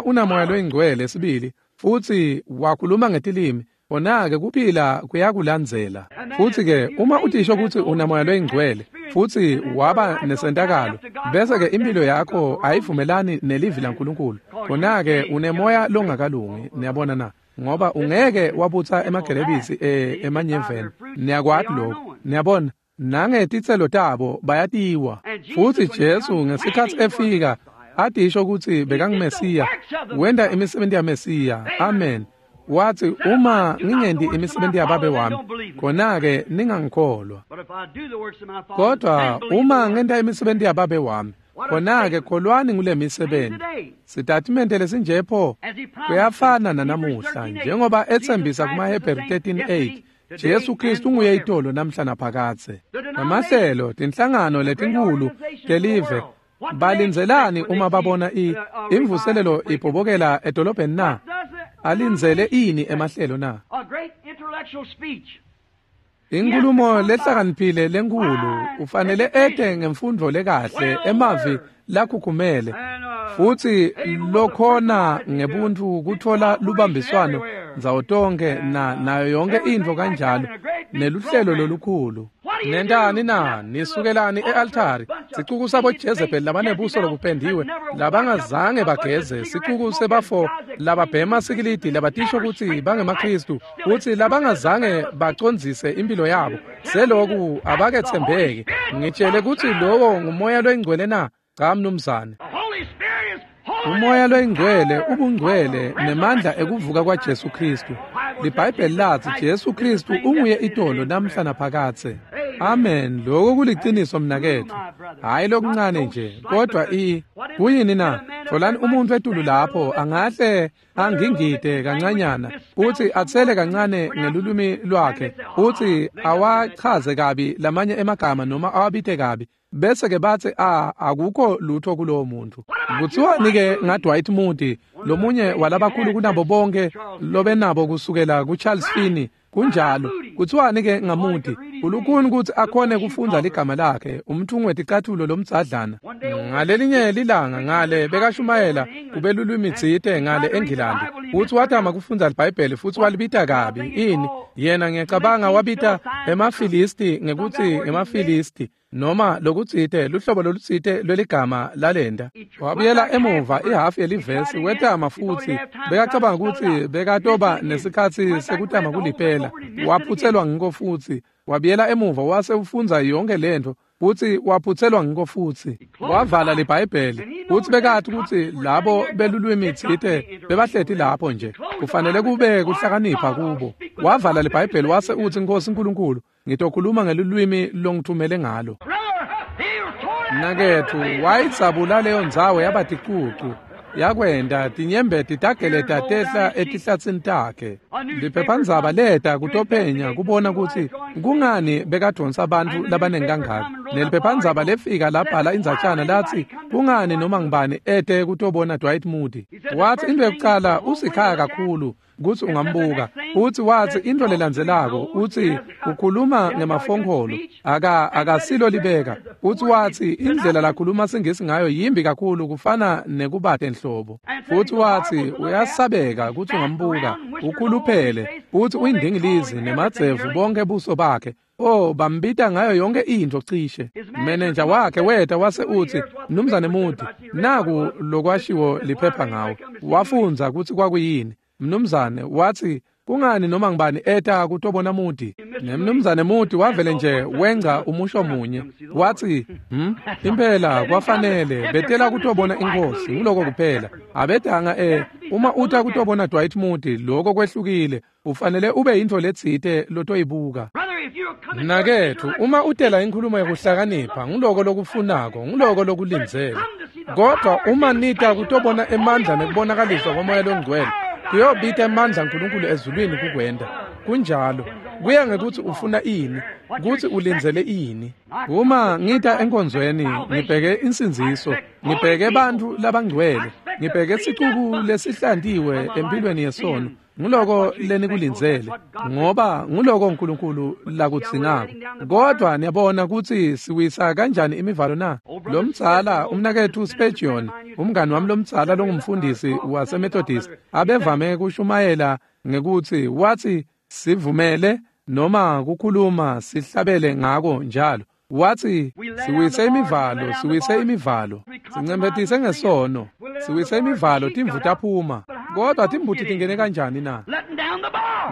una Moya Longcwele sibili, futsi wakhuluma ngetilimi, khona-ke kuphila kuyakulandzela. Futsi-ke uma utisho kutsi una Moya Longcwele futsi waba nesentakalo, bese-ke impilo yakho ayivumelani nelivi laNkulunkulu, khona-ke unemoya longakalungi. Niyabona na? Ngoba ungeke wabutsa emagelebisi emanyeveni. Niyakwati lokho. Niyabona, nangetitselo tabo bayatiwa. Futsi Jesu ngesikhatsi efika atisho kutsi bekanguMesiya, wenta imisebenti yaMesiya. Amen. Watsi, uma ngingenti imisebenti yaBabe wami, khona-ke ningangikholwa. Kodwa uma ngenta imisebenti yaBabe wami, khona-ke kholwani ngule misebenti. Sitatimende lesinje pho kuyafana nanamuhla, njengoba etsembisa kumaHebheru 13:8, Jesu Kristu nguye itolo namhla naphakadze. Namahlelo, tinhlangano letinkhulu telive, balindzelani uma babona imvuselelo ibhobokela edolobheni na? Alindzele ini emahlelo na? Inkulumo lehlakaniphile lenkhulu ufanele ete ngemfundvo lekahle, emavi lakhukhumele, futsi lokhona ngebuntfu kutfola lubambiswano ndzawo tonke nayo yonke intfo kanjalo, neluhlelo lolukhulu. Nentani na? Nisukelani e-altari? Sicuku sabo Jezebel labanebuso lobupendiwe, labangazange bageze, sicuku sebafo lababhema sikilidi, labatisho kutsi bangemaKhristu, kutsi labangazange bacondzise impilo yabo, seloku abaketsembeki. Ngitshele kutsi lowo nguMoya Longcwele na? Cha mnumzane. Umoya Longcwele ubungcwele nemandla ekuvuka kwaJesu Kristu. LiBhayibheli latsi Jesu Kristu unguye itolo namhla naphakadze. Amen. Lokho kuliciniso mnaketfu. Hayi lokuncane nje, kodwa kuyini na? Tholani umuntu etulu lapho angahle angingide kancanyana, uthi atsele kancane ngelulwimi lwakhe, uthi awachaze kabi lamanye emagama noma awabite kabi, bese ke batsi akukho lutho kulowo muntu. Kuthiwani-ke ngaDwight Moody, lomunye walabakhulu kunabo bonke lobenabo kusukela kuCharles Finney? Kunjalo. Kuthiwani-ke ngaMoody? Ulukhuni kutsi akhone kufundza ligama lakhe, umthungi weticathulo lomdzadlana. Ngalelinye lilanga ngale bekashumayela kubelulwimi tsite ngale eNgilandi. Futsi watama kufundza liBhayibheli futsi walibita kabi. Ini? Yena ngiyacabanga wabita emaFilisti ngekutsi emaFilisti, noma lokutsite, luhlobo lolutsite lweligama lalenta. Wabuyela emuva ihhafu yelivesi, wetama futsi bekacabanga kutsi bekatoba nesikhatsi sekutama kulipela. Waphutselwa ngiko futsi. Wabuyela emuva wase ufundza yonke lentfo, futsi waphutselwa ngiko futsi. Wavala liBhayibheli, futsi bekati kutsi labo belulwimi tsite bebahleti lapho nje. Kufanele kube kuhlakanipha kubo. Wavala liBhayibheli wase utsi, Nkosi Nkulunkulu, ngitokhuluma ngelulwimi longithumele ngalo. Mnaketfu, wayidzabula leyo ndzawo yaba ticucu. Yakwenta tinyembeti tageleta tehla etihlatsini takhe. Liphephandzaba leta kutophenya kubona kutsi kungani bekadvonsa bantfu labanengi kangaka. Neliphephandzaba lefika labhala indzatshana latsi kungani noma ngubani ete kutobona Dwight Moody. Watsi into yekucala usikhaya kakhulu kutsi ungambuka. Utsi watsi into lelandzelako utsi ukhuluma ngemafonkholo akasilo libeka. Utsi watsi indlela lakhuluma siNgisi ngayo yimbi kakhulu kufana nekubate nhlobo. Futsi watsi uyasabeka kutsi ungambuka, ukhuluphele, utsi uyindingilizi nemadzevu bonke buso bakhe. Oh, bambita ngayo yonke intfo cishe. Menenja wakhe weta wase utsi, Mnumzane Moody, naku lokwashiwo liphepha ngawo. Wafundza kutsi kwakuyini. Mnumzane watsi kungani noma ngibani eta kutobona Moody. Nemnumzane Moody wavele nje wengca umusho munye. Watsi, impela kwafanele betela kutobona inkosi, nguloko kuphela. Abetanga uma uta kutobona Dwight Moody, lokho kwehlukile. Ufanele ube yintfo letsite lotoyibuka. Mnaketfu, uma utela inkhulumo yekuhlakanipha, nguloko lokufunako, nguloko lokulindzele. Kodwa uma nita kutobona emandla nekubonakaliswa koMoya loNgcwele, kuyobita emandla aNkulunkulu ezulwini kukwenta. Kunjalo. Kuya ngekutsi ufuna ini, kutsi ulindzele ini. Uma ngita enkonzweni, ngibheke insindziso, ngibheke bantfu labangcwele, ngibheke sicuku lesihlantiwe empilweni yesono. Nguloko lenikulindzele, ngoba nguloko uNkulunkulu lakudzingako. Kodwa niyabona kutsi siwisa kanjani imivalo na? Lomdzala umnaketfu Spurgeon, umngani wami lomdzala longumfundisi waseMethodist, abevame kushumayela ngekutsi watsi sivumele noma kukhuluma sihlabele ngako njalo. Watsi siwise imivalo, siwise imivalo, sincemphetise ngesono, siwise imivalo, timvu taphuma. Kodwa timbuti tingene kanjani na?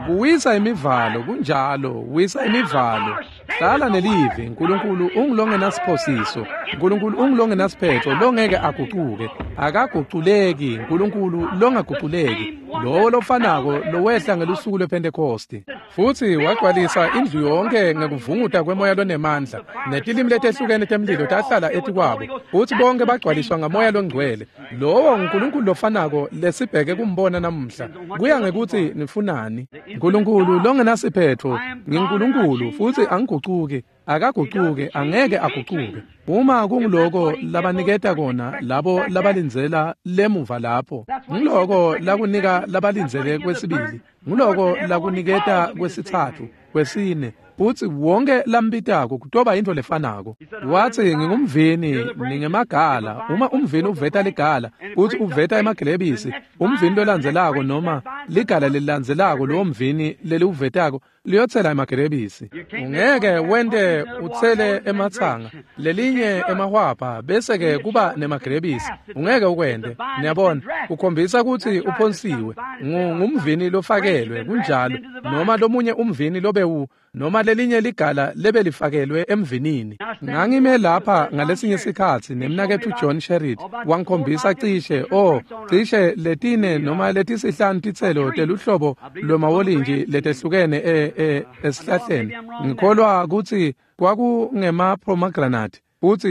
Kuwisa imivalo, kunjalo, wisa imivalo. Hlala nelivi, uNkulunkulu ungulongenasiphosiso, uNkulunkulu ungulongenasiphetho, longeke agucuke, akaguculeki, uNkulunkulu longaguculeki, lowo lofanako lowehla ngelusuku lwePhentekosti. Futsi wagcwalisa indlu yonke ngekuvunguta kwemoya lonemandla, netilimi letehlukene temlilo tahlala etikwabo, futsi bonke bagcwaliswa ngamoya longcwele. Lowo uNkulunkulu lofanako lesibheke kumbona namuhla. Kuya ngekutsi nifunani. Nkulunkulu longenasiphetho, nginguNkulunkulu futsi angigucuki, akagucuki, angeke agucuke. Uma kunguloko labaniketa kona labo labalindzela lemuva lapho, nguloko lakunika labalindzele kwesibili, nguloko lakuniketa kwesitsatfu, kwesine, futsi wonke lambitako kutoba intfo lefanako. Watsi ngingumvini, ningemagala. Uma umvini uveta ligala, futsi uveta emagilebisi, umvini lolandzelako noma ligala lelilandzelako lowo mvini leliwuvetako liyotsela emagilebisi. Ungeke wente utsele ematsanga, lelinye emahwabha, bese ke kuba nemagilebisi. Ungeke ukwente. Niyabona, ukhombisa kutsi uphonsiwe. Ngumvini lofakelwe, kunjalo, noma lomunye umvini lobewu, noma lelinye ligala lebelifakelwe emvinini. Ngangime lapha ngalesinye sikhatsi nemnaketfu John Sherritt wangikhombisa cishe cishe letine noma letisihlanu titselo teluhlobo lwemawolintshi letehlukene esihlahleni. Ngikholwa kutsi kwakungema-pomegranate,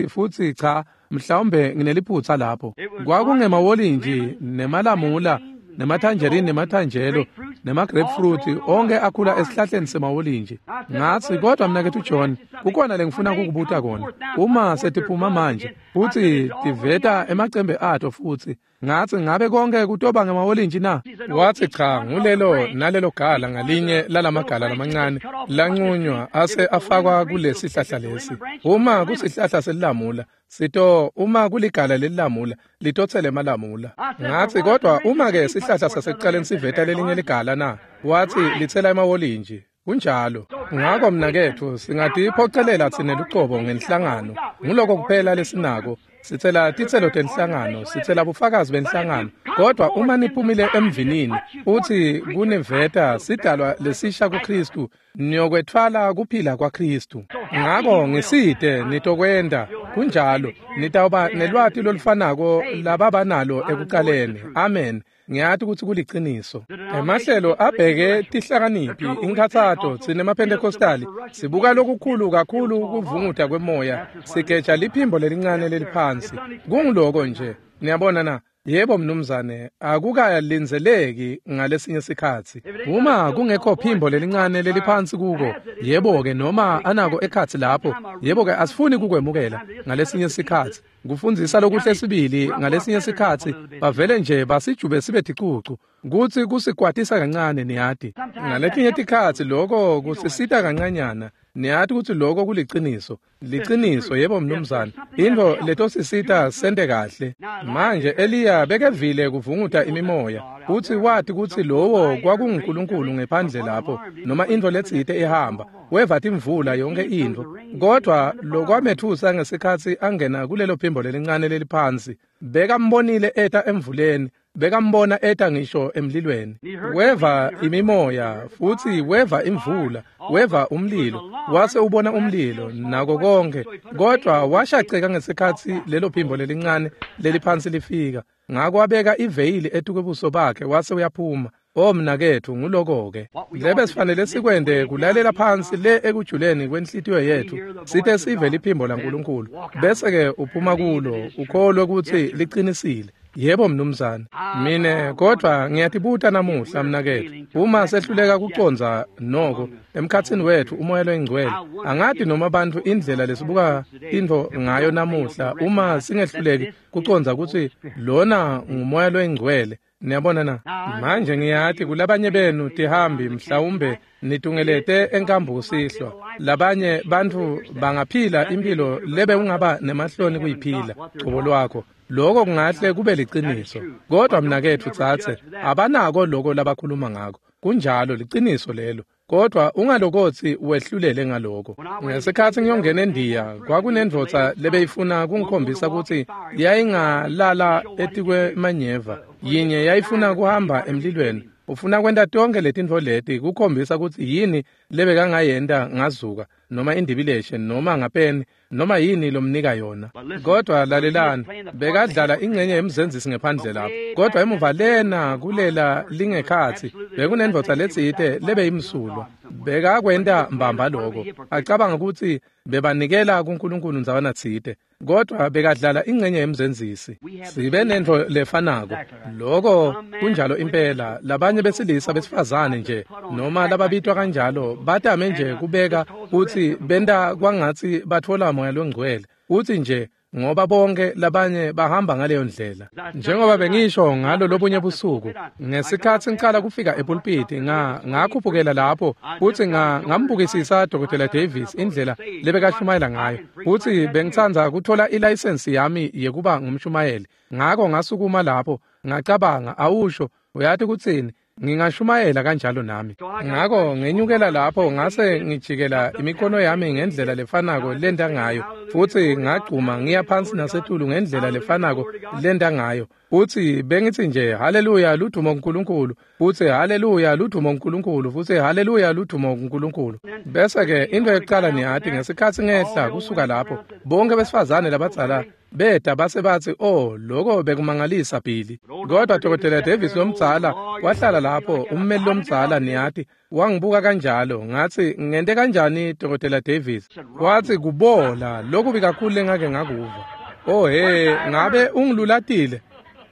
futsi cha, mhlawumbe ngineliphutsa lapho. Kwakungemawolintshi nemalamula, nematangerine, nematangelo, nemagrapefruit, onke akhula esihlahleni semawolintshi. Ngatsi, kodwa mnaketfu John, kukhona lengifuna kukubuta kona. Uma setiphuma manje, futsi tiveta emacembe ato futsi, Ngathi ngabe konke kutoba ngemawolintshi na? Wathi cha, ngulelo nalelo gala ngalinye lalamagala lamancane lanqunywa ase afakwa kulesihlahla lesi. Uma kusihlahla selilamula sito, uma kuligala lelilamula litotsele emalamula. Ngathi kodwa uma ke sihlahla sasekuqaleni siveta lelinye ligala na? Wathi litsela emawolintshi. Kunjalo. Ngako mnaketfu singatiphocelela tsine lucobo ngenhlangano. Nguloko kuphela lesinako. Sitsela titselo tenhlangano, sitsela bufakazi benhlangano. Kodwa uma niphumile emvinini, uthi kuniveta sidalwa lesisha kuKristu, niyokwetfwala kuphila kwaKristu. Ngako ngisite nitokwenta kunjalo, nitawuba nelwati lolufanako lababanalo ekuqaleni. Amen. Ngiyati kutsi kuliciniso. Emahlelo abheke tihlakaniphi, inkhatsato tsine emaPentecostali sibuka lokukhulu kakhulu kuvunguta kwemoya, sigeja liphimbo lelincane leliphansi. Kunguloko nje. Niyabona na? Yebo mnumzane, akukalindzeleki ngalesinye sikhatsi. Uma kungekho phimbo lelincane leliphansi kuko, yebo-ke noma anako ekhatsi lapho, yebo-ke asifuni kukwemukela ngalesinye sikhatsi. Kufundzisa lokuhle sibili ngalesinye sikhatsi bavele nje basijube sibe ticucu, kutsi kusikwatisa kancane niyati. Ngaletinye tikhatsi loko kusisita kancanyana. Niyati kutsi loko kuliciniso. Liciniso, yebo mnumzane. Intfo letosisita sente kahle. Manje Eliya bekevile kuvunguta imimoya, utsi wati kutsi lowo kwakunguNkulunkulu ngephandle lapho, noma intfo letsite ihamba, weva timvula yonke intfo. Kodwa lokwametfusa ngesikhatsi angena kulelo phimbo lelincane leliphansi, bekambonile eta emvuleni, bekambona eta ngisho emlilweni. Weva imimoya futsi weva imvula, weva umlilo, wase ubona umlilo nako konke. Kodwa washaceka ngesikhatsi lelo phimbo lelincane leliphansi lifika. Ngako wabeka iveyili etukwebuso bakhe wase uyaphuma. O mnaketfu, nguloko-ke lebe sifanele sikwente, kulalela phansi le ekujuleni kwenhlitiyo yetfu, site sive liphimbo laNkulunkulu, bese-ke uphuma kulo ukholwe kutsi liqinisile. Yebo mnumzane. Mine kodwa ngiyatibuta namuhla mnaketfu, uma sehluleka kucondza noko emkhatsini wetfu umoya loyingcwele, angati noma bantfu indlela lesibuka intfo ngayo namuhla, uma singehluleki kucondza kutsi lona ngumoya loyingcwele. Niyabona na? Manje ngiyati kulabanye benu tihambi mhlawumbe nitungelete enkambu kusihlwa. Labanye bantfu bangaphila impilo lebe ungaba nemahloni kuyiphila cobo lwakho. Loko kungahle kube liciniso. Kodwa mnaketfu tsatse, abanako loko labakhuluma ngako. Kunjalo, liciniso lelo. Kodwa ungalokotsi wehlulele ngaloko. Ngesikhatsi ngiyongena eNdiya, kwakunendvodza lebeyifuna kungikhombisa kutsi yayingalala etikwemanyeva. Yinye yayifuna kuhamba emlilweni. Ufuna kwenta tonke letintfo leti kukhombisa kutsi yini lebekangayenta ngazuka, noma indibileshe, noma ngapeni, noma yini lomnika yona. Kodwa lalelani, bekadlala ingcenye yemzenzisi ngephandle lapho. Kodwa emuva lena kulela lingekhatsi bekunendvodza letsite lebeyimsulwa. Bekakwenta mbamba loko, acabanga kutsi bebanikela kuNkulunkulu ndzawana tsite. Kodwa bekadlala ingcenye yemzenzisi. Sibe nentfo lefanako. Loko kunjalo impela. Labanye besilisa besifazane nje noma lababitwa kanjalo batame nje kubeka kutsi benta kwangatsi batfola moya longcwele. Utsi nje ngoba bonke labanye bahamba ngaleyo ndlela. Njengoba bengisho ngalo lobunye busuku, ngesikhatsi ngicala kufika epulpiti, ngakhuphukela lapho futsi ngambukisisa Dr. Davis indlela lebekashumayela ngayo. Futsi bengitsandza kuthola ilayisensi yami yekuba ngumshumayeli. Ngako ngasukuma lapho, ngacabanga, awusho, uyati kutsini? Ngingashumayela kanjalo nami. Ngako ngenyukela lapho ngase ngijikela imikono yami ngendlela lefanako lenta ngayo, futsi ngagcuma ngiya phansi nasetulu ngendlela lefanako lenta ngayo. Futsi bengitsi nje haleluya ludumo kuNkulunkulu, futsi haleluya ludumo kuNkulunkulu, futsi haleluya ludumo kuNkulunkulu. Bese-ke into yekucala niyati, ngesikhatsi ngehla kusuka lapho, bonke besifazane labadzala beta base batsi, oh, loko bekumangalisa Billy. Kodwa Dr. Davis lomdzala wahlala lapho, ummeli lomdzala niyati, wangibuka kanjalo. Ngathi, ngente kanjani Dr. Davis? Wathi, kubola lokubi kakhulu lengake ngakuva. Oh he, ngabe ungilulatile?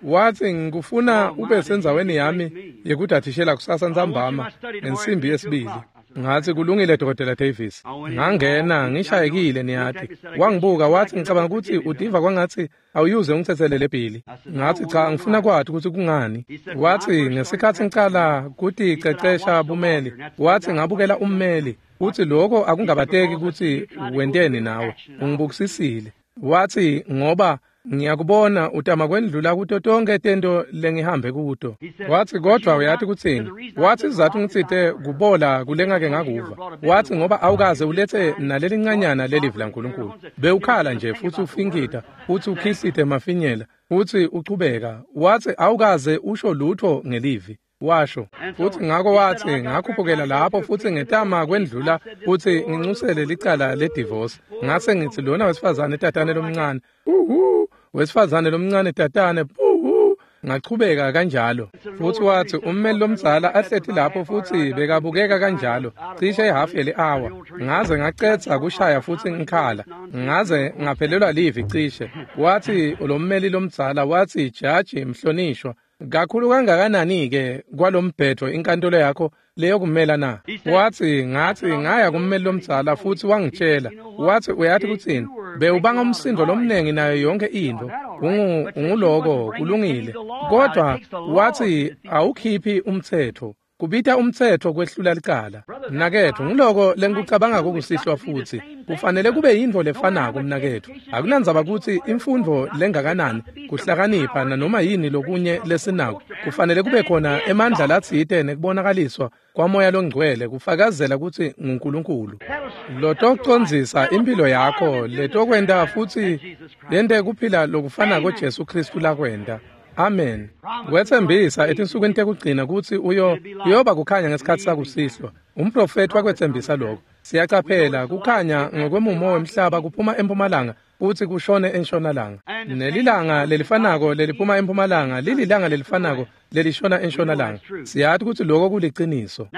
Wathi, ngikufuna ube sendzaweni yami yekudatishela kusasa ntsambama ngensimbi yesibili. Ngathi, kulungile, Dr. Davis. Ngangena ngishayekile, niyati. Wangibuka wathi, ngicabanga ukuthi utiva kwangathi awuyuze ungithethelele Billy. Ngathi, cha, ngifuna kwathi ukuthi kungani. Wathi, ngesikhathi ngicala kuticecesha bumeli, wathi ngabukela ummeli. Uthi lokho akungabateki ukuthi wenteni nawe, ungibukisisile. Wathi, ngoba ngiyakubona utama kwendlula kuto tonke tento lengihambe kuto. Wathi, kodwa uyathi kutsini? Wathi, sizathu ngitsite kubola kulengake ngakuva. Wathi, ngoba awukaze ulethe nalelincanyana lelivi laNkulunkulu. Bewukhala nje futhi ufinkita, futhi ukhihlite mafinyela, futhi uchubeka. Wathi, awukaze usho lutho ngelivi. Washo. Futhi ngakho wathi, ngakhuphukela lapho futhi ngetama kwendlula futhi ngincusele licala le-divorce. Ngase ngithi lona wesifazane tatane lomncane. Uhu, wesifazane lomncane tatane. Uhu, ngachubeka kanjalo. Futhi wathi ummeli lomdzala ahlethi lapho futhi bekabukeka kanjalo cishe ihafu yeli-hour. Ngaze ngacetha kushaya futhi ngikhala. Ngaze ngaphelelwa livi cishe. Wathi lo mmeli lomdzala wathi, jaji mhlonishwa, kakhulu kangakanani-ke kwalombhetho inkantolo yakho leyokumela na? Wathi, ngathi ngaya kummeli lomdzala futhi wangitshela. Wathi, uyathi kutsini? Bewubanga umsindo lomnengi nayo yonke into. Unguloko kulungile. Kodwa wathi awukhiphi umthetho. Kubita umthetho kwehlula licala. Mnaketfu, ngiloko lengikucabanga kukusihlwa futhi. Kufanele kube yintfo lefanako mnaketfu. Akunandzaba kutsi imfundvo lengakanani, kuhlakanipha nanoma yini lokunye lesinako. Kufanele kube khona emandla latsite nekubonakaliswa kwaMoya loNgcwele kufakazela kutsi nguNkulunkulu. Lotocondzisa impilo yakho, letokwenta futhi lente kuphila lokufanako Jesu Kristu lakwenta. Amen. Wetsembisa etinsukwini tekugcina kutsi uyoba kukhanya ngesikhathi sakusihlwa. Umprofeti wakwetsembisa lokho. Siyacaphela kukhanya ngokwemumo wemhlaba kuphuma empumalanga futhi kushone entshonalanga. Nelilanga lelifanako leliphuma empumalanga lililanga lelifanako lelishona entshonalanga. Siyathi kutsi lokho kuliciniso.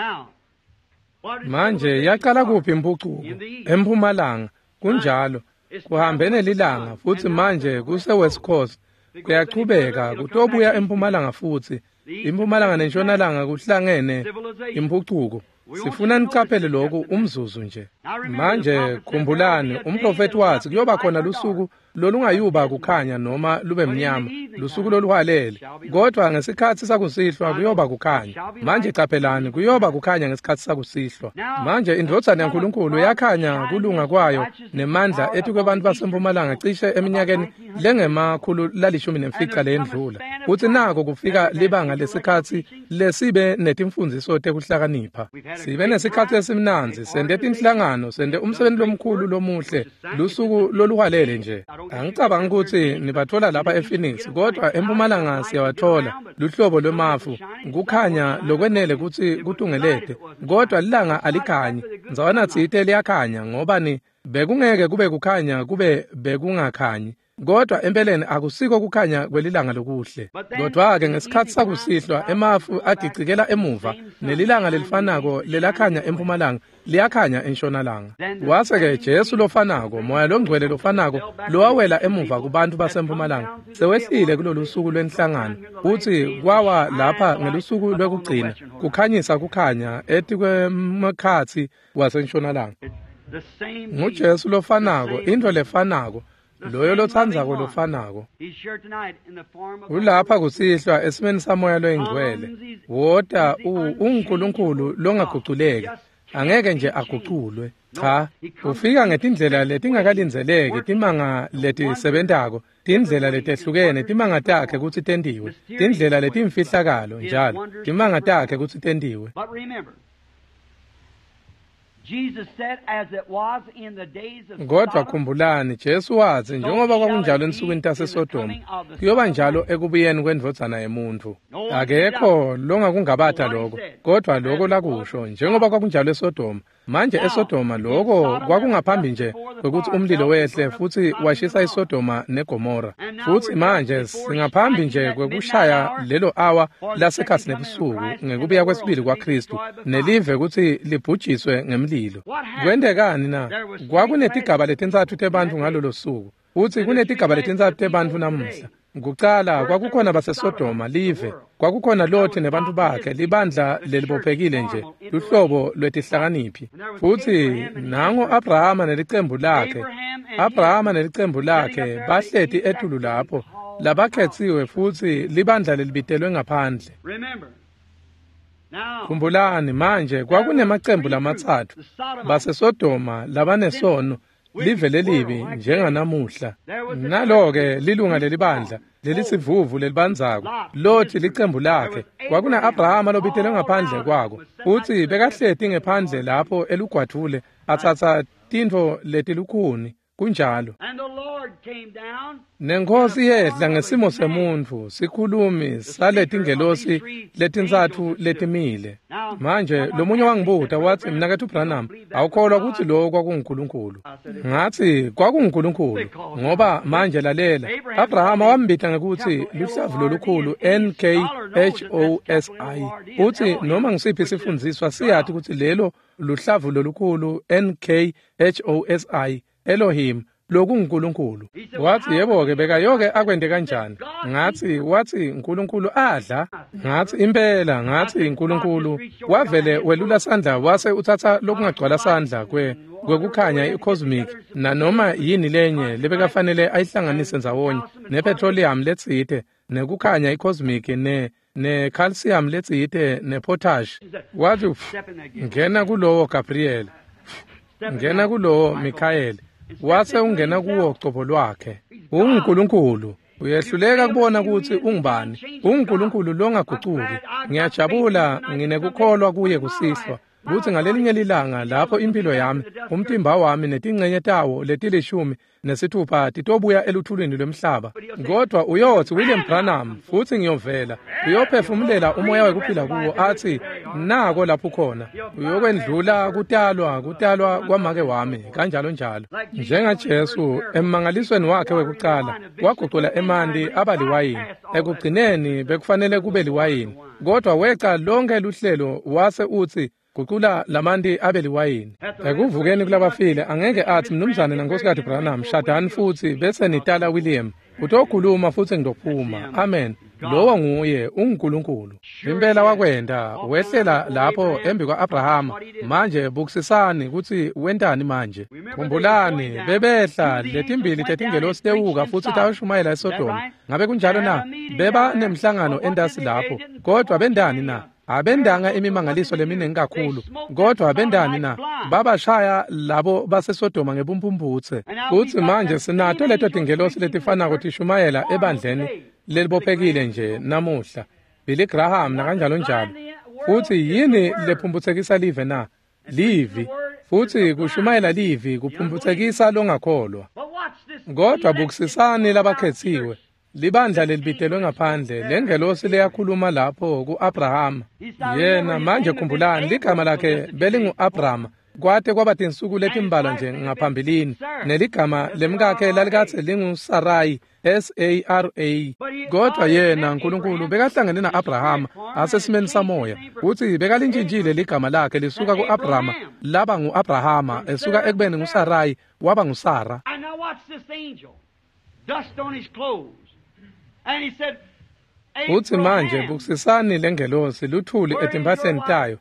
Manje yaqala kuphi impucuko? Empumalanga. Kunjalo. Kuhambe nelilanga futhi manje kuse West Coast. Kuyachubeka kutobuya empumalanga futhi. Impumalanga nentshonalanga kuhlangene impucuko. Sifuna nicaphele lokhu umzuzu nje. Manje khumbulani, umprofeti wathi kuyoba khona lusuku lolungayuba kukhanya noma lube mnyama, lusuku loluhwalele. Kodwa ngesikhathi sakusihlwa kuyoba kukhanya. Manje caphelani, kuyoba kukhanya ngesikhathi sakusihlwa. Manje indvodzana yaNkulunkulu yakhanya kulunga kwayo nemandla etikwebantu basempumalanga cishe eminyakeni lengema-115 leyendlula. Futhi nako kufika libanga lesikhathi lesibe netimfundziso tekuhlakanipha. Sibe nesikhathi esimnandzi, sente tinhlangano, sente umsebenzi lomkhulu lomuhle, lusuku loluhwalele nje. Angicabangi ukuthi nibathola lapha ePhoenix, kodwa empumalanga siyawathola luhlobo lwemafu, kukhanya lokwenele kutsi kutungelete, kodwa lilanga alikhanyi. Ndzawana tsite liyakhanya ngoba ni bekungeke kube kukhanya kube bekungakhanyi. Kodwa empeleni akusiko kukhanya kwelilanga lokuhle. Kodwa-ke ngesikhathi sakusihlwa emafu agicikela emuva, nelilanga lelifanako lelakhanya empumalanga liyakhanya entshonalanga. Wase-ke Jesu lofanako, Moya loNgcwele lofanako lowawela emuva kubantu basempumalanga sewehlile kulolu suku lwenhlangano futsi kwawa lapha ngelusuku lwekugcina kukhanyisa kukhanya etikwemkhatsi wasentshonalanga. NguJesu lofanako, intfo lefanako, loyo lotsandzako lofanako. Ulapha kusihlwa esimeni saMoya loyiNgcwele. Wota unguNkulunkulu longaguculeki. Angeke nje aguculwe. Cha, ufika ngetindlela letingakalindzeleki, timanga letisebentako, tindlela letehlukene, timanga takhe kutsi tentiwe, tindlela letimfihlakalo njalo, timanga takhe kutsi tentiwe. Kodwa khumbulani, Jesu watsi njengoba kwakunjalo ensukwini taseSodoma, kuyoba njalo ekubuyeni kwendvodzana yemuntfu. Akekho longakungabata lokho, kodwa lokho lakusho njengoba kwakunjalo eSodoma. Manje eSodoma lokho kwakungaphambi nje kwekutsi umlilo wehle futhi washisa iSodoma neGomora. Futhi manje singaphambi nje kwekushaya lelo awa lasekhatsi nebusuku ngekubuya kwesibili kwaKristu nelive kutsi libhujiswe ngemlilo. Kwentekani na? Kwakunetigaba letintsatfu tebantfu ngalolo suku, futsi kunetigaba letintsatfu tebantfu namuhla. Kucala kwakukhona baseSodoma live, kwakukhona Loti nebantu bakhe, libandla lelibophekile nje, luhlobo lwetihlakaniphi. Futhi nango Abrahama nelicembu lakhe, Abrahama nelicembu lakhe bahleti etulu lapho, labakhetsiwe futhi libandla lelibitelwe ngaphandle. Khumbulani manje kwakunemacembu lamatsatfu, baseSodoma labanesono, live lelibi njenganamuhla. Nalo-ke lilunga lelibandla lelisivuvu lelibandzako, Loti licembu lakhe. Kwakuna Abrahama lobitelwe ngaphandle kwako, futhi bekahleti ngephandle lapho elugwadvule atsatsa tintfo letilukhuni. Kunjalo. Nenkosi yehla ngesimo semuntfu, sikhulumi saletingelosi letintsatfu letimile. Manje lomunye wangibuta watsi, "Mnaketfu Branham, awukholwa kutsi lo kwakunguNkulunkulu?" Ngatsi, "KwakunguNkulunkulu, ngoba manje lalela, Abrahama wambita ngekutsi luhlavu lolukhulu N-K-H-O-S-I. Utsi noma ngisiphi isifundziswa siyati kutsi lelo luhlavu lolukhulu N-K-H-O-S-I Elohim, lokunguNkulunkulu." Watsi, "Yebo-ke, bekayoke akwente kanjani?" Ngatsi, watsi, "Nkulunkulu adla?" Ngatsi, "Impela." Ngatsi, "Nkulunkulu wavele welula sandla wase utsatsa lokungagcwala sandla kwekukhanya i-cosmic nanoma yini lenye lebekafanele ayihlanganise ndzawonye nepetroleum letsite nekukhanya i-cosmic ne-calcium letsite ne-potash." Watsi, "Ngena kulowo Gabriel, ngena kulowo Michael." Wase ungena kuwo cobo lwakhe. UnguNkulunkulu. Uyehluleka kubona kutsi ungubani. UnguNkulunkulu longagucuki. Ngiyajabula nginekukholwa kuye kusihlwa kutsi ngalelinye lilanga lapho impilo yami, umtimba wami netingcenye tawo letilishumi nesithupha titobuya eluthulwini lwemhlaba. Kodwa uyotsi, "William Branham," futhi ngiyovela. Uyophefumulela umoya wekuphila kuwo atsi, "Nako lapho khona." Uyokwendlula kutalwa kwamake wami, kanjalo njalo. NjengaJesu emmangalisweni wakhe wekucala, wagucula emanti aba liwayini. Ekugcineni bekufanele kube liwayini, kodwa weca lonke luhlelo wase utsi, "Gucula lamanti abe liwayini." Ekuvukeni kulabafile angeke atsi, "Mnumzane naNkosikazi Branham, shadani futhi bese nitala William." Utokhuluma futhi ngizophuma. Amen. Lowo nguye, unguNkulunkulu. Impela wakwenta, wehlela lapho embi kwa-Abrahama. Manje bukisisani kutsi wentani manje. Khumbulani, bebehla letimbili tetingelosi tewuka futhi tayoshumayela eSodoma. Ngabe kunjalo na? Beba nemhlangano entasi lapho. Kodwa bendani na? Abendanga imimangaliso leminingi kakhulu, kodwa bendani na? Babashaya labo baseSodoma ngebumphumputse. Kutsi manje sinato leto tingelosi letifanako tishumayela ebandleni lelibophekile nje namuhla, Billy Graham nakanjalo njalo. Futsi yini lephumphutsekisa live na? Livi. Futsi kushumayela livi kuphumphutsekisa longakholwa. Kodwa bukisisani labakhetsiwe, libandla lelibitelwe ngaphandle, lengelosi leyakhuluma lapho ku-Abrahama. Yena manje khumbulani ligama lakhe belingu-Abrahama kwate kwaba tinsuku letimbalwa nje ngaphambilini, neligama lemkakhe lalikatse linguSarai, S-A-R-A. Kodwa yena Nkulunkulu bekahlangene na-Abrahama asesimeni samoya, kutsi bekalintshintshile ligama lakhe lisuka ku-Abrahama laba ngu-Abrahama, esuka ekubeni nguSarai waba nguSara. Utsi manje bukisisani lengelosi luthuli etimpahleni tayo,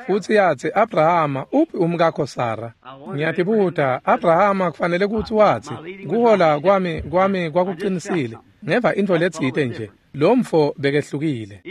futhi yatsi, "Abrahama, uphi umkakho Sara?" Ngiyatibuta, Abrahama kufanele kutsi watsi, "Kuhola kwami kwakuqinisile. Ngeva intfo letsite nje. Lo mfo bekehlukile."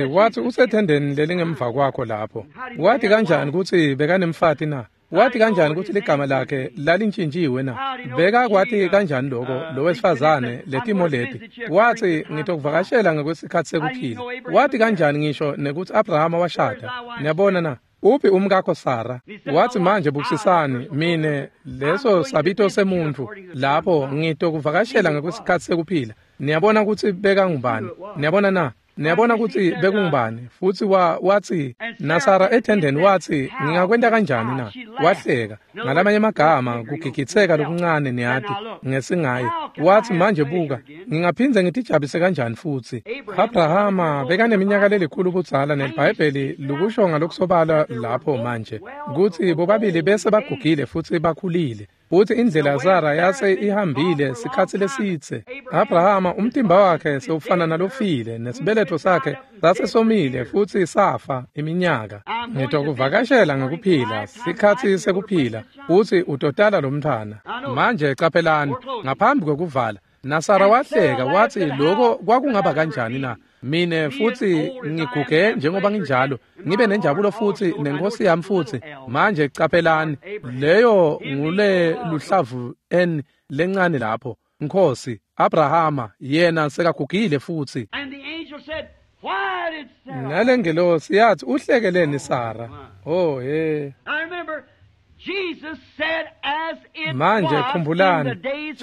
Watsi usethendeni lelingemva kwakho lapho. Wathi kanjani kutsi bekanemfati na? Wathi kanjani kutsi ligama lakhe lalintshintjiwe na? Bekakwati kanjani lokho lo wesifazane letimo leti? Watsi, "Ngitokuvakashela ngekwesikhatsi sekuphila." Wathi kanjani ngisho nekutsi Abrahama washada? Niyabona na? Uphi umkakho Sara? Watsi, "Manje bukisisani mine leso sabito semuntfu lapho ngitokuvakashela ngekwesikhatsi sekuphila." Niyabona kutsi bekangubani? Niyabona na? Niyabona kutsi bekungubani? Futhi watsi naSara ethendeni watsi, "Ngingakwenta kanjani na?" Wahleka. Ngalamanye amagama kugigitseka lokuncane niyati ngesingaye. Watsi, "Manje buka, ngingaphindze ngitijabulise kanjani futhi?" Abrahama bekaneminyaka lelikhulu budzala, neliBhayibheli likusho ngalokusobala lapho manje kutsi bobabili bese bagugile futhi bakhulile. Futhi indlela Sara yase ihambile sikhatsi lesitse. Abrahama umtimba wakhe sewufana nalofile, nesibeletho sakhe sasesomile futhi safa iminyaka. Ngitokuvakashela ngekuphila, sikhatsi sekuphila, futhi utotala lo mntfwana. Manje caphelani, ngaphambi kwekuvala, naSara wahleka wathi lokho kwakungaba kanjani na? Mine futhi ngiguge njengoba nginjalo, ngibe nenjabulo futhi nenkosi yami futhi. Manje caphelani, leyo ngule luhlavu n lencane lapho. Nkosi Abrahama yena sekagugile futhi. Nalengelosi yathi uhlekeleni Sara. Oh he. Manje khumbulani,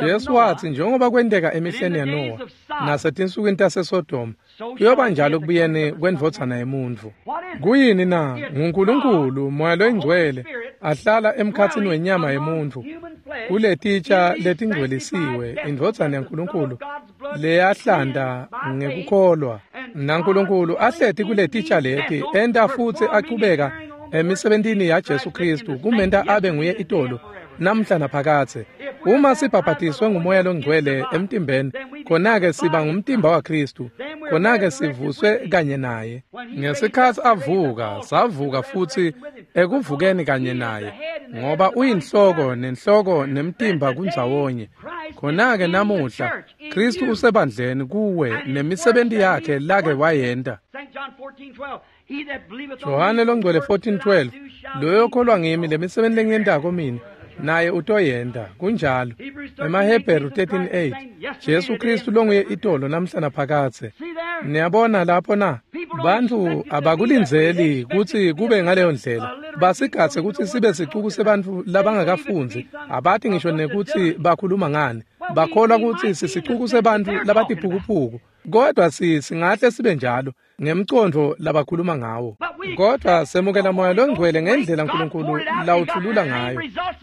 Jesu wathi njengoba kwenteka emihleni yaNowa nasetinsukwini taseSodoma, kuyoba njalo kubuyeni kwendvodzana yemuntfu. Kuyini na? NguNkulunkulu Moya loyingcwele ahlala emkhatsini wenyama yemuntfu kuletitsha letingcwelisiwe, indvodzana yaNkulunkulu leyahlanda ngekukholwa. NaNkulunkulu ahleti kuletitsha leti enta futsi achubeka emisebentini ya Jesu Kristu kumenta abe nguye itolo namhla naphakathe. Uma sibhabhatiswe ngumoya longcwele emtimbeni, khona-ke siba ngumtimba waKristu, khona-ke sivuswe kanye naye. Ngesikhatsi avuka, savuka futhi ekuvukeni kanye naye, ngoba uyinhloko nenhloko nemtimba kundzawonye. Khona-ke namuhla Kristu usebandleni kuwe nemisebenti yakhe lake wayenta. Johane longcwele 14:12, loyo kholwa ngimi lemisebenti lengiyentako mina naye utoyenta. Kunjalo. EmaHebheru 13:8, Jesu Kristu longuye itolo namhla naphakathe. Niyabona lapho na? Bantfu abakulindzeli kutsi kube ngaleyo ndlela. Basigatse kutsi sibe sicuku sebantfu labangakafundzi, abati ngisho nekutsi bakhuluma ngani. Bakholwa kutsi sisicuku sebantfu labatiphukuphuku. Kodwa singahle sibe njalo ngemcondvo labakhuluma ngawo. Kodwa semukela Moya longcwele ngendlela uNkulunkulu lawuthulula ngayo,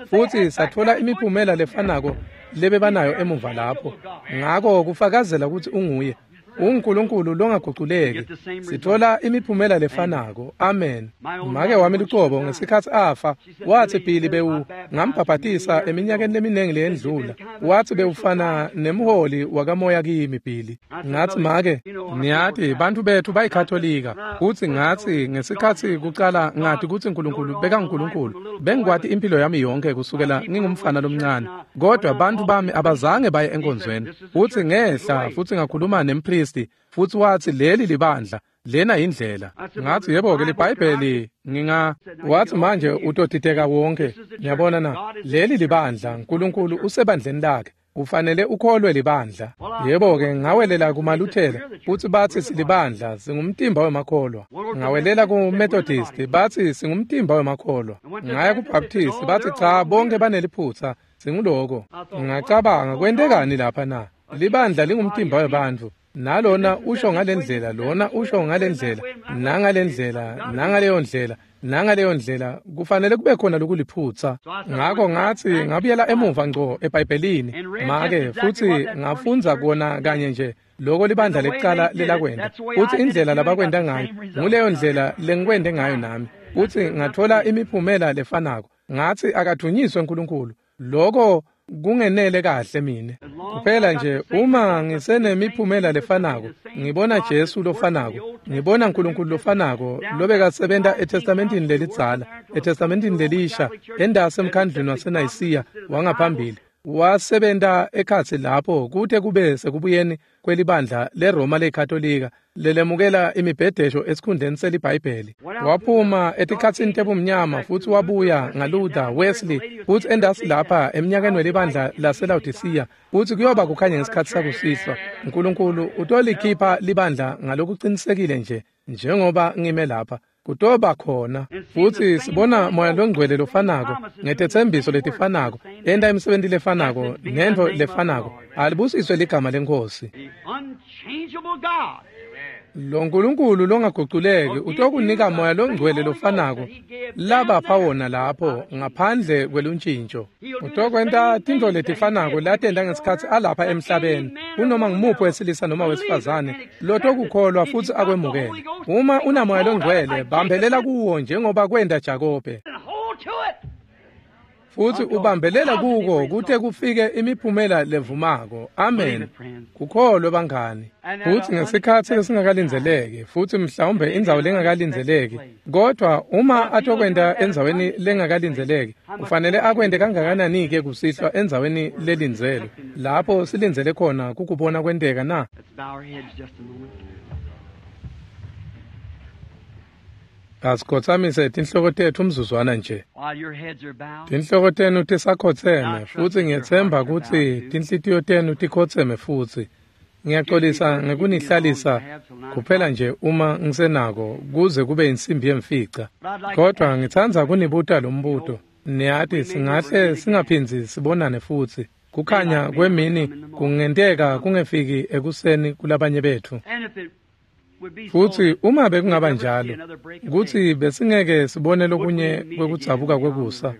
futhi sathola imiphumela lefanako lebebanayo emuva lapho. Ngako kufakazela kutsi unguye uNkulunkulu longaguculeki. Sithola imiphumela lefanako. Amen. Make wami lucobo ngesikhatsi afa wathi Billy bewu ngambhabhatisa eminyakeni leminingi leyendlula. Wathi bewufana nemholi wakamoya kimi Billy. Ngathi make, niyati bantfu bethu bayikatholika. Kuthi ngathi ngesikhatsi kucala ngathi kutsi uNkulunkulu bekanguNkulunkulu. Bengikwati impilo yami yonke kusukela ngingumfana lomncane. Kodwa bantfu bami abazange baye enkonzweni. Futhi ngehla futhi ngakhuluma nempristi, futhi wathi leli libandla, lena indlela. Ngathi yebo-ke liBhayibheli nginga. Wathi manje utotiteka wonke. Niyabona na? Leli libandla, uNkulunkulu usebandleni lakhe. Ufanele ukholwe libandla. Yebo-ke ngawelela kumaLuthela, futhi bathi silibandla, singumtimba wemakholwa. Ngawelela kuMethodist, bathi singumtimba wemakholwa. Ngaya kuBaptist, bathi cha bonke baneliphutha, singuloko. Ngacabanga kwentekani lapha na? Libandla lingumtimba webantfu. Nalona usho ngalendlela, lona usho ngalendlela, nangalendlela, nangaleyo ndlela, nangaleyo ndlela, kufanele kube khona lokuliphutsa. Ngako ngathi ngabuyela emuva ngco eBhayibhelini make futhi ngafundza kona kanye nje loko libandla lekucala lelakwenta, futhi indlela labakwenta ngayo nguleyo ndlela lengikwente ngayo nami, futhi ngathola imiphumela lefanako. Ngathi akathunyiswe uNkulunkulu, loko kungenele kahle mine. Kuphela nje uma ngisenemiphumela lefanako, ngibona Jesu lofanako, ngibona uNkulunkulu lofanako lobekasebenta eTestamentini lelidzala, eTestamentini lelisha, endase emkhandlwini waseNayisiya wangaphambili. Wasebenta ekhatsi lapho kute kube sekubuyeni kwelibandla leRoma leKatolika lelemukela imibhedesho esikhundleni seliBhayibheli. Waphuma etikhatsini tebumnyama futhi wabuya ngaLuther, Wesley, futhi endasi lapha eminyakeni welibandla laseLaodicea, futhi kuyoba kukhanya ngesikhatsi sakusihlwa. uNkulunkulu utolikhipha libandla ngalokuqinisekile nje njengoba ngime lapha. Kutoba khona. Futhi sibona Moya longcwele lofanako ngetetsembiso letifanako, enta imisebenti lefanako nentfo lefanako. Alibusiswe ligama leNkhosi. Lo Nkulunkulu longaguculeki utokunika Moya longcwele lofanako labapha wona lapho ngaphandle kweluntjintjo. Utokwenta tintfo letifanako latenta ngesikhatsi alapha emhlabeni, kunoma ngumuphi wesilisa noma wesifazane lotokukholwa futsi akwemukele. Uma unamoya longcwele, bambelela kuwo njengoba kwenta Jakobe. Futsi ubambelela kuko kute kufike imiphumela levumako. Amen. Kukholwe bangani. Futsi ngesikhatsi lesingakalindzeleki, futsi mhlawumbe indzawo lengakalindzeleki, kodwa uma atokwenta endzaweni lengakalindzeleki, ufanele akwente kangakanani-ke kusihlwa endzaweni lelindzelwe, lapho silindzele khona kukubona kwenteka na? Asikhotsamise tinhloko tetfu umzuzwana nje. Tinhloko tenu tisakhotseme, futsi ngiyetsemba kutsi tinhlitiyo tenu tikhotseme futsi. Ngiyaxolisa ngekunihlalisa kuphela nje uma ngisenako kuze kube insimbi yemfica. Kodwa ngitsandza kunibuta lo mbuto. Niyati singahle singaphindzi sibonane futsi. Kukhanya kwemini kungenteka kungefiki ekuseni kulabanye betfu. Futsi uma bekungaba njalo, kutsi besingeke sibone lokunye kwekudzabuka kwekusa,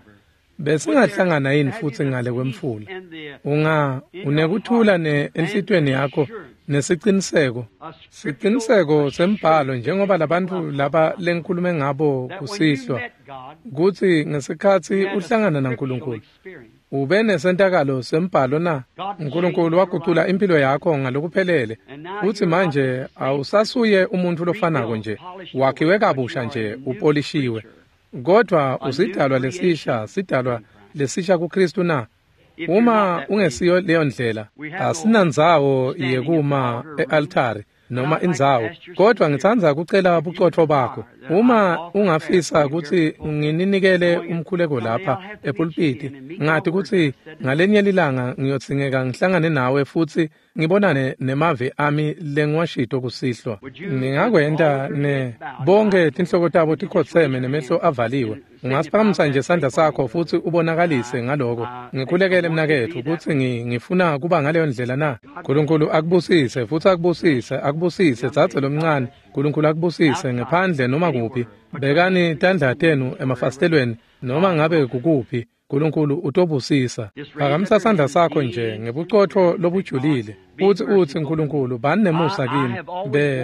besingahlangana yini futsi ngale kwemfula? Unekuthula enhlitiyweni yakho nesiciniseko, siciniseko sembhalo, njengoba labantfu laba lengikhulume ngabo kusihlwa, kutsi ngesikhatsi uhlangana naNkulunkulu ube nesentakalo sembhalo na? uNkulunkulu wagucula impilo yakho ngalokuphelele, futsi manje awusasuye umuntfu lofanako nje, wakhiwe kabusha nje, upolishiwe, kodwa usidalwa lesisha, sidalwa lesisha kuKristu na? Uma ungesiyo leyo ndlela, asinandzawo yekuma e-altari noma indzawo, kodwa ngitsandza kucela bucotfo bakho. Uma ungafisa kutsi ngininikele umkhuleko lapha epulpiti, ngati kutsi ngalenye lilanga ngiyodzingeka ngihlangane nawe futsi ngibonane nemavi ami lengiwashito kusihlwa. Ningakwenta ne bonke tinhloko tabo tikhotseme nemehlo avaliwe. Ungasiphakamisa nje sandla sakho futsi ubonakalise ngaloko. Ngikhulekele mnaketfu kutsi ngifuna kuba ngaleyo ndlela na? Nkulunkulu akubusise futsi akubusise, akubusise dzadze lomncane. Nkulunkulu akubusise ngephandle noma kuphi. Bekani tandla tenu emafasitelweni noma ngabe kukuphi. Nkulunkulu utobusisa. Phakamisa sandla sakho nje ngebucotfo lobujulile futsi utsi, Nkulunkulu bani nemusa kimi.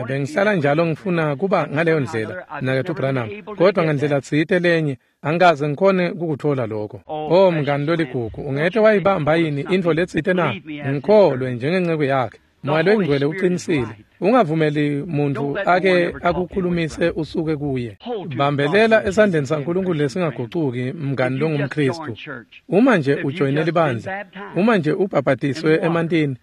Bengihlala njalo ngifuna kuba ngaleyo ndlela, mnaketfu Branham, kodwa ngendlela tsite lenye angikaze ngikhone kukutfola lokho. Oh mngani loligugu, ungete wayibamba yini intfo letsite na? Ngikholwe njengenceku yakhe. Moya loyingcwele uqinisile. Ungavumeli muntu ake akukhulumise usuke kuye. Bambelela esandleni saNkulunkulu lesingagucuki, mngani longumKristu. Uma nje ujoyine libandla, uma nje ubhabhatiswe emantini,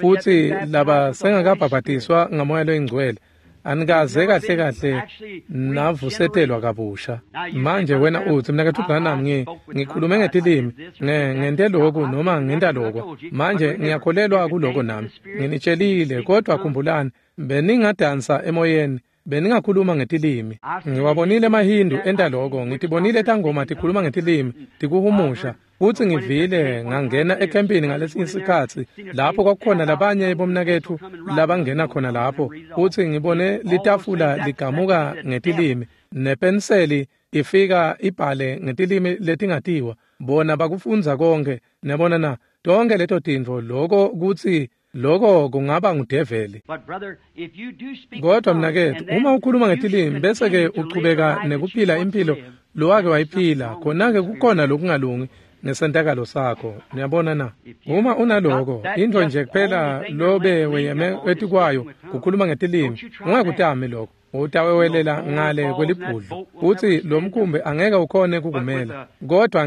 futsi laba sengakabhabhatiswa ngamoya loyingcwele, anikaze kahle kahle navusetelwa kabusha. Manje wena utsi, mnaketfu Branham, ngikhulume ngetilimi, ngente lokhu noma ngenta lokho. Manje ngiyakholelwa kuloko nami. Nginitshelile, kodwa khumbulani, beningadansa emoyeni, beningakhuluma ngetilimi. Ngiwabonile emaHindu enta lokho, ngitibonile tangoma tikhuluma ngetilimi, tikuhumusha. Futsi ngivile ngangena ekhempini ngalesinye isikhatsi lapho kwakukhona labanye bomnaketfu labangena khona lapho, futsi ngibone litafula ligamuka ngetilimi nepenseli ifika ibhale ngetilimi letingatiwa. Bona bakufundza konke, niyabona na? Tonke leto tintfo, loko kutsi loko kungaba ngudeveli. Kodwa mnaketfu, uma ukhuluma ngetilimi bese-ke uchubeka nekuphila impilo lowake wayiphila, khona-ke kukhona lokungalungi ngesentakalo sakho. Niyabona na? Uma unaloko, intfo nje kuphela lobe weyeme etikwayo kukhuluma ngetilimi, ungakutami lokho. Utawewelela ngale kwelibhudlo, futsi lo mkhumbi angeke ukhone kukumela. Kodwa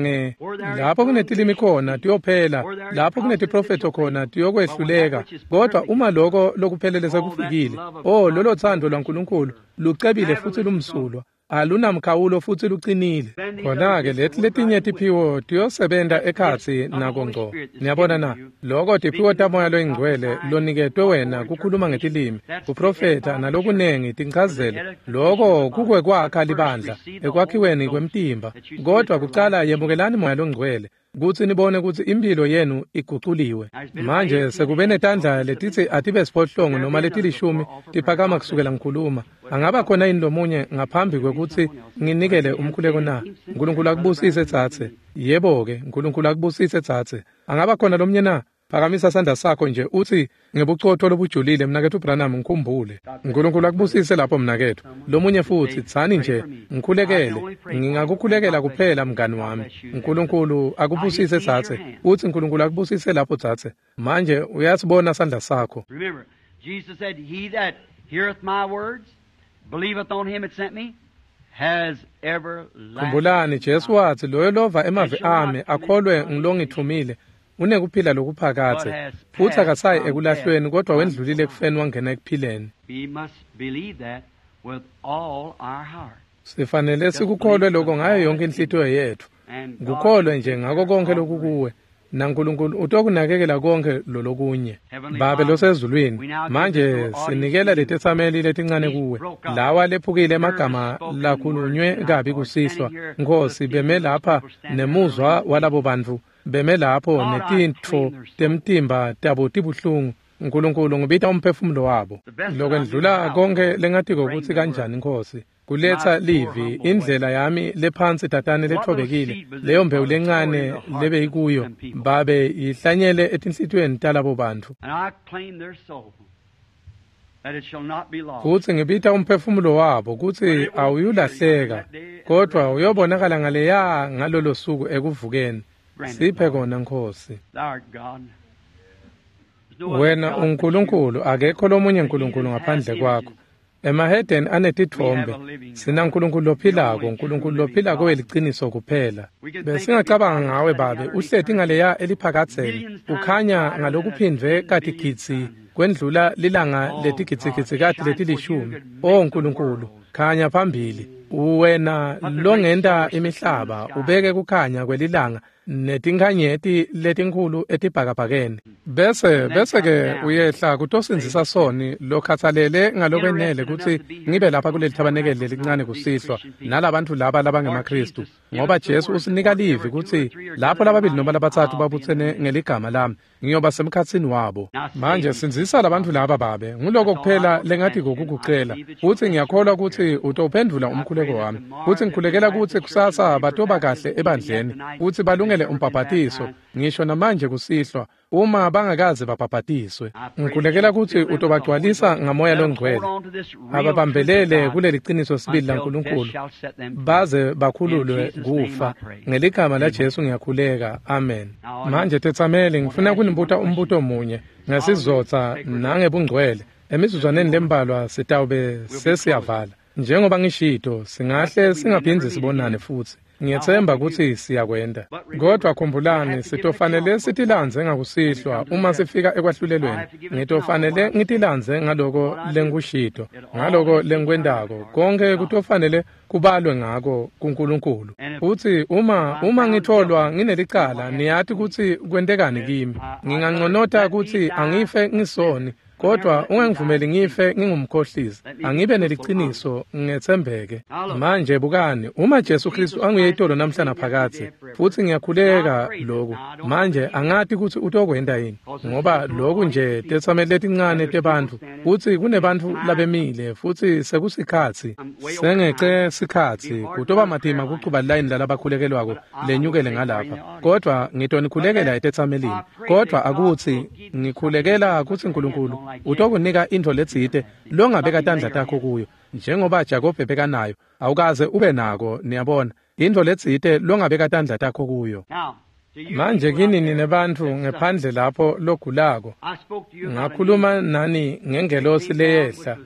lapho kunetilimi khona tiyophela, lapho kunetiprofetho khona tiyokwehluleka. Kodwa uma loko lokuphelele sekufikile, oh, lolo thando lwaNkulunkulu lucebile futsi lumsulwa, alunamkhawulo futsi lucinile. Khona-ke leti letinye tiphiwo tiyosebenta ekhatsi nako ngco. Niyabona na? Loko tiphiwo taMoya loyingcwele loniketwe wena kukhuluma ngetilimi, kuprofetha nalokunengi tinchazelo. Loko kukwekwakha libandla ekwakhiweni kwemtimba. Kodwa kucala yemukelani Moya loNgcwele kutsi nibone kutsi impilo yenu iguculiwe. Manje sekube netandla letitsi atibe siphohlongo noma letilishumi tiphakama kusukela ngikhuluma. Angaba khona yini lomunye ngaphambi kwekutsi nginikele umkhuleko na? Nkulunkulu akubusise tsatse. Yebo-ke, Nkulunkulu akubusise tsatse. Angaba khona lomunye na? Phakamisa sandla sakho nje uthi ngebucotho lobujulile, mnaketfu Branham, ngikhumbule. Nkulunkulu akubusise lapho mnaketfu. Lomunye futhi, tsani nje, ngikhulekele. Ngingakukhulekela kuphela mngani wami. Nkulunkulu akubusise tsatse. Uthi Nkulunkulu akubusise lapho tsatse. Manje uyasibona sandla sakho. Remember, Jesus said, "He that heareth my words, believeth on him that sent me, has everlasting Khumbulani, Jesu wathi loyo lova emavi ami akholwe ngilongithumile unekuphila lokuphakadze, futhi akasayi ekulahlweni kodwa wendlulile ekufeni wangena ekuphileni. We must believe that with all our heart. Sifanele sikukholwe lokho ngayo yonke inhlitiyo yethu. And God Kukholwe nje ngako konke lokukuwe, naNkulunkulu utokunakekela konke lolokunye. Babe losezulwini, manje sinikela letetsameli letincane kuwe, lawa lephukile emagama lakhulunywe kabi kusihlwa. Nkhosi, beme lapha nemuzwa walabo bantfu, beme lapho netintfo temtimba tabo tibuhlungu. Nkulunkulu, ngibita umphefumulo wabo. Lokwendlula konke lengatiko kutsi kanjani, Nkhosi, kuletsa livi, indlela yami lephansi tatane lethobekile, leyo mbewu lencane lebeyikuyo, babe yihlanyele etinhlitiyweni talabo bantfu. And I claim their soul, that it shall not be lost. Kutsi ngibita umphefumulo wabo kutsi awuyulahleka, kodwa uyobonakala ngaleya ngalolo suku ekuvukeni. Siphe kona, Nkhosi. Thou art God. There's no other Wena God but you. uNkulunkulu, akekho lomunye uNkulunkulu ngaphandle kwakho. Emahedeni anetitfombe, sina Nkulunkulu lophilako, Nkulunkulu lophilako weliciniso kuphela. Besingacabanga ngawe Babe, uhleti ngaleya eliphakadzeni, ukhanya ngalokuphindvwe katigidzi kwendlula lilanga letigidzigidzi letilishumi. O Nkulunkulu, khanya phambili. Wena longenta imihlaba, ubeke kukhanya kwelilanga netinkhanyeti letinkhulu etibhakabhakeni. Bese ke uyehla kutosindzisa soni lokhatsalele ngalokwenele kutsi ngibe lapha kuleli thabanekeli lelincane kusihlwa nalabantfu laba labangemaKhristu, ngoba Jesu usinika livi kutsi lapho lababili noma labatsatfu babutsene ngeligama lami, ngiyoba semkhatsini wabo. Manje sindzisa labantfu laba Babe, nguloko kuphela lengatiko kukucela, futsi ngiyakholwa kutsi utowuphendvula umkhuleko wami. Futsi ngikhulekela kutsi kusasa batoba kahle ebandleni, futsi balungele umbhabhatiso, ngisho namanje kusihlwa, uma bangakaze babhabhatiswe. Ngikhulekela kutsi utobagcwalisa ngamoya longcwele, ababambelele kuleli qiniso sibili laNkulunkulu, baze bakhululwe kufa. Ngeligama laJesu ngiyakhuleka, amen. Manje tetsameli, ngifuna kunibuta umbuto munye ngesizotsa nangebungcwele. Emizuzwaneni lembalwa sitawube sesiyavala. Njengoba ngishito, singahle singaphindzi sibonane futsi. Ngiyetsemba kutsi siyakwenta. Kodwa khumbulani, sitofanele sitilandze ngakusihlwa uma sifika ekwahlulelweni. Ngitofanele ngitilandze ngaloko lengikushito, ngaloko lengikwentako. Konke kutofanele kubalwe ngako kuNkulunkulu. Futsi uma ngitholwa nginelicala, niyati kutsi kwentekani kimi. Nginganconota kutsi angife ngisoni, kodwa ungangivumeli ngife ngingumkhohlisi. Angibe neliciniso, ngetsembeke. Manje bukani, uma Jesu Kristu anguye itolo namhla naphakadze, futsi ngiyakhuleka loku. Manje angati kutsi utokwenta yini, ngoba loku nje tetsameli letincane tebantfu, futsi kunebantfu labemile, futhi sekusikhatsi. Sengece sikhatsi, kutoba matima kucuba line lalabakhulekelwako lenyukele ngalapha. Kodwa ngitonikhulekela etetsamelini. Kodwa akutsi ngikhulekela kutsi Nkulunkulu utokunika intfo letsite longabeka tandla takho kuyo, njengoba Jakobe bekanayo. Awukaze ube nako, niyabona, intfo letsite longabeka tandla takho kuyo. Now, to you Manje people out kini there ninebantfu that ngephandle lapho logulako, suffer, I spoke to you about an ngakhuluma nani ngengelosi leyehla,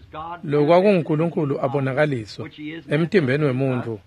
lokwakunguNkulunkulu abonakaliswa emtimbeni wemuntfu,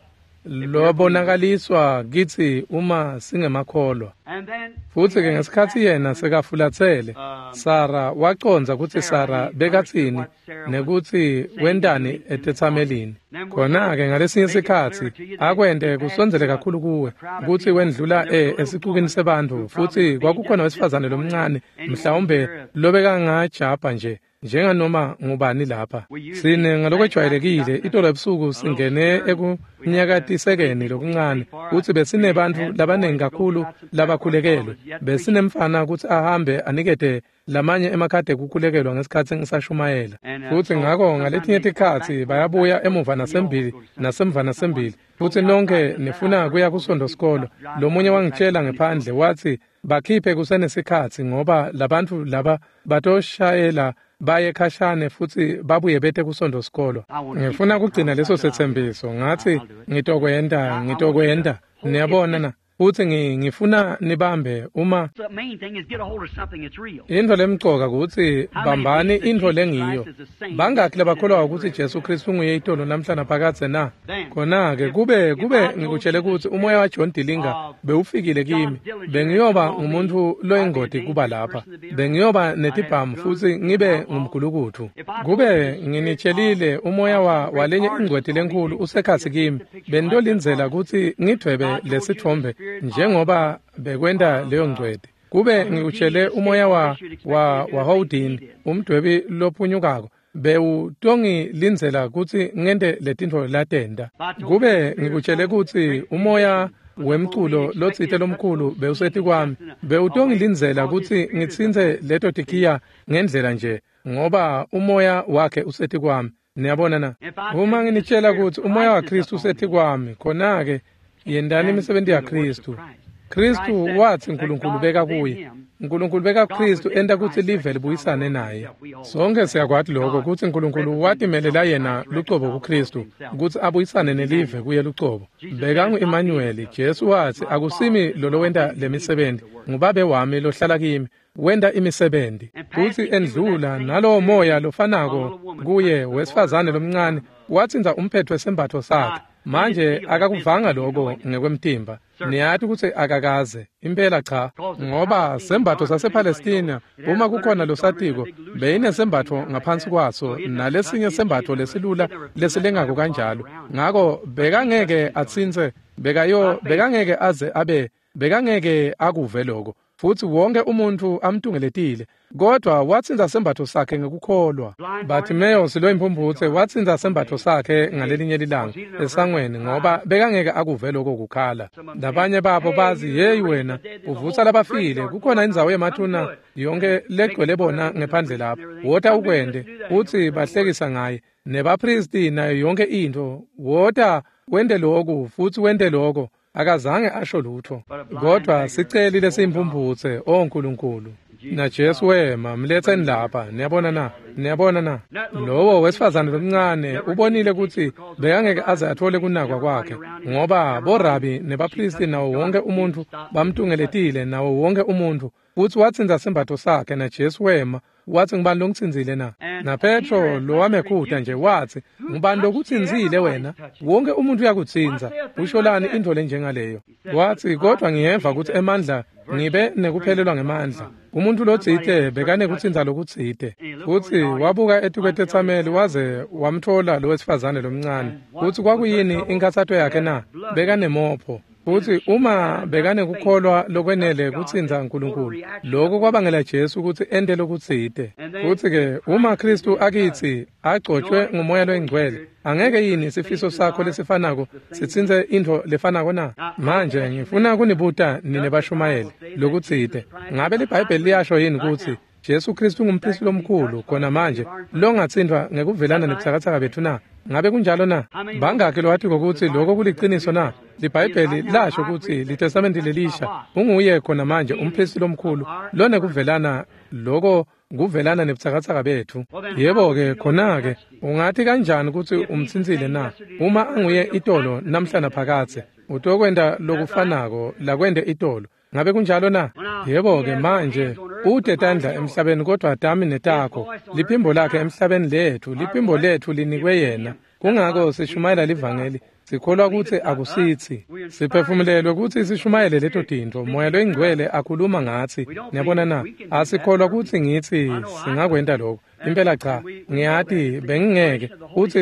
lobonakaliswa kitsi uma singemakholwa. And then Futsi-ke ngesikhatsi yena sekafulatsele, Sara wacondza kutsi Sara bekatsini nekutsi wentani etetsamelini. Khona-ke ngalesinye sikhatsi akwente kusondzele kakhulu kuwe kutsi wendlula esicukini sebantfu, futsi kwakukhona wesifazane lomncane mhlawumbe lobekangajabha nje njenganoma ngubani lapha. Sine ngalokwejwayelekile itolo ebusuku singene ekunyakatisekeni lokuncane, kutsi besinebantfu labanengi kakhulu labakhulekelwe. Besinemfana kutsi ahambe anikete lamanye emakhadi ekukhulekelwa ngesikhatsi ngisashumayela. Futsi ngako ngaletinye tikhatsi bayabuya emuva nasembili nasemva nasembili. Futsi nonke nifuna kuya kuSondo sikolo. Lomunye wangitshela ngephandle wathi Bakhiphe kusenesikhatsi ngoba labantfu laba batoshayela baye khashane futsi babuye bete kusonto sikolo. Ngifuna kugcina leso setsembiso. Ngathi ngitokwenta. Niyabona na? Futsi ngifuna nibambe uma intfo lemcoka kutsi bambani intfo lengiyo. Bangakhi labakholwa kutsi Jesu Kristu unguye itolo namhla naphakadze na? Khona-ke kube ngikutshele kutsi umoya wa John Dillinger bewufikile kimi, bengiyoba ngumuntu loyingoti kuba lapha, bengiyoba netibhamu futsi ngibe ngumgulukutfu. Kube nginitshelile umoya walenye ingcweti lenkhulu usekhatsi kimi, benitolindzela kutsi ngidvwebe lesitfombe njengoba bekwenta leyo ngcweti. Kube ngikutshele umoya wa Houdini, umdwebi lophunyukako, bewutongilindzela kutsi ngente letintfo latenta. Kube ngikutshele kutsi umoya wemculo lotsite lomkhulu bewusetikwami, bewutongilindzela kutsi ngitsintse leto tikhiya ngendlela nje, ngoba umoya wakhe usetikwami. Niyabona na? Uma nginitshela kutsi umoya wa Kristu usetikwami, khona-ke yendani imisebenti yaKristu. Kristu wathi uNkulunkulu beka kuye. uNkulunkulu beka Kristu enta kutsi live libuyisane naye. Sonke siyakwati lokho kutsi uNkulunkulu watimelela yena lucobo kuKristu kutsi abuyisane nelive kuye lucobo. Bekangu-Emmanuel. Jesu wathi akusimi lolowenta lemisebenzi, ngubabe wami lohlala kimi wenta imisebenzi. Kutsi endlula nalowo moya lofanako kuye wesifazane lomncane watsintsa umphetho wesembatfo sakhe. Manje akakuvanga lokho ngekwemtimba. Niyati kutsi akakaze impela cha, ngoba sembatfo sasePalestina uma kukhona losatiko beyinesembatfo ngaphansi kwaso nalesinye sembatfo lesilula lesilengako kanjalo. Ngako bekangeke atsintse, bekangeke aze abe, bekangeke akuve lokho. Futsi wonke umuntu amtungeletile, kodwa watsintsa sembatfo sakhe ngekukholwa. Bartimaeus loyimphumputse watsintsa sembatfo sakhe ngalelinye lilanga esangweni, ngoba bekangeke akuve lokho kukhala. Labanye babo bazi, hey wena uvutsa labafile, kukhona indzawo yemathuna yonke legcwele bona ngephandle lapho, wota ukwente. Utsi bahlekisa ngaye nebapristi nayo yonke intfo, wota wente lokhu futsi wente lokho. Akazange asho lutho, kodwa siceli lesiyimphumputse, o Nkulunkulu. Na Jesu wema, mletseni lapha. Niyabona na? Niyabona na? Lowo wesifazane lomncane ubonile kutsi bekangeke aze athole kunakwa kwakhe, ngoba borabi nebapristi nawo wonke umuntu bamtungeletile, nawo wonke umuntu. Futsi watsintsa sembatfo sakhe, na Jesu wema wathi, ngubani longitsintsile na? Na Petro lowamekhuta nje wathi, ngubani lokutsintsile wena? Wonke umuntu uyakutsintsa, usholani intfo lenjengaleyo? Wathi, kodwa ngiyeva kutsi emandla ngibe nekuphelelwa ngemandla. Umuntu lotsite bekanekutsintsa lokutsite. Futsi wabuka etikwetetsameli waze wamtfola lo wesifazane lomncane. Futsi kwakuyini inkhatsato yakhe na? Bekanemopho. Futsi uma bekanekukholwa lokwenele kutsintsa uNkulunkulu, lokho kwabangela Jesu kutsi ente lokutsite. Futsi-ke uma Kristu akitsi agcotshwe ngumoya loyingcwele, angeke yini sifiso sakho lesifanako sitsintse intfo lefanako na? Manje ngifuna kunibuta nine bashumayeli lokutsite. Ngabe liBhayibheli liyasho yini kutsi Jesu Kristu ngumpristi lomkhulu khona manje longatsintfwa ngekuvelana nebutsakatsaka betfu na? Ngabe kunjalo na? Bangakhi lowatiko kutsi lokho kuliciniso na? LiBhayibheli lasho kutsi liTestamenti lelisha unguye khona manje umpristi lomkhulu lonekuvelana, loko kuvelana nebutsakatsaka betfu. Yebo-ke khona-ke ungathi kanjani kutsi umtsintsile na? Uma anguye itolo namhla naphakadze, utokwenta lokufanako lakwente itolo. Ngabe kunjalo na? Yebo-ke manje ute tandla emhlabeni kodwa tami netakho. Liphimbo lakhe emhlabeni lethu, liphimbo lethu linikwe yena. Kungako sishumayela livangeli, sikholwa kutsi akusitsi. Siphefumulelwe kutsi sishumayele leto tintfo. Moya loyingcwele akhuluma ngatsi. Niyabona na? Asikholwa kutsi ngitsi singakwenta lokho. Impela cha, ngiyati bengingeke.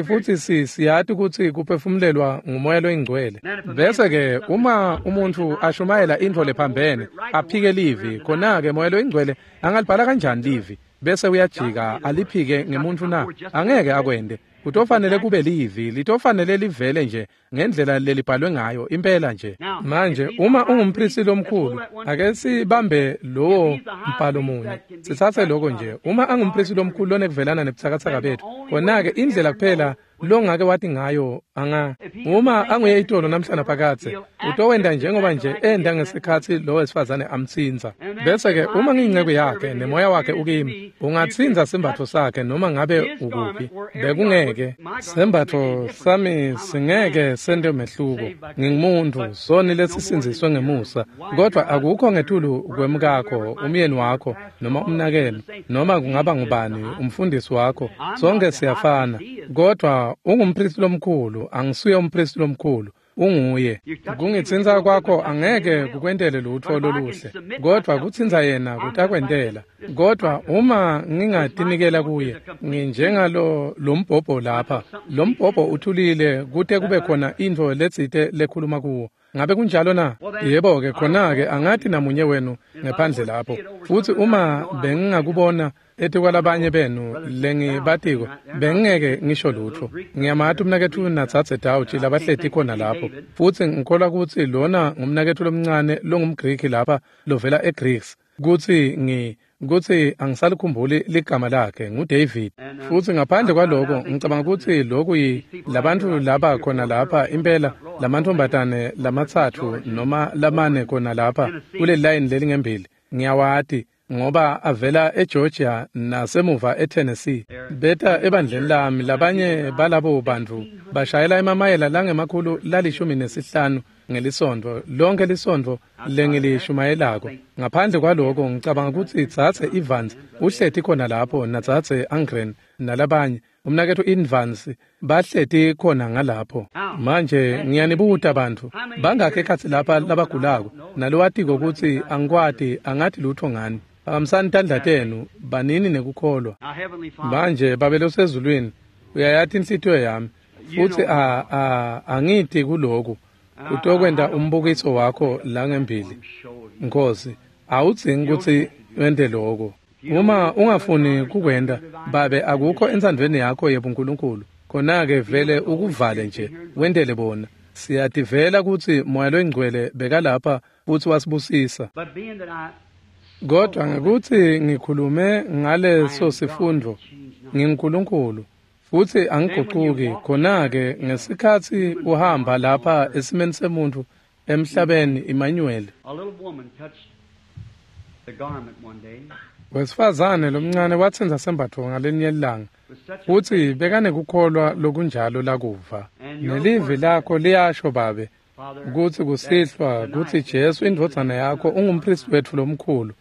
Futsi siyati kutsi kuphefumulelwa ngumoya loyingcwele. Bese-ke uma umuntfu ashumayela intfo lephambene, aphike livi, khona-ke moya loyingcwele angalibhala kanjani livi? Bese uyajika aliphike ngemuntfu na? Angeke akwente. Kutofanele kube livi, litofanele livele nje ngendlela lelibhalwe ngayo impela nje. Manje uma ungumpristi lomkhulu, ake sibambe lowo mbhalo munye, sitsatse lokho nje. Uma angumpristi lomkhulu lonekuvelana nebutsakatsaka betfu, khona-ke indlela kuphela longake wathi ngayo anga uma anguye itolo namhlanje phakathe utowenda njengoba nje enda ngesikhathi lo wesifazane amtsinza. Bese-ke uma ngiyinceku yakhe nemoya wakhe ukimi, ungatsinza sembatfo sakhe noma ngabe ukuphi. Bekungeke sembatfo sami singeke sente umehluko. Ngingumuntu soni lesisindziswe ngemusa, kodwa akukho ngetulu kwemkakho, umyeni wakho noma umnakenu noma kungaba ngubani umfundisi wakho, sonke siyafana. Kodwa ungumpristi lomkhulu, angisuye umpristi lomkhulu, unguye. Kungitsinza kwakho angeke kukwentele lutho loluhle, kodwa kutsinza yena kutakwentela. Kodwa uma ngingatinikela kuye, nginjengalo lombhobho lapha. Lombhobho uthulile kute kube khona intfo letsite lekhuluma kuwo. Ngabe kunjalo na? Yebo-ke, khona-ke angathi namunye wenu ngephandle lapho. Futhi uma bengingakubona etikwalabanye benu lengibatiko, bengingeke ngisho lutho. Ngiyamati umnaketfu natsatse Dawuthi labahleti khona lapho. Futhi ngikholwa kutsi lona ngumnaketfu lomncane longumGriki lapha lovela eGreece. Kutsi angisalikhumbuli ligama lakhe, nguDavid. Futhi ngaphandle kwaloko ngicabanga kutsi lokhu labantu laba khona lapha impela lamantfombatane lamatsatfu noma lamane khona lapha kule line lelingembili ngiyawati ngoba avela eGeorgia nasemuva eTennessee. Beta ebandleni lami labanye balabo bantu bashayela emamayela langemakhulu 15 ngelisondvo, lonke lisondvo lengilishumayelako. Ngaphandle kwaloko ngicabanga kutsi Dzadze Evans uhleti khona lapho naDzadze Angren nalabanye, umnaketfu Evans bahleti khona ngalapho. Manje ngiyanibuta bantfu, bangakhi ekhatsi lapha labagulako nalowatiko kutsi angikwati, angathi lutho ngani? Phakamisani tandla tenu, banini nekukholwa. Manje Babe losezulwini, uyayati inhlitiyo yami, futhi angiti kuloku utokwenta umbukiso wakho la ngembili. Nkosi, awudzingi kutsi wente loko. Uma ungafuni kukwenta, Babe, akukho entsandvweni yakho yebuNkulunkulu, khona-ke vele ukuvale nje, wentele bona. Siyativela kutsi Moya loyiNgcwele bekalapha futsi wasibusisa. Kodwa ngekutsi ngikhulume ngaleso sifundvo, nginguNkulunkulu futsi angigucuki. Khona-ke ngesikhatsi uhamba lapha esimeni semuntfu emhlabeni, Emmanuel. Wesifazane lomncane watsintsa sembatfo ngalinye ilanga, futsi bekanekukholwa lokunjalo lakuva. Nelivi lakho liyasho, Babe, kutsi kusihlwa kutsi Jesu indvodzana yakho ungumpristi wetfu lomkhulu,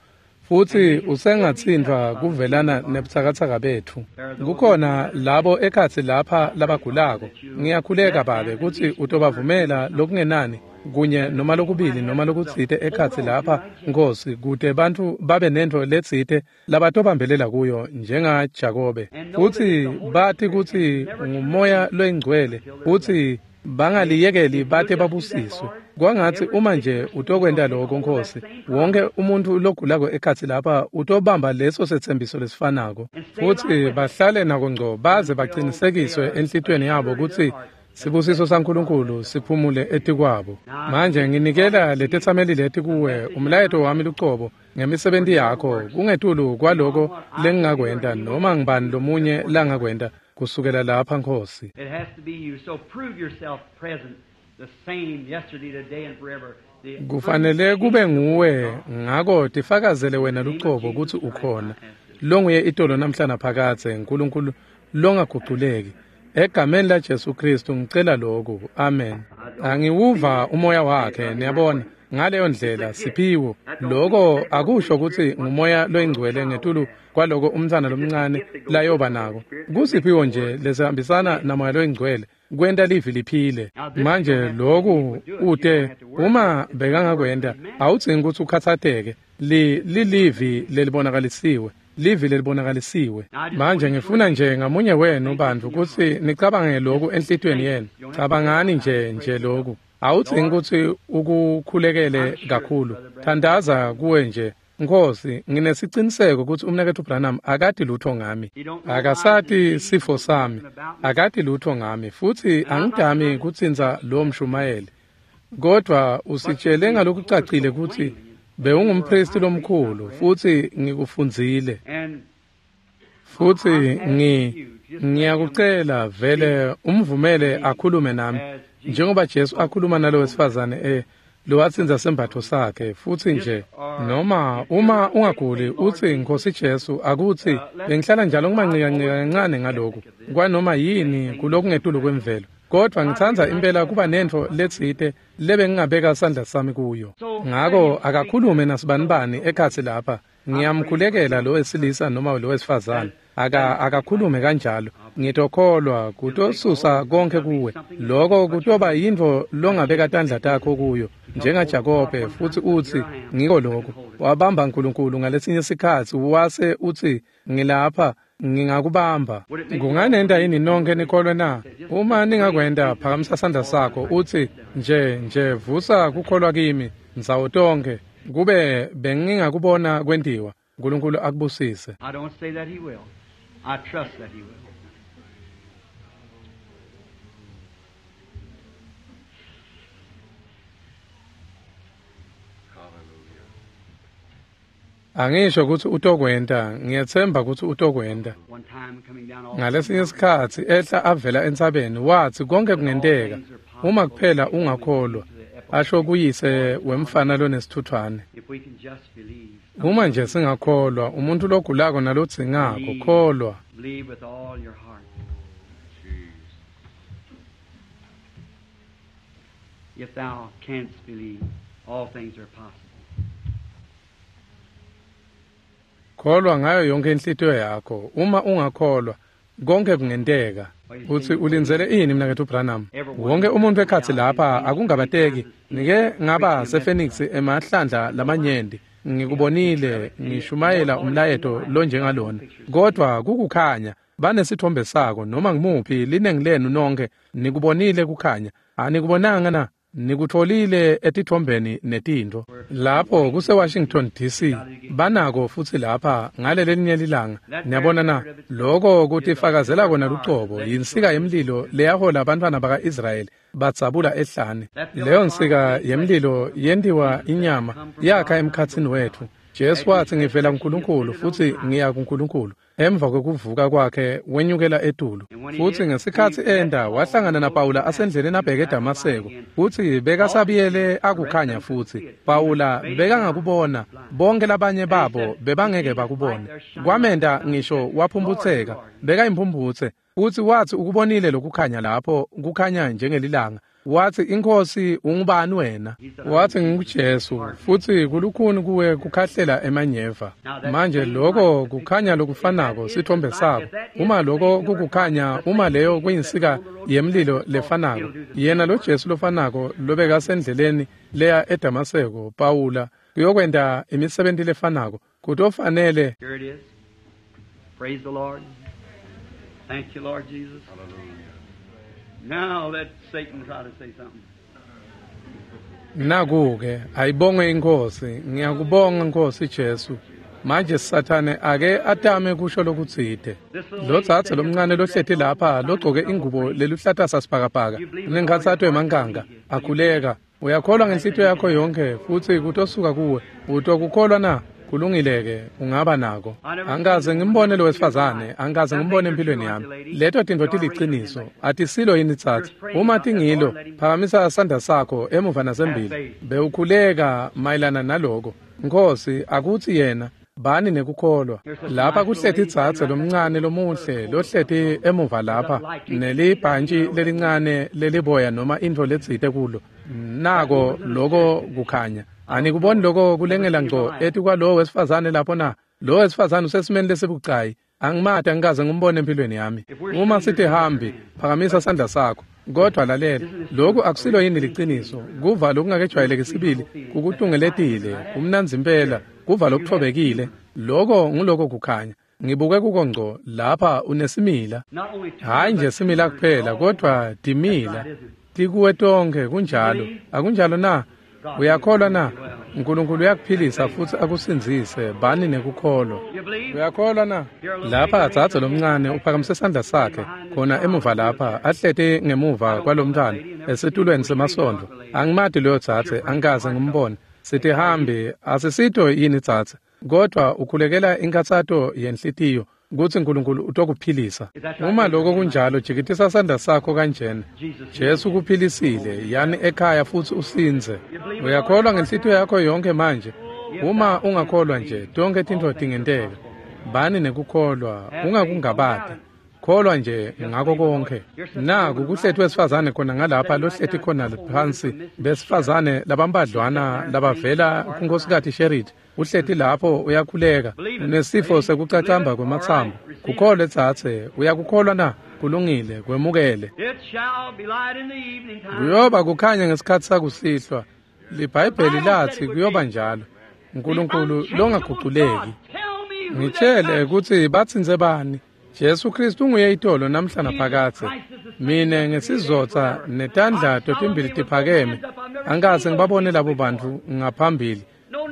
futsi usengatsintfwa kuvelana nebutsakatsaka betfu. Kukhona labo ekhatsi lapha labagulako. Ngiyakhuleka, Babe, kutsi utobavumela lokungenani kunye noma lokubili noma lokutsite ekhatsi lapha, Nkosi, kute bantfu babe nentfo letsite labatobambelela kuyo njengaJakobe, futsi bati kutsi nguMoya loyiNgcwele, futsi bangaliyekeli bate babusiswe. Kwangatsi uma nje utokwenta lokho, Nkosi, wonke umuntu logulako ekhatsi lapha utobamba leso setsembiso lesifanako, futhi bahlale nako ngco baze bacinisekiswe enhlitiyweni yabo kutsi sibusiso saNkulunkulu siphumule etikwabo. Manje nginikela letetsameli leti kuwe, umlayeto wami lucobo ngemisebenti yakho, kungetulu kwaloko lengingakwenta noma ngibani lomunye langakwenta kusukela lapha, Nkosi. It has to be you. So prove yourself present, the same yesterday, today, and forever. The Kufanele kube nguwe, ngako tifakazele wena lucobo kutsi ukhona, longuye itolo namhla naphakadze, Nkulunkulu longaguculeki. Egameni laJesu Kristu ngicela lokhu, amen. Angiwuva umoya wakhe, niyabona, ngaleyo ndlela siphiwo. Loko akusho kutsi ngumoya loyingcwele ngetulu kwaloko umntfwana lomncane layoba nako. Kusiphiwo nje lesihambisana namoya loyingcwele kwenta livi liphile. Manje loku ute uma bekangakwenta, awudzingi kutsi ukhatsateke. Lilivi lelibonakalisiwe, livi lelibonakalisiwe. Manje ngifuna nje ngamunye wenu bantfu kutsi nicabange lokhu enhlitiyweni yenu. Cabangani nje lokhu. Awudzingi kutsi ukukhulekele kakhulu. Thandaza kuwe nje. Nkosi, nginesiciniseko kutsi umnaketfu Branham akati lutho ngami. Akasati sifo sami, akati lutho ngami, futsi angidami kutsintsa lo mshumayeli. Kodwa usitshele ngalokucacile kutsi bewungumpristi lomkhulu, futsi ngikufundzile. And Futhi Ngiyakucela vele umvumele akhulume nami njengoba Jesu akhuluma nalo wesifazane lowatsinza sembatho sakhe. Futsi nje noma uma ungaguli utsi, Nkosi Jesu, akutsi bengihlala njalo ngimanqikanqika kancane ngaloku kwanoma yini kulokungetulu kwemvelo, kodwa ngitsandza impela kuba nentfo letsite lebengingabeka sandla sami kuyo. Ngako akakhulume nasibanibani ekhatsi lapha. Ngiyamkhulekela lo wesilisa noma lo wesifazane. Akakhulume kanjalo. Ngitokholwa kutosusa konke kuwe. Lokho kutoba yintfo longabeka tandla takho kuyo njengaJakobe, futsi utsi ngiko lokho. Wabamba uNkulunkulu ngalesinye sikhatsi wase utsi, ngilapha, ngingakubamba. Kunganenta yini nonke nikholwe na? Uma ningakwenta, phakamisa sandla sakho utsi nje vusa kukholwa kimi ndzawo tonkhe, kube bengingakubona kwentiwa. uNkulunkulu akubusise. I don't say that he will. I trust that he will. Angisho kutsi utokwenta, ngiyetsemba kutsi utokwenta. Ngalesinye sikhatsi ehla avela entsabeni watsi konke kungenteka uma kuphela ungakholwa, asho kuyise wemfana lonesithuthwane. Uma nje singakholwa, umuntu logulako nalodzingako, kholwa. If thou canst believe, all things are possible. Kholwa ngayo yonke inhlitiyo yakho. Uma ungakholwa, konke kungenteka. Utsi ulindzele ini mnaketfu Branham? Wonke umuntu ekhatsi lapha akungabateki. Nike ngaba sePhoenix emahlandla lamanyenti. Ngikubonile ngishumayela umlayeto lonjengalona. Kodwa kukukhanya, banesithombe sako noma ngimuphi linengi lenu nonke nikubonile kukhanya. Anikubonanga na? Nikutfolile etithombeni netintfo. Lapho kuse Washington DC banako futsi lapha ngalelelinye lilanga. Niyabona na? Lokho kutifakazela kona lucobo yinsika yemlilo leyahola abantwana baka-Israyeli batsabula ehlane. Leyo nsika yemlilo yentiwa inyama yakha emkhatsini wetfu. Jesu watsi, ngivela kuNkulunkulu futsi ngiya kuNkulunkulu. Emva kwekuvuka kwakhe wenyukela etulu. Futsi ngesikhatsi enda wahlangana naPawula asendleleni abheke eDamaseko. Futsi bekasabiyele akukhanya futsi. Pawula bekangakubona, bonke labanye babo bebangeke bakubone. Kwamenta ngisho waphumputseka, bekayimphumphutse. Futsi watsi ukubonile lokukhanya lapho, kukhanya njengelilanga. Watsi, Inkosi, ungubani wena? Watsi, nginguJesu, futsi kulukhuni kuwe kukhahlela emanyeva. Manje lokho kukhanya lokufanako sithombe sako. Uma lokho kukukhanya, uma leyo kuyinsika yemlilo lefanako, yena lo Jesu lofanako lobekasendleleni leya eDamaseko, Pawula, kuyokwenta imisebenti lefanako. Kutofanele. Here it is. Praise the Lord. Thank you, Lord Jesus. Hallelujah. Now let Satan try to say something. Nakuke, ayibongwe inkosi, ngiyakubonga Nkosi Jesu. Manje Sathane ake atame kusho lokutsite. Lo dzadze lomncane lohleti lapha logcoke ingubo leluhlata sasibhakabhaka, unenkhatsato yemankanga, akhuleka. Uyakholwa ngenhlitiyo yakho yonke futsi kutosuka kuwe. Utokukholwa na? Kulungile-ke, ungaba nako. Angikaze ngimbone lo wesifazane, angikaze ngimbone empilweni yami. Leto tintfo tiliciniso, atisilo yini tsatsi? Uma tingilo, phakamisa sandla sakho emuva nasembili. Bewukhuleka mayelana naloko. Nkosi, akutsi yena bani nekukholwa. Lapha kuhleti dzadze lomncane lomuhle lohleti emuva lapha nelibhantshi lelincane leliboya noma intfo letsite kulo. Nako loko kukhanya. Anikuboni loko kulengela ngco etikwalowo wesifazane lapho na? Lo wesifazane usesimeni lesibucayi. Angimati, angikaze ngimbone empilweni yami. Uma sitihambi, phakamisa sandla sakho. Kodwa lalela, lokhu akusilo yini liciniso? Kuva lokungakejwayeleki sibili kukutungeletile, kumnandzi impela, kuva lokuthobekile. Loko nguloko kukhanya. Ngibuke kuko ngco lapha unesimila. Hayi nje simila kuphela, kodwa timila. Tikuwe tonke, kunjalo. Akunjalo na? Uyakholwa na? uNkulunkulu uyakuphilisa futsi akusindzise, bani nekukholwa. Uyakholwa na? Lapha dzadze lomncane uphakamise sandla sakhe khona emuva lapha, ahleti ngemuva kwalomntfwana esitulweni semasondvo. Angimati loyo dzadze, angikaze ngimbone. Sitihambi, asisito yini dzadze? Kodwa ukhulekela inkhatsato yenhlitiyo. kutsi Nkulunkulu utokuphilisa? Uma lokho kunjalo, jikitisa sandla sakho kanjena. Jesu ukuphilisile, yani ekhaya futsi usindze. Uyakholwa ngenhlitiyo yakho yonkhe manje? Uma ungakholwa nje, tonkhe tintfo tingenteka. Bani nekukholwa, ungakungabati. Kholwa nje ngako konke. Naku kuhleti wesifazane khona ngalapha lohleti khona phansi, besifazane labambadlwana labavela kuNkosikazi Sherrit. Uhleti lapho uyakhuleka, unesifo sekucacamba kwematsambo. Kukholwe tsatse, uyakukholwa na? Kulungile, kwemukele. Kuyoba kukhanya ngesikhatsi sakusihlwa. LiBhayibheli latsi kuyoba njalo. Nkulunkulu longaguculeki. Ngitshele kutsi batsintse bani. Jesu Kristu unguye itolo namhla naphakadze. Mine ngesizotsa netandla totimbili tiphakeme. Angikaze ngibabone labo bantfu ngaphambili.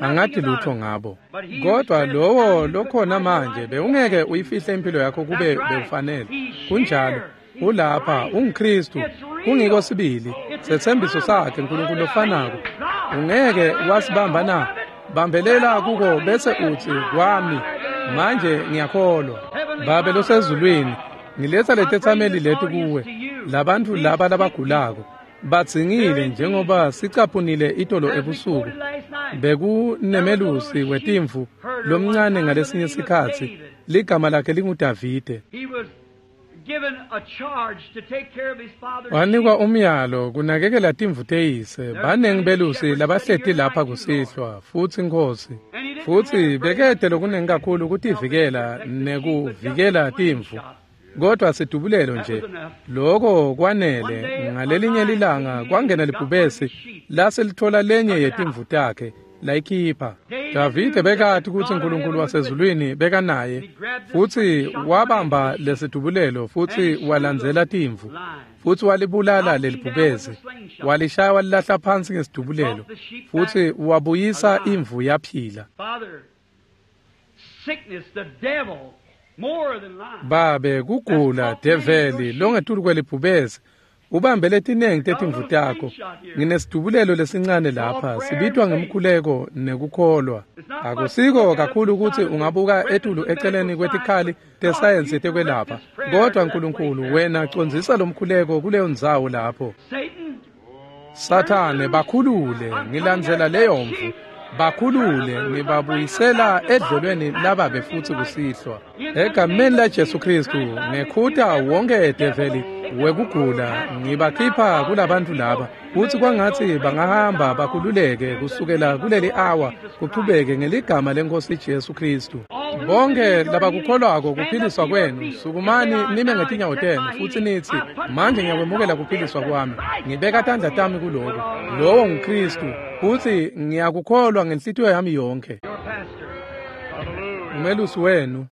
Angati lutho ngabo. Kodwa lowo lokhona manje bewungeke uyifihle impilo yakho kube bewufanele. Kunjalo. Ulapha unguKristu. Kungiko sibili. Setsembiso sakhe Nkulunkulu lofanako. Ungeke wasibamba na? Bambelela kuko bese utsi kwami. Manje ngiyakholwa. Babe losezulwini, ngiletsa letetsameli leti kuwe. Labantfu laba labagulako badzingile njengoba sicaphunile itolo ebusuku. Bekunemelusi wetimvu lomncane ngalesinye sikhatsi, ligama lakhe linguDavide. Wanikwa umyalo kunakekela timvu teyise. Banengi belusi labahleti lapha kusihlwa futsi Nkhosi. Futsi bekete lokunengi kakhulu kutivikela nekuvikela timvu. Kodwa sidubulelo nje, loko kwanele. Ngalelinye lilanga kwangena libhubesi lase lithola lenye yetimvu takhe layikhipha. Davide bekati kutsi Nkulunkulu wasezulwini bekanaye, futsi wabamba lesidubulelo futsi walandzela timvu, futsi walibulala lelibhubesi, walishaya walilahla phansi ngesidubulelo, futsi wabuyisa imvu yaphila. Babe, kugula, develi longetulu kwelibhubesi ubambe letinengi tetimvu takho. Nginesidubulelo lesincane lapha, sibitwa ngemkhuleko nekukholwa. Akusiko kakhulu ukuthi ungabuka etulu eceleni kwetikhali tesayensi tekwelapha, kodwa Nkulunkulu wena condzisa lomkhuleko kuleyo ndzawo lapho. Sathane, bakhulule, ngilandzela leyo mvu. Bakhulule, ngibabuyisela edlelweni lababe futsi kusihlwa. Egameni la Jesu Kristu, ngekhuta wonke develi wekugula, ngibakhipha kulabantu laba, kutsi kwangatsi bangahamba bakhululeke kusukela kuleli awa kuchubeke ngeligama leNkhosi Jesu Kristu. Bonke labakukholwako kuphiliswa kwenu, sukumani nime ngetinyawo tenu futsi nitsi, manje ngiyakwemukela kuphiliswa kwami, ngibeka tandla tami kuloku. Lowo nguKristu, futsi ngiyakukholwa ngenhlitiyo yami yonkhe. Umelusi wenu.